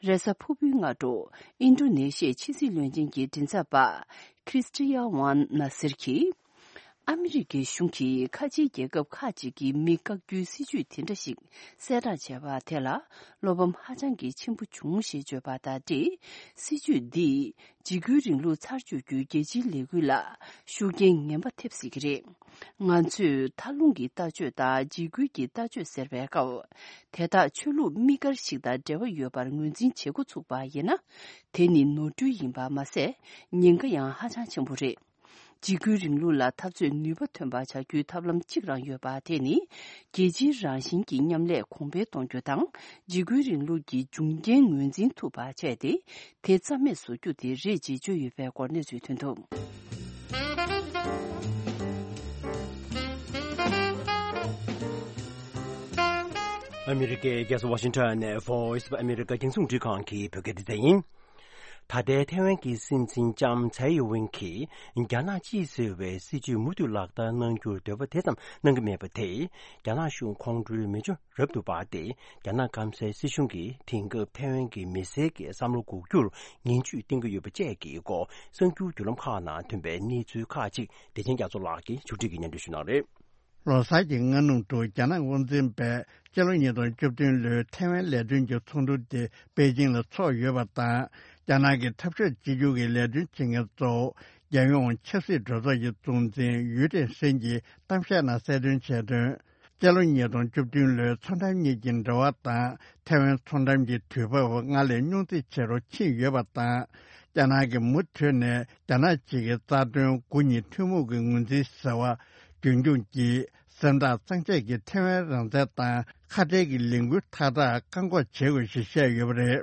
རེས་གཟའ་ཕུར་བུའི་སྔ་དྲོ་ཨིན་ཌོ་ནེ་ཤི་ཡའི་ཕྱི་སྲིད་བློན་ཆེན་གྱི་མགྲིན་ཚབ་པ་Kristian Juan Nasser གྱིས། ཨ་མི་རི་ཀའི་གཞུང་གིས་ཁ་ཆེའི་རྒྱལ་ཁབ་ཁག་ཅིག་གི་མི་བཀག་རྒྱུའི་སྲིད་ཇུས་དེ་འདྲ་ཞིག་གསལ་བསྒྲགས་བྱས་པ་དེ་ལ་བློ་ཕམ་ཧ་ཅང་གི་ཆེན་པོ་བྱུང་ཞེས་བརྗོད་པ་དང་འབྲེལ། སྲིད་ཇུས་འདིས་འཇིགས་སྐུལ་རིང་ལུགས་ཚར་གཅོད་རྒྱུའི་རྒྱལ་སྤྱིའི་ལས་འགུལ་ལ་ཤུགས་རྐྱེན་ངན་པ་ཐེབས་སྲིད་ཀྱི་རེད། ང་ཚོས་མཐའ་ལྷུང་གི་ལྟ་སྤྱོད་དང་འཇིགས་སྐུལ་གྱི་ལྟ་སྤྱོད་ཟེར་བའི་སྐབས། དེ་དག་ཆོས་ལུགས་དམིགས་བཀར་ཞིག་དང་འབྲེལ་བ་ཡོད་པར་ངོས་འཛིན་བྱེད་འགོ་ཚུགས་པ་ཡིན་ན། དེ་ནི་ནོར་འཁྲུལ་ཡིན་པ་མ་ཟད། ཉེན་ཁ་ཡང་ཧ་ཅང་ཆེན་པོ་རེད། འཇིགས་སྐུལ་རིང་ལུགས་ལ་འཐབ་རྩོད་ནུས་པ་ཐོན་པ་བྱ་རྒྱུའི་ཐབས་ལམ་གཅིག་རང་ཡོད་པ་དེ་ནི། རྒྱལ་སྤྱིའི་རང་བཞིན་གྱི་མཉམ་ལས་གོང་འཕེལ་གཏོང་རྒྱུ་དང་། འཇིགས་སྐུལ་རིང་ལུགས་ཀྱི་འབྱུང་རྐྱེན་ངོས་འཛིན་ཐུབ་པ་བྱས་ཏེ། དེ་རྩ་མེད་བཟོ་རྒྱུ་དེ་རེད་ཅེས་བརྗོད་ཡོད་པའི་སྐོར་གནས་ཚུལ་ཐོན་འདུག་ཨ་མི་རི་ཀའི་རྒྱལ་ས་ཝ་ཤིང་ཊོན་ནས་Voice of America རྒྱང་སྲིང་རླུང་འཕྲིན་ཁང་གི་བོད་སྐད་སྡེ་ཚན་ཡིན། ད་ལྟའི་ཐའེ་ཝན་གྱི་སྲིད་འཛིན་ལྕམ་ཚའེ་ཝེན་གྱིས་རྒྱ་ནག་གཅིག་ཟེར་བའི་སྲིད་ཇུས་མུ་མཐུད་ལག་བསྟར་གནང་རྒྱུར་འདོད་པ་དེ་ཙམ་གནང་གི་མེད་པ་དེས། རྒྱ་ནག་གཞུང་ཁོང་ཁྲོའི་མེ་མཆོད་རབ་ཏུ་འབར་ཏེ། རྒྱ་ནག་སྐམ་སའི་སྲིད་གཞུང་གིས་དེང་སྐབས་ཐའེ་ཝན་གྱི་མི་སེར་གྱི་བསམ་བློ་འགུག་རྒྱུར་ངན་ཇུས་བསྟན་གྱི་ཡོད་པ་བཅས་ཀྱི་སྐོར་གསར་འགྱུར་བརྒྱུད་ལམ་ཁག་ནང་ཐོན་པའི་གནས་ཚུལ་ཁག་ཅིག་བདེ་ཆེན་རྒྱ་མཚོ་ལགས་ཀྱིས་ཕྱོགས་སྒྲིག་གིས་སྙན་སྒྲོན་ཞུ་གནང་རེད། ལོ་གསར་གྱི་སྔ་ནུབ་ཏུ་རྒྱ་ནག་དབང་འཛིན་པས་སྤྱི་ལོ་ཉིས་སྟོང་བཅུ་བདུན་ལོའི་ཐའེ་ཝན་ལས་དོན་གྱི་ཚོགས་འདུ་དེ་པེ་ཅིང་ལ་འཚོགས་ཡོད་པ་དང་། རྒྱ་ནག་གི་འཐབ་ཕྱོགས་གཅིག་གྱུར་གྱི་ལས་དོན་བྱེད་མཁན་གཙོ་བོ་རྒྱལ་ཡོངས་ཆབ་སྲིད་གྲོས་ཚོགས་ཀྱི་གཙོ་འཛིན་ཡུས་ཀྲེང་ཧྲེང་གིས་གཏམ་བཤད་ནང་གསལ་སྟོན་བྱས་དོན། སྤྱི་ལོ་ཉིས་སྟོང་བཅུ་བདུན་ལོའི་མཚོ་འགྲམ་གཉིས་ཀྱི་འབྲེལ་བ་དང་ཐའེ་ཝན་མཚོ་འགྲམ་གྱི་དུས་བབ་སྔར་ལས་རྙོག་འཛིང་ཆེ་རུ་ཕྱིན་ཡོད་པ་དང་། རྒྱ་ནག་གིས་མུ་མཐུད་ནས་རྒྱ་ནག་གཅིག་གི་རྩ་དོན་དགུ་གཉིས་ཐུན་མོང་གི་ངོས་འཛིན་ཟེར་བ་རྒྱུན་འཁྱོངས་ཀྱིས། གཟེངས་རྟགས་གཙང་བཅད་ཀྱིས་ཐའེ་ཝན་རང་བཙན་དང་ཁ་བྲལ་གྱི་ལས་འགུལ་མཐའ་དག་བཀག་འགོག་བྱེད་དགོས་ཞེས་བཤད་ཡོད་པ་རེད།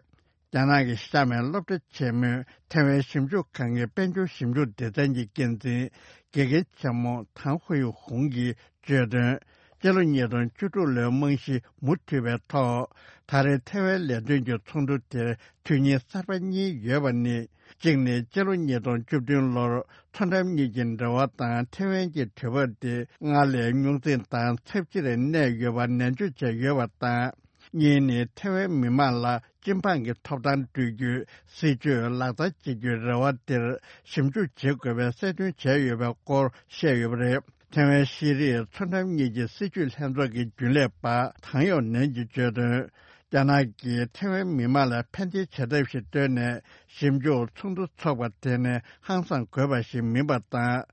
རྒྱ་ནག་གི་གཤམ་མའི་སློབ་གྲྭ་ཆེན་མོས་ཐའེ་ཝན་ཞིབ་འཇུག་ཁང་གི་དཔལ་འབྱོར་ཞིབ་འཇུག་སྡེ་ཚན་གྱི་འགན་འཛིན་དགེ་རྒན་ཆེན་མོ་ཐང་ཧུའེ་ཧུང་གིས་བརྗོད་དོན། སྤྱི་ལོ་ཉིས་སྟོང་བཅུ་དྲུག་ལོའི་རྨང་གཞི་མུ་མཐུད་པའི་ཐོག་ད་རེས་ཐའེ་ཝན་ལས་དོན་གྱི་ཚོགས་འདུ་དེར་དོན་སྙིང་གསར་པ་གཉིས་ཡོད་པ་ནི། གཅིག་ནི་སྤྱི་ལོ་ཉིས་སྟོང་བཅུ་བདུན་ལོར་མཚོ་འགྲམ་གཉིས་ཀྱི་འབྲེལ་བ་དང་ཐའེ་ཝན་གྱི་དུས་བབ་དེ་སྔར་ལས་རྙོག་འཛིང་དང་ཚབས་ཆེར་གནས་ཡོད་པ་ནན་བརྗོད་བྱས་ཡོད་པ་དང་། གཉིས་ནི་ཐའེ་ཝན་མི་མང་ལ་སྤྱི་འབངས་ཀྱི་ཐོབ་ཐང་སྤྲོད་རྒྱུའི་སྲིད་ཇུས་ལག་བསྟར་བྱེད་རྒྱུའི་རེ་བ་དེར་ཞིབ་འཇུག་བྱེད་དགོས་པའི་གསལ་སྟོན་བྱས་ཡོད་པའི་སྐོར་བཤད་ཡོད་པ་རེད། ཐའེ་ཝན་ཤེས་རིག་མཚོ་འགྲམ་གཉིས་ཀྱི་སྲིད་བྱུས་ལྷན་ཚོགས་ཀྱི་རྒྱུན་ལས་པ་ཐང་ཡོག་ནན་གྱིས་བརྗོད་དོན། རྒྱ་ནག་གིས་ཐའེ་ཝན་མི་མང་ལ་ཕན་བདེ་བྱ་ཐབས་ཤིག་བཏོན་ནས་ཞིབ་འཇུག་ཚོགས་འདུ་འཚོགས་པ་དེ་ནི་ཧང་སངས་དགོས་པ་ཞིག་མིན་པ་དང་།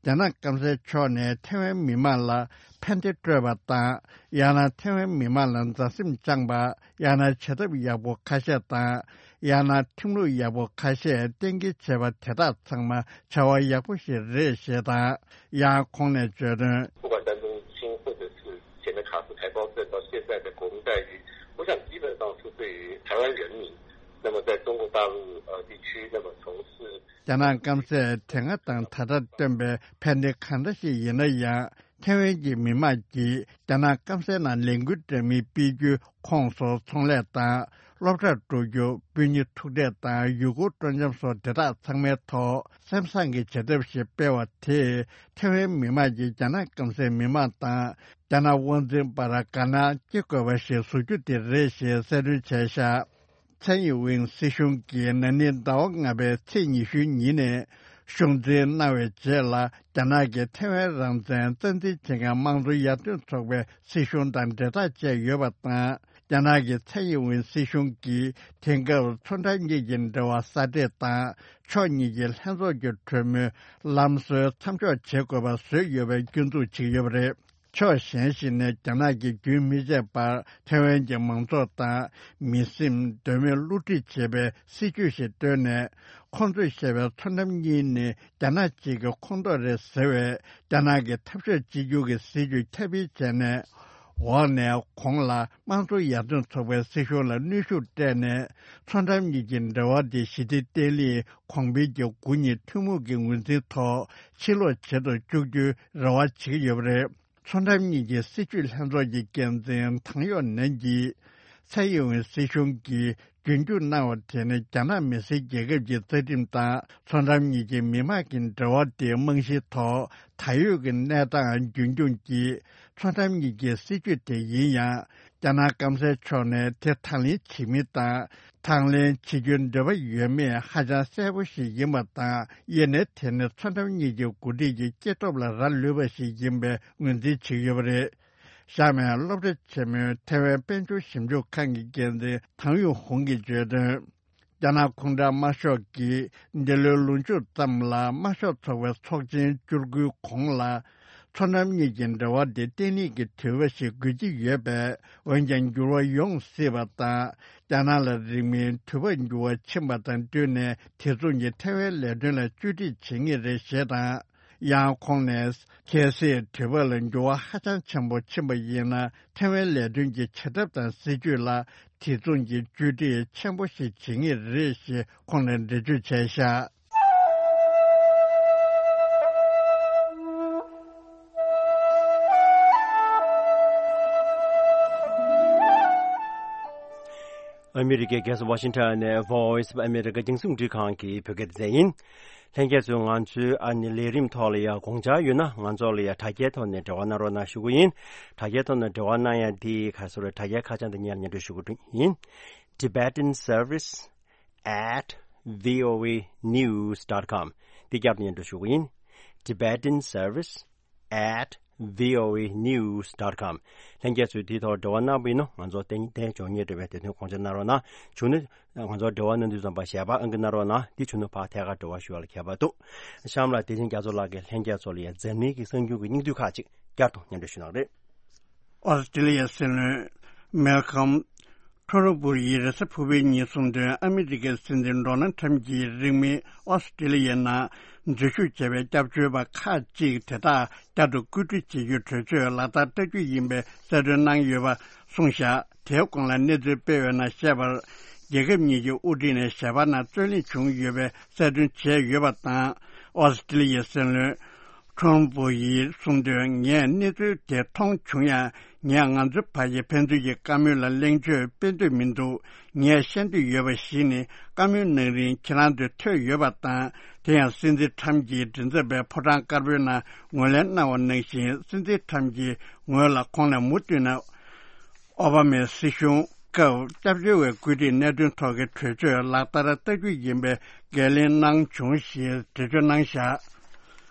རྒྱ་ནག་སྐམ་སའི་ཕྱོགས་ནས་ཐའེ་ཝན་མི་མང་ལ་ཕན་བདེ་སྤྲོད་པ་དང་། ཡང་ན་ཐའེ་ཝན་མི་མང་ལ་མཛའ་སེམས་བཅངས་པ། ཡང་ན་བྱ་ཐབས་ཡག་པོ་ཁ་ཤས་དང་། ཡང་ན་ཁྲིམས་ལུགས་ཡག་པོ་ཁ་ཤས་གཏན་འཁེལ་བྱས་པ་དེ་དག་ཚང་མ་བྱ་བ་ཡག་པོ་ཞིག་རེད་ཞེས་དང་། ཡང་ཁོང་ནས་བརྗོད་དོན། 不管丹东青或者是前的卡斯台胞证到现在的国民待遇，我想基本上是对于台湾人民，那么在中国大陆呃地区，那么从事 རྒྱ་ནག་སྐམ་སས་དེ་སྔ་དང་ད་ལྟ་བཏོན་པའི་ཕན་བདེ་གང་འདྲ་ཞིག་ཡིན་ན་ཡང་། ཐའེ་ཝན་གྱི་མི་དམངས་ཀྱིས་རྒྱ་ནག་སྐམ་སའི་ནང་ལས་འགུལ་འདྲ་མིན་སྤེལ་རྒྱུ། ཁོངས་སུ་ཚོང་ལས་དང་སློབ་གྲྭར་འགྲོ་རྒྱུ། སྤུན་ཉེ་ཐུག་འཕྲད་དང་ཡུལ་སྐོར་སྤྲོ་འཆམ་སོགས་དེ་དག་ཚང་མའི་ཐོག་སེམས་བཟང་གི་བྱ་ཐབས་ཤིག་སྤེལ་བ་དེས་ཐའེ་ཝན་མི་དམངས་ཀྱིས་རྒྱ་ནག་སྐམ་སའི་མི་དམངས་དང་རྒྱ་ནག་དབང་འཛིན་བར་དགའ་སྣང་སྐྱེ་དགོས་པ་ཞིག་བཟོ་རྒྱུ་དེ་རེད་ཞེས་གསལ་སྟོན་བྱས་བཞག་ཚན་ཡི་ཝིང་སྲིད་གཞུང་གིས་ན་ནིང་ཟླ་བ་ལྔ་པའི་ཚེས་ཉི་ཤུའི་ཉིན་ནས་གཞུང་འཛིན་གནང་བའི་རྗེས་ལ། རྒྱ་ནག་གིས་ཐའེ་ཝན་རང་བཙན་རྩ་འཛིན་བྱེད་མཁན་དམངས་གཙོ་ཡར་ཐོན་ཚོགས་པའི་སྲིད་གཞུང་དང་འབྲེལ་ཐག་བཅད་ཡོད་པ་དང་། རྒྱ་ནག་གི་ཚའེ་ཡིན་ཝེན་སྲིད་གཞུང་གིས་དེང་སྐབས་མཚོ་འགྲམ་གཉིས་ཀྱི་འབྲེལ་བ་གསར་འབྲེལ་དང་ཕྱོགས་གཉིས་ཀྱི་ལྷན་ཚོགས་ཀྱི་གྲོས་མོལ་ལམ་སྲོལ་མཚམས་འཇོག་བྱེད་དགོས་པ་བཟོས་ཡོད་པའི་སྐྱོན་འཛུགས་བྱེད་ཀྱི་ཡོད་པ་རེད། ཕྱོགས་གཞན་ཞིག་ནས་རྒྱ་ནག་གིས་རྒྱུན་མི་ཆད་པར་ཐའེ་ཝན་གྱི་མང་ཚོགས་དང་མི་སེམས་གདོད་མའི་བསླུ་བྲིད་བྱེད་པའི་སྲིད་བྱུས་ཤིག་བཏོན་ནས། ཁོང་ཚོས་བཤད་པའི་མཚོ་འགྲམ་གཉིས་ནི་རྒྱ་ནག་གཅིག་གི་ཁོངས་གཏོགས་རེད་ཟེར་བའི་རྒྱ་ནག་གི་འཐབ་ཕྱོགས་གཅིག་གྱུར་གྱི་སྲིད་བྱུས་ཁྱབ་སྤེལ་བྱས་ནས། འོག་ནས་གོང་ལ་དམངས་གཙོ་ཡར་ཐོན་ཚོགས་པའི་སྲིད་གཞུང་ལ་གནོན་ཤུགས་སྤྲད་ནས། མཚོ་འགྲམ་གཉིས་ཀྱི་འབྲེལ་བ་དེ་ཞི་བདེ་བརྟན་ལྷིང་གོང་འཕེལ་གྱི་དགུ་གཉིས་ཐུན་མོང་གི་ངོས་འཛིན་ཐོག་ཕྱིར་ལོག་བྱེད་དུ་བཅུག་རྒྱུའི་རེ་བ་བྱེད་ཀྱི་ཡོད་པ་རེད། མཚོ་འགྲམ་གཉིས་ཀྱི་སྲིད་བྱུས་ལྷན་ཚོགས་ཀྱི་འགན་འཛིན་ཐང་ཡོག་ནན་གྱིས། ཚའེ་ཡིན་ཝེན་སྲིད་གཞུང་གིས་རྒྱུན་སྐྱོང་གནང་བ་དེ་ནི་རྒྱ་ནག་མི་སེར་རྒྱལ་ཁབ་ཀྱི་རྩ་ཁྲིམས་དང་མཚོ་འགྲམ་གཉིས་ཀྱི་མི་དམངས་ཀྱི་འབྲེལ་བ་དེའི་རྨང་གཞིའི་ཐོག་ད་ཡོད་ཀྱི་གནས་སྟངས་རྒྱུན་སྐྱོང་གིས། མཚོ་འགྲམ་གཉིས་ཀྱི་སྲིད་བྱུས་དེ་ཡིན་ཡང་། རྒྱ་ནག་སྐམ་སའི་ཕྱོགས་ནས་དེ་དང་ལེན་བྱེད་མིན་དང་། དང་ལེན་བྱེད་རྒྱུའི་འདོད་པ་ཡོད་མེད་ཧ་ཅང་གསལ་པོ་ཞིག་ཡིན་པ་དང་། དབྱེ་ནས་དེ་ནི་མཚོ་འགྲམ་གཉིས་ཀྱི་འགོ་ཁྲིད་ཀྱི་སྐྱེ་སྟོབས་ལ་རག་ལུས་པ་ཞིག་ཡིན་པའི་ངོས་འཛིན་བྱེད་ཀྱི་ཡོད་པ་རེད། ཤར་མའི་སློབ་གྲྭ་ཆེན་མོའི་ཐའེ་ཝན་དཔལ་འབྱོར་ཞིབ་འཇུག་ཁང་གི་འགན་འཛིན་ཐང་ཡུང་ཧུང་གིས་བརྗོད་དོན། རྒྱ་ནག་ཁོང་ཁྲོ་དམར་ཤོག་གིས་འདི་ལོའི་ལོ་མཇུག་ཙམ་ལ་དམར་ཤོག་ཚོགས་པའི་ཚོགས་ཆེན་བཅུ་དགུའི་གོང་ལ། མཚོ་འགྲམ་གཉིས་ཀྱི་འབྲེལ་བ་དེ་བརྟན་ལྷིང་གི་དུས་བབ་ཞིག་དགོས་ཀྱི་ཡོད་པས། འོན་ཀྱང་འགྱུར་བ་ཡོང་སྲིད་པ་དང་། རྒྱ་ནག་ལ་རིང་མིན་དུས་བབ་འགྱུར་བ་ཕྱིན་པ་དང་བསྟུན་ནས། དེ་མཚུངས་ཀྱི་ཐའེ་ཝན་ལས་དོན་ལ་བཅོས་སྒྲིག་བྱེད་ངེས་རེད་ཞེས་དང་། ཡང་ཁོང་ནས། གལ་སྲིད་དུས་བབ་ལ་འགྱུར་བ་ཧ་ཅང་ཆེན་པོ་ཕྱིན་པ་ཡིན་ན། ཐའེ་ཝན་ལས་དོན་གྱི་བྱེད་ཐབས་དང་སྲིད་བྱུས་ལ་དེ་མཚུངས་ཀྱི་བཅོས་སྒྲིག་ཆེན་པོ་ཞིག་བྱེད་ངེས་རེད་ཞེས་ཁོང་ནས་འགྲེལ་བརྗོད་བྱས་བཞག་ཨ་མི་རི་ཀའི་རྒྱལ་ས་ཝ་ཤིང་ཊོན་ནས་Voice of America རྒྱང་སྲིང་རླུང་འཕྲིན་ཁང་གི་བོད་སྐད་སྡེ་ཚན་ཡིན། ལྷན་རྒྱས་ཚོས་ང་ཚོའི་ཨ་ནི་ལས་རིམ་ཐོག་ལ་ཡང་དགོངས་འཆར་ཡོད་ན། ང་ཚོ་ལ་ཡང་དྲ་རྒྱའི་ཐོག་ནས་འབྲེལ་བ་གནང་རོགས་གནང་ཞུ་གི་ཡིན། དྲ་རྒྱའི་ཐོག་ནས་འབྲེལ་བ་གནང་ཡ་དེ་ག་རེ་ཟེར། དྲ་རྒྱའི་ཁ་བྱང་དེ་སྔོན་ལ་སྙན་སྒྲོན་ཞུ་གི་ཡིན། Tibetan Service at voanews.com། འདི་བསྐྱར་དུ་སྙན་སྒྲོན་ཞུ་གི་ཡིན། Tibetan Service at voanews.com། ལྷན་རྒྱས་ཚོས་དེའི་ཐོག་འབྲེལ་བ་གནང་བ་ཡིན་ན། ང་ཚོ་བརྟན་བརྟན་འབྱུང་ངེས་འབྲེལ་བའི་དེ་དོན་དགོངས་འཆར་གནང་རོགས་གནང་། བྱུང་ན་ང་ཚོ་འབྲེལ་བ་གནང་དུས་ཙམ་པ་ཞལ་པར་ཨང་ཀི་གནང་རོགས་གནང་། འདི་བྱུང་ན་ཕར་ཐད་ཀར་འབྲེལ་བ་ཞུ་བ་ལ་ཁྱད་པར་འདུག། གཤམ་ལ་བདེ་ཆེན་རྒྱ་མཚོ་ལགས་ཀྱིས་ལྷན་རྒྱས་ཚོ་ལ་ཡང་འཛམ་གླིང་གི་གསར་འགྱུར་གྱི་སྙིང་བསྡུས་ཁག་ཅིག་བསྐྱར་དུ་སྙན་སྒྲོན་ཞུ་གནང་རེད། ཨོ་སི་ཀྲི་ལི་ཡའི་སྲིད་བློན་མལ་ཁམ་ཁྲོ་རོ་བུར་ཡིས་རེས་གཟའ་ཕུར་བུའི་ཉིན་གསུངས་དོན། ཨ་མི་རི་ཀའི་སྲིད་འཛིན་ཌོ་ནལ་ཁྲམ་གྱིས་རིང་མིན་ཨོ་སི་ཀྲི་ལི་ཡའི་ནང་འཛུལ་ཞུགས་བྱས་པའི་སྐྱབས་བཅོལ་བ་ཁག་ཅིག་དེ་དག་བསྐྱར་དུ་བཀོད་སྒྲིག་བྱེད་རྒྱུའི་གྲོས་ཆོད་ལག་བསྟར་བསྟར་རྒྱུ་ཡིན་པའི་གསལ་སྟོན་གནང་ཡོད་པ་གསུངས་བཞག། དེའི་གོང་ལ་གནས་ཚུལ་སྤེལ་བའི་ནང་བཤད་པར། རྒྱལ་ཁབ་གཉིས་ཀྱི་དབུ་ཁྲིད་ནས་ཞལ་པར་ནང་རྩོད་གླེང་བྱུང་ཡོད་པའི་གསལ་སྟོན་བྱས་ཡོད་པ་དང་། ཨོ་སི་ཀྲི་ལི་ཡའི་སྲིད་བློན་ཁྲོམ་བུ་ཡིས་གསུངས་དོན། ངས་གནས་ཚུལ་དེ་མཐོང་བྱུང་ཡང་། ངས་ང་ཚོའི་བར་གྱི་ཕན་ཚུན་གྱི་བཀའ་མོལ་ལ་གླེང་བརྗོད་སྤེལ་འདོད་མི་འདུག། ངས་བཤད་འདོད་ཡོད་པ་ཞིག་ནི། བཀའ་མོལ་གནང་རིང་ཁྱེད་རང་ཚོས་ཐོས་ཡོད་པ་དང་། དེ་ཡང་སྲིད་འཛིན་ཁྲམ་གྱིས་མགྲིན་ཚབ་པའི་ཕོ་བྲང་དཀར་པོའི་ནང་ངོས་ལེན་གནང་བ་ནང་བཞིན། སྲིད་འཛིན་ཁྲམ་གྱིས་ངོས་ལ་ཁོང་ནས་མུ་མཐུད་ནས་ཨོ་བྷ་མའི་སྲིད་གཞུང་སྐབས་སྐྱབས་བཅོལ་བའི་བཀོད་སྒྲིག་གནད་དོན་ཐོག་གི་གྲོས་ཆོད་ལག་བསྟར་བསྟར་རྒྱུ་ཡིན་པའི་འགན་ལེན་གནང་བྱུང་ཞེས་འགྲེལ་བརྗོད་གནང་བཞག།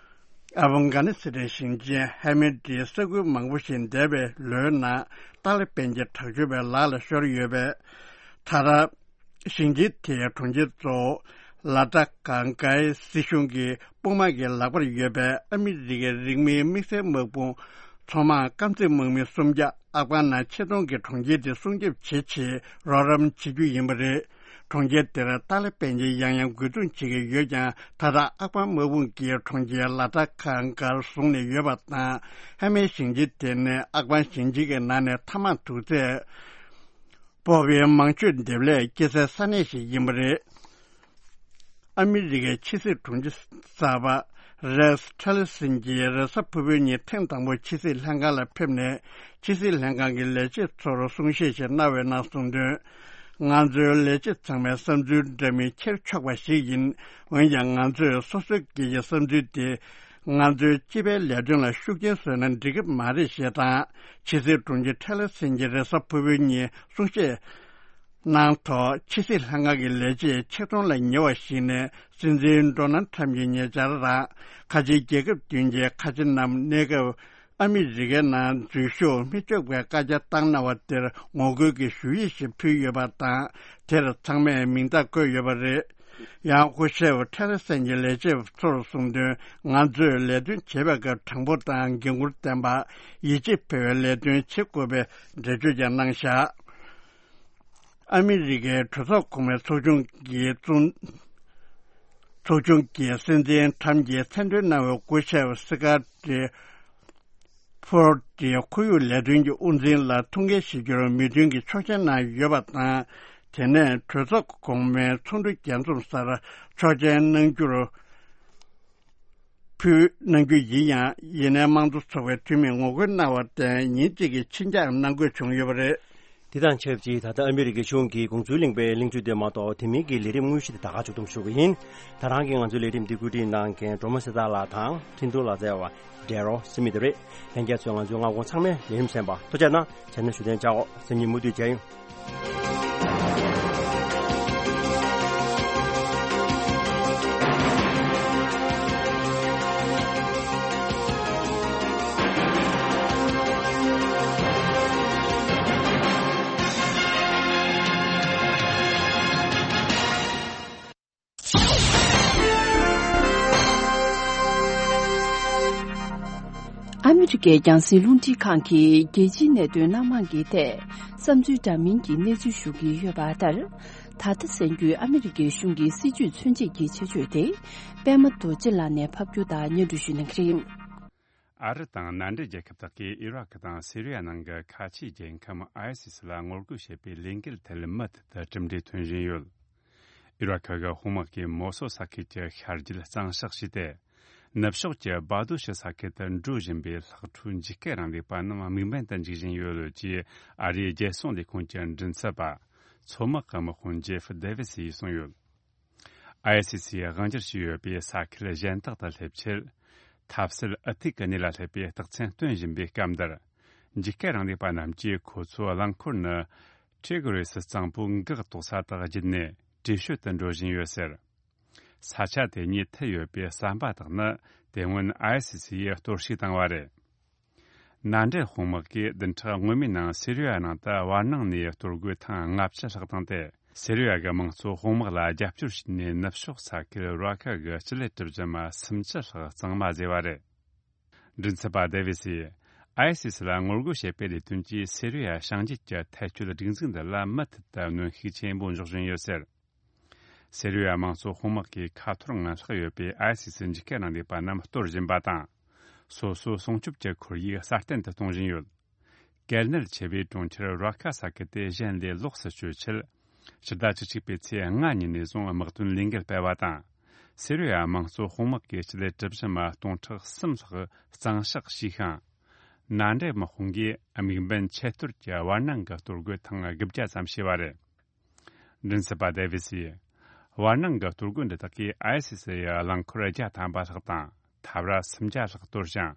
ཨབ་གྷ་ནི་སི་ཐན་ཞིང་ཆེན་ཧེ་མེ་ཏིའི་ས་ཁུལ་མང་པོ་ཞིག་འདས་པའི་ལོའི་ནང་ཏཱ་ལི་བན་གྱི་དྲག་སྤྱོད་པའི་ལག་ལ་ཤོར་ཡོད་པས། ད་ལྟ་ཞིང་ཆེན་དེའི་གྲོང་ཁྱེར་གཙོ་བོ་ལ་ཏཱ་གང་གཱའི་སྲིད་གཞུང་གི་དཔུང་དམག་གི་ལག་པར་ཡོད་པས། ཨ་མི་རི་ཀའི་རིང་མིན་དམིགས་བསལ་དམག་དཔུང་མཚོ་དམག་རྐང་རྩེད་དམག་མི་སུམ་བརྒྱ་ཨབ་གྷ་ནང་ཆེད་གཏོང་གིས་གྲོང་ཁྱེར་དེ་སྲུང་སྐྱོབ་བྱེད་ཆེད་རོགས་རམ་བྱེད་རྒྱུ་ཡིན་པ་རེད། གྲོང་ཁྱེར་དེར་ཏཱ་ལི་བན་གྱིས་ཡང་ཡང་རྒོལ་རྡུང་བྱེད་ཀྱི་ཡོད་ཀྱང་། ད་ལྟ་ཨབ་གྷ་དམག་དཔུང་གིས་གྲོང་ཁྱེར་ལ་ཏཱ་གང་གཱར་བཟུང་ནས་ཡོད་པ་དང་། ཧེ་མེ་ཞིང་ཆེན་དེ་ནི་ཨབ་གྷ་ཞིང་ཆེན་གྱི་ནང་ནས་ཐ་མག་དུག་རྫས་སྤོག་པའི་མང་སྤྱོད་འདེབས་ལས་སྐྱེ་སའི་ས་གནས་ཤིག་ཡིན་པ་རེད། ཨ་མི་རི་ཀའི་ཕྱི་སྲིད་དྲུང་ཆེ་གསར་པ་རེགས་ཊི་ལར་སན་གྱིས་རེས་གཟའ་ཕུར་བུའི་ཉིན་ཐེངས་དང་པོ་ཕྱི་སྲིད་ལྷན་ཁང་ལ་ཕེབས་ནས། ཕྱི་སྲིད་ལྷན་ཁང་གི་ལས་བྱེད་ཚོར་གསུང་བཤད་ཞིག་གནང་བའི་ནང་གསུངས་དོན། ང་ཚོའི་ལས་བྱེད་ཚང་མའི་བསམ་ཚུལ་འདྲ་མིན་འཁྱེར་ཆོག་པ་ཞིག་ཡིན། འོན་ཀྱང་ང་ཚོས་སོ་སོ་སྒེར་གྱི་བསམ་ཚུལ་དེ་ང་ཚོའི་སྤྱི་པའི་ལས་དོན་ལ་ཤུགས་རྐྱེན་བཟོས་ན་འགྲིག་གི་མ་རེད་ཞེས་དང་། ཕྱི་སྲིད་དྲུང་ཆེ་ཊི་ལར་སན་གྱིས་རེས་གཟའ་ཕུར་བུའི་ཉིན་གསུང་བཤད་གནང་ཐོག། ཕྱི་སྲིད་ལྷན་ཁང་གི་ལས་བྱེད་ཆེད་གཏོང་ལ་ཉེ་བ་ཞིག་ནས་སྲིད་འཛིན་ཌོ་ནལ་ཁྲམ་གྱིས་ཉེ་ཆར་རང་ཁ་ཆེའི་རྒྱལ་ཁབ་བདུན་གྱི་ཁ་ཆེ་རྣམས་གནས་སྐབས་ ཨ་མི་རི་ཀའི་ནང་འཛུལ་ཞུགས་མི་ཆོག་པའི་བཀའ་རྒྱ་བཏང་གནང་བ་དེར་ངོ་རྒོལ་གྱི་ཞུ་ཡིག་ཞིག་ཕུལ་ཡོད་པ་དང་། དེར་ཚང་མས་མིང་རྟགས་བཀོད་ཡོད་པ་རེད། ཡང་སྐུ་ཞབས་ཐེ་རེ་སན་གྱི་ལས་བྱེད་ཚོར་གསུངས་དོན། ང་ཚོས་ལས་དོན་བྱེད་པའི་སྐབས་དྲང་པོ་དང་འགན་འཁུར་ལྡན་པ། ཡིད་ཆེས་འཕེར་བའི་ལས་དོན་བྱེད་དགོས་པའི་འགྲེལ་བརྗོད་ཀྱང་གནང་བཞག་ཨ་མི་རི་ཀའི་གྲོས་ཚོགས་གོང་མའི་ཚོགས་ཆུང་གི་ཚོགས་ཆུང་གི་སྲིད་འཛིན་ཁྲམ་གྱིས་མཚན་འདོན་གནང་བའི་སྐུ་ཞབས་སི་ཀ་ཏི་ཕོར་ཏི་ཁོར་ཡུག་ལས་དོན་གྱི་དབུ་འཛིན་ལ་ཐུགས་འགན་བཞེས་རྒྱུར་མོས་མཐུན་གྱི་ཆོག་མཆན་གནང་ཡོད་པ་དང་། དེ་ནས་གྲོས་ཚོགས་གོང་མའི་ཚོགས་འདུ་རྒྱས་འཛོམས་སར་ཆོག་མཆན་གནང་རྒྱུར་ཕུལ་གནང་རྒྱུ་ཡིན་ཡང་། ཡིན་ནའི་དམངས་གཙོ་ཚོགས་པའི་འཐུས་མིས་ངོ་རྒོལ་གནང་བར་བརྟེན་ཉིན་གཅིག་གི་ཕྱིར་འགྱངས་གནང་དགོས་བྱུང་ཡོད་པ་རེད། དེ་དང་ཆབས་ཅིག་ད་ལྟ་ཨ་མི་རི་ཀའི་གཞུང་གིས་དགོངས་ཚུལ་གླེང་པའི་གླེང་བརྗོད་དེ་མ་གཏོགས། དེ་མིན་གྱི་ལས་རིམ་དངོས་གཞི་དེ་ད་ག་མཇུག་བསྡོམས་ཞུ་གི་ཡིན། ད་རང་གིས་ང་ཚོའི་ལས་རིམ་འདི་བཀོད་སྒྲིག་གནང་མཁན་སྒྲོལ་མ་གསེར་རྟ་ལགས་དང་འཕྲིན་གཏོང་ལག་རྩལ་བ་ཌེ་རོ་སི་མི་དེ་རེད། ལྷན་རྒྱས་ཚོས་ང་ཚོའི་སྔ་དགོང་ཚང་མའི་ལས་རིམ་གསན་པ་ཐུགས་རྗེ་གནང་། ཆེད་ན་ཞུ་དོན་བཅར་འོག་སང་ཉིན་མུ་མཐུད་མཇལ་ཡོང་། ཨ་མི་རི་ཀའི་རྒྱང་སྲིང་རླུང་འཕྲིན་ཁང་གིས་རྒྱལ་སྤྱིའི་གནད་དོན་སྣ་མང་གི་ཐད་བསམ་ཚུལ་འདྲ་མིན་གྱི་གནས་ཚུལ་ཞུ་གི་ཡོད་པ་ལྟར། ད་ལྟ་གསན་རྒྱུའི་ཨ་མི་རི་ཀའི་གཞུང་གི་སྲིད་ཇུས་མཚོན་བྱེད་ཀྱི་ཆེད་བརྗོད་དེ། པད་མ་རྡོ་རྗེ་ལགས་ནས་ཕབ་སྒྱུར་དང་སྙན་སྒྲོན་ཞུ་གནང་གི་རེད། ཨ་རི་དང་མནའ་འབྲེལ་རྒྱལ་ཁབ་དག་གིས་ཨི་རག་དང་སི་རི་ཡ་ནང་གི་ཁ་ཆེའི་རྒྱལ་ཁམས་ཨའི་སི་སི་ལ་ངོ་རྒོལ་བྱེད་པའི་ལས་འགུལ་ཐད་མུ་མཐུད་དུ་གྲུབ་འབྲས་ཐོན་བཞིན་ཡོད། ཨི་རག་གི་དཔུང་དམག་གིས་མོ་སོལ་ས་ཁུལ་གྱི་ཤར་རྒྱུད་གཙང་བཤགས་བྱས་ཏེ། ནུབ་ཕྱོགས་ཀྱི་སྦ་རྡོ་ཤི་ས་ཁུལ་དུ་འགྲོ་བཞིན་པའི་ལྷག་འཕྲོས་འཇིགས་སྐུལ་རིང་ལུགས་པ་རྣམས་དམིགས་འབེན་དུ་འཇུག་བཞིན་ཡོད་ཅེས་ཨ་རིའི་རྒྱལ་སྲུང་ལས་ཁུངས་ཀྱི་མགྲིན་ཚབ་པ། མཚོ་དམག་གི་དམག་དཔོན་ཇེ་ཧྥ་ཌེ་ཝི་སི་ཡིས་གསུངས་ཡོད། ཨའི་སི་སིས་དབང་སྒྱུར་བྱས་ཡོད་པའི་ས་ཁུལ་གཞན་དག་ཏུ་སླེབས་ཆེད། ཐབས་ཟད་ཨུ་ཐུག་གི་གནས་ལ་སླེབས་པའི་རྟགས་མཚན་སྟོན་བཞིན་པའི་སྐབས་འདིར། འཇིགས་སྐུལ་རིང་ལུགས་པ་རྣམས་ཀྱིས་ཁོ་ཚོའི་རླངས་འཁོར་ནི་ཊི་གྷི་རི་སི་གཙང་པོའི་འགག་ཐོག་ས་དག་བརྒྱུད་ནས་བྲོས་བྱོལ་དུ་འགྲོ་བཞིན་ཡོད་ཟེར། ས་ཆ་དེ་ཉིད་མཐུད་ཡོད་པའི་ཟམ་པ་དག་ནི་དེ་སྔོན་ཨའི་སི་སི་ཡིས་གཏོར་བཤིག་བཏང་བ་རེད། མནའ་འབྲེལ་དཔུང་དམག་གིས་བདུན་ཕྲག་སྔོན་མའི་ནང་སི་རི་ཡ་ནང་དུ་བར་སྣང་ནས་གཏོར་རྒོལ་ཐེངས་ལྔ་བཅུ་ལྷག་བཏང་སྟེ། སི་རི་ཡ་གི་དམངས་གཙོ་དཔུང་དམག་ལ་རྒྱབ་སྐྱོར་བྱས་ནས་ནུབ་ཕྱོགས་ས་ཁུལ་ར་ཁ་གི་སྤྱི་ལེ་གྲུ་བཞི་མ་སུམ་ཅུ་ལྷག་གཙང་མ་བཟོས་པ་རེད། མགྲིན་ཚབ་པ་ཌེ་ཝི་སིས། ཨའི་སི་སི་ལ་ངོ་རྒོལ་བྱེད་པའི་ལས་དོན་གྱིས་སི་རི་ཡ་བྱང་རྒྱུད་ཀྱི་ཐལ་སྐྱོད་སྒྲིག་འཛུགས་འདི་ལ་མུ་མཐུད་དུ་གནོན་ཤུགས་ཆེན་པོ་འཇོག་བཞིན་ཡོད་ཟེར། སི་རི་ཡ་དམངས་གཙོ་དཔུང་དམག་གིས་ཁ་འཐོར་ངང་ལྷག་ཡོད་པའི་ཨའི་སི་སི་འཇིགས་སྐུལ་རིང་ལུགས་པ་རྣམས་གཏོར་བཞིན་པ་དང་། སོ་སོའི་སྲུང་སྐྱོབ་ཀྱི་ཁོར་ཡུག་སྲ་བརྟན་དུ་གཏོང་བཞིན་ཡོད། གལ་གནད་ཆེ་བའི་གྲོང་ཁྱེར་ར་ཁ་ས་ཁུལ་དེ་གཞན་ལས་ལོགས་སུ་བཅོས་ཆེད། ཕྱི་ཟླ་བཅུ་གཅིག་པའི་ཚེས་ལྔ་ཉིན་ནས་བཟུང་དམག་དོན་ལས་འགུལ་སྤེལ་བ་དང་། སི་རི་ཡ་དམངས་གཙོ་དཔུང་དམག་གིས་སྤྱི་ལེ་གྲུ་བཞི་མ་སྟོང་ཕྲག་གསུམ་ལྷག་གཙང་བཤགས་བྱས་ཤིང་། མནའ་འབྲེལ་དམག་དཔུང་གིས་དམིགས་འབེན་ཆེད་གཏོར་གྱི་བར་སྣང་གི་གཏོར་རྒོལ་ཐེངས་དགུ་བརྒྱ་ཙམ་བྱས་པ་རེད། མགྲིན་ཚབ་པ་ཌེ་ཝི་སིས། བར་སྣང་གི་གཏོར་རྒོལ་འདི་དག་གིས་ཨའི་སི་སི་ཡི་རླངས་འཁོར་བརྒྱ་ཐམ་པ་ལྷག་དང་། འཐབ་ར་སུམ་བརྒྱ་ལྷག་གཏོར་ཞིང་།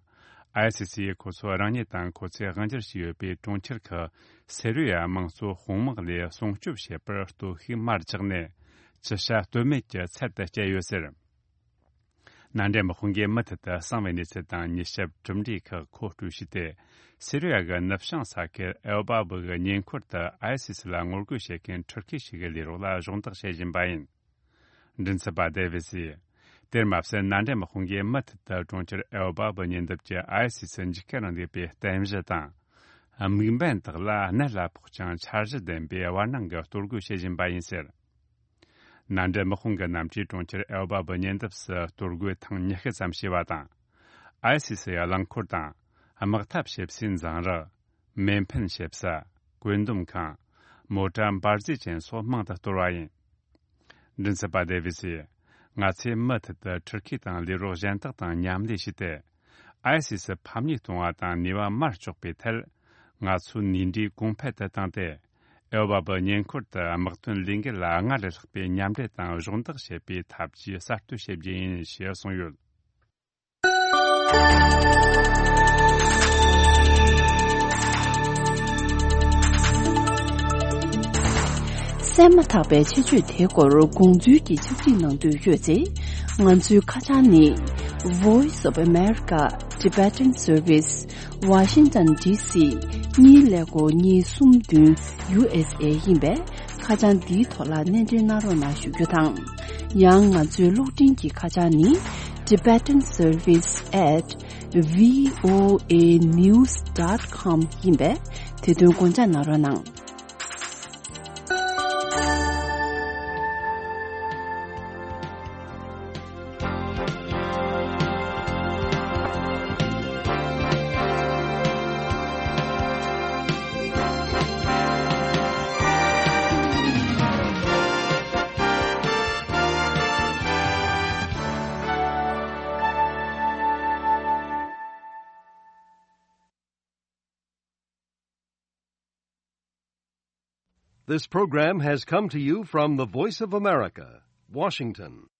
ཨའི་སི་སི་ཡིས་ཁོ་ཚོ་རང་ཉིད་དང་ཁོ་ཚོས་དབང་སྒྱུར་བྱས་ཡོད་པའི་གྲོང་ཁྱེར་ཁག་སི་རི་ཡ་དམངས་གཙོ་དཔུང་དམག་ལས་སྲུང་སྐྱོབ་བྱེད་པར་སྟོབས་ཤུགས་མར་བཅག་ནས། ཅི་བྱ་གཏོལ་མེད་ཀྱི་ཚད་དུ་བསྐྱལ་ཡོད་ཟེར། མནའ་འབྲེལ་དམག་དཔུང་གིས་མུ་མཐུད་དུ་གསང་བའི་གནས་ཚུལ་དང་མྱུལ་ཞིབ་གྲུབ་འབྲས་ཁག་མཁོ་སྤྲོད་བྱས་ཏེ། སི་རི་ཡ་གི་ནུབ་བྱང་ས་ཁུལ་ཨེལ་བྷ་བུ་གི་ཉེ་འཁོར་དུ་ཨའི་སི་སི་ལ་ངོ་རྒོལ་བྱེད་མཁན་ཊུར་ཁི་ཞིག་གི་ལས་རོགས་ལ་སྦྱོང་བརྡར་བྱེད་བཞིན་པ་ཡིན། མགྲིན་ཚབ་པ་ཌེ་ཝི་སིས། དེར་མ་ཟད་མནའ་འབྲེལ་དམག་དཔུང་གིས་མུ་མཐུད་དུ་གྲོང་ཁྱེར་ཨེལ་བྷ་བུ་ཉེ་འདབས་ཀྱི་ཨའི་སི་སི་འཇིགས་སྐུལ་རིང་ལུགས་པའི་རྟེན་གཞི་དང་། དམིགས་འབེན་དག་ལ་གནད་ལ་ཕོག་ཅིང་འཆར་གཞི་ལྡན་པའི་བར་སྣང་གི་གཏོར་རྒོལ་བྱེད་བཞིན་པ་ཡིན་ཟེར། མནའ་འབྲེལ་དམག་དཔུང་གི་གནམ་གྲུས་གྲོང་ཁྱེར་ཨེལ་བྷ་བུ་ཉེ་འདབས་སུ་གཏོར་རྒོལ་ཐེངས་ཉི་ཤུ་ཙམ་བྱས་པ་དང་། ཨའི་སི་སི་ཡི་རླངས་འཁོར་དང་། དམག་འཐབ་བྱེད་སའི་འཛིང་རགས། མེ་འཕེན་བྱེད་ས། བཀོད་འདོམས་ཁང་། མོ་ཊ་འབར་རྫས་ཅན་སོགས་མང་དུ་གཏོར་བ་ཡིན། མགྲིན་ཚབ་པ་ཌེ་ཝི་སིས། ང་ཚོས་མུ་མཐུད་དུ་ཊུར་ཁི་དང་ལས་རོགས་གཞན་དག་དང་མཉམ་ལས་བྱས་ཏེ། ཨའི་སི་སི་ཕམ་ཉེས་གཏོང་བ་དང་ནུས་པ་མར་གཅོག་པའི་ཐད། ང་ཚོས་ནུས་འབྲས་གོང་འཕེལ་དུ་བཏང་སྟེ། ཨེལ་བྷ་བུ་ཉེ་འཁོར་དུ་དམག་དོན་ལས་འགུལ་ལ་སྔར་ལས་ལྷག་པའི་མཉམ་འབྲེལ་དང་སྦྱོང་བརྡར་བྱེད་པའི་ཐབས་ཇུས་གསར་གཏོད་བྱེད་རྒྱུ་ཡིན་ཞེས་གསུངས་ཡོད། གསན་མ་ཐག་པའི་ཆེད་བརྗོད་དེའི་སྐོར་དགོངས་ཚུལ་གྱི་ཕྱག་བྲིས་གནང་འདོད་ཡོད་ཚེ། ང་ཚོའི་ཁ་བྱང་ནི། Voice of America Tibetan Service Washington D C གཉིས་ཀླད་ཀོར་གཉིས་གསུམ་བདུན་U S A ཡིན་པས། ཁ་བྱང་འདིའི་ཐོག་ལ་སྣེ་འདྲེན་གནང་རོགས་གནང་ཞུ་རྒྱུ་དང་། ཡང་ང་ཚོའི་གློག་འཕྲིན་གྱི་ཁ་བྱང་ནི་tibetan service at V O A news dot com ཡིན་པས། དེ་དོན་དགོངས་འཇགས་གནང་རོགས་གནང་། This program has come to you from the Voice of America, Washington.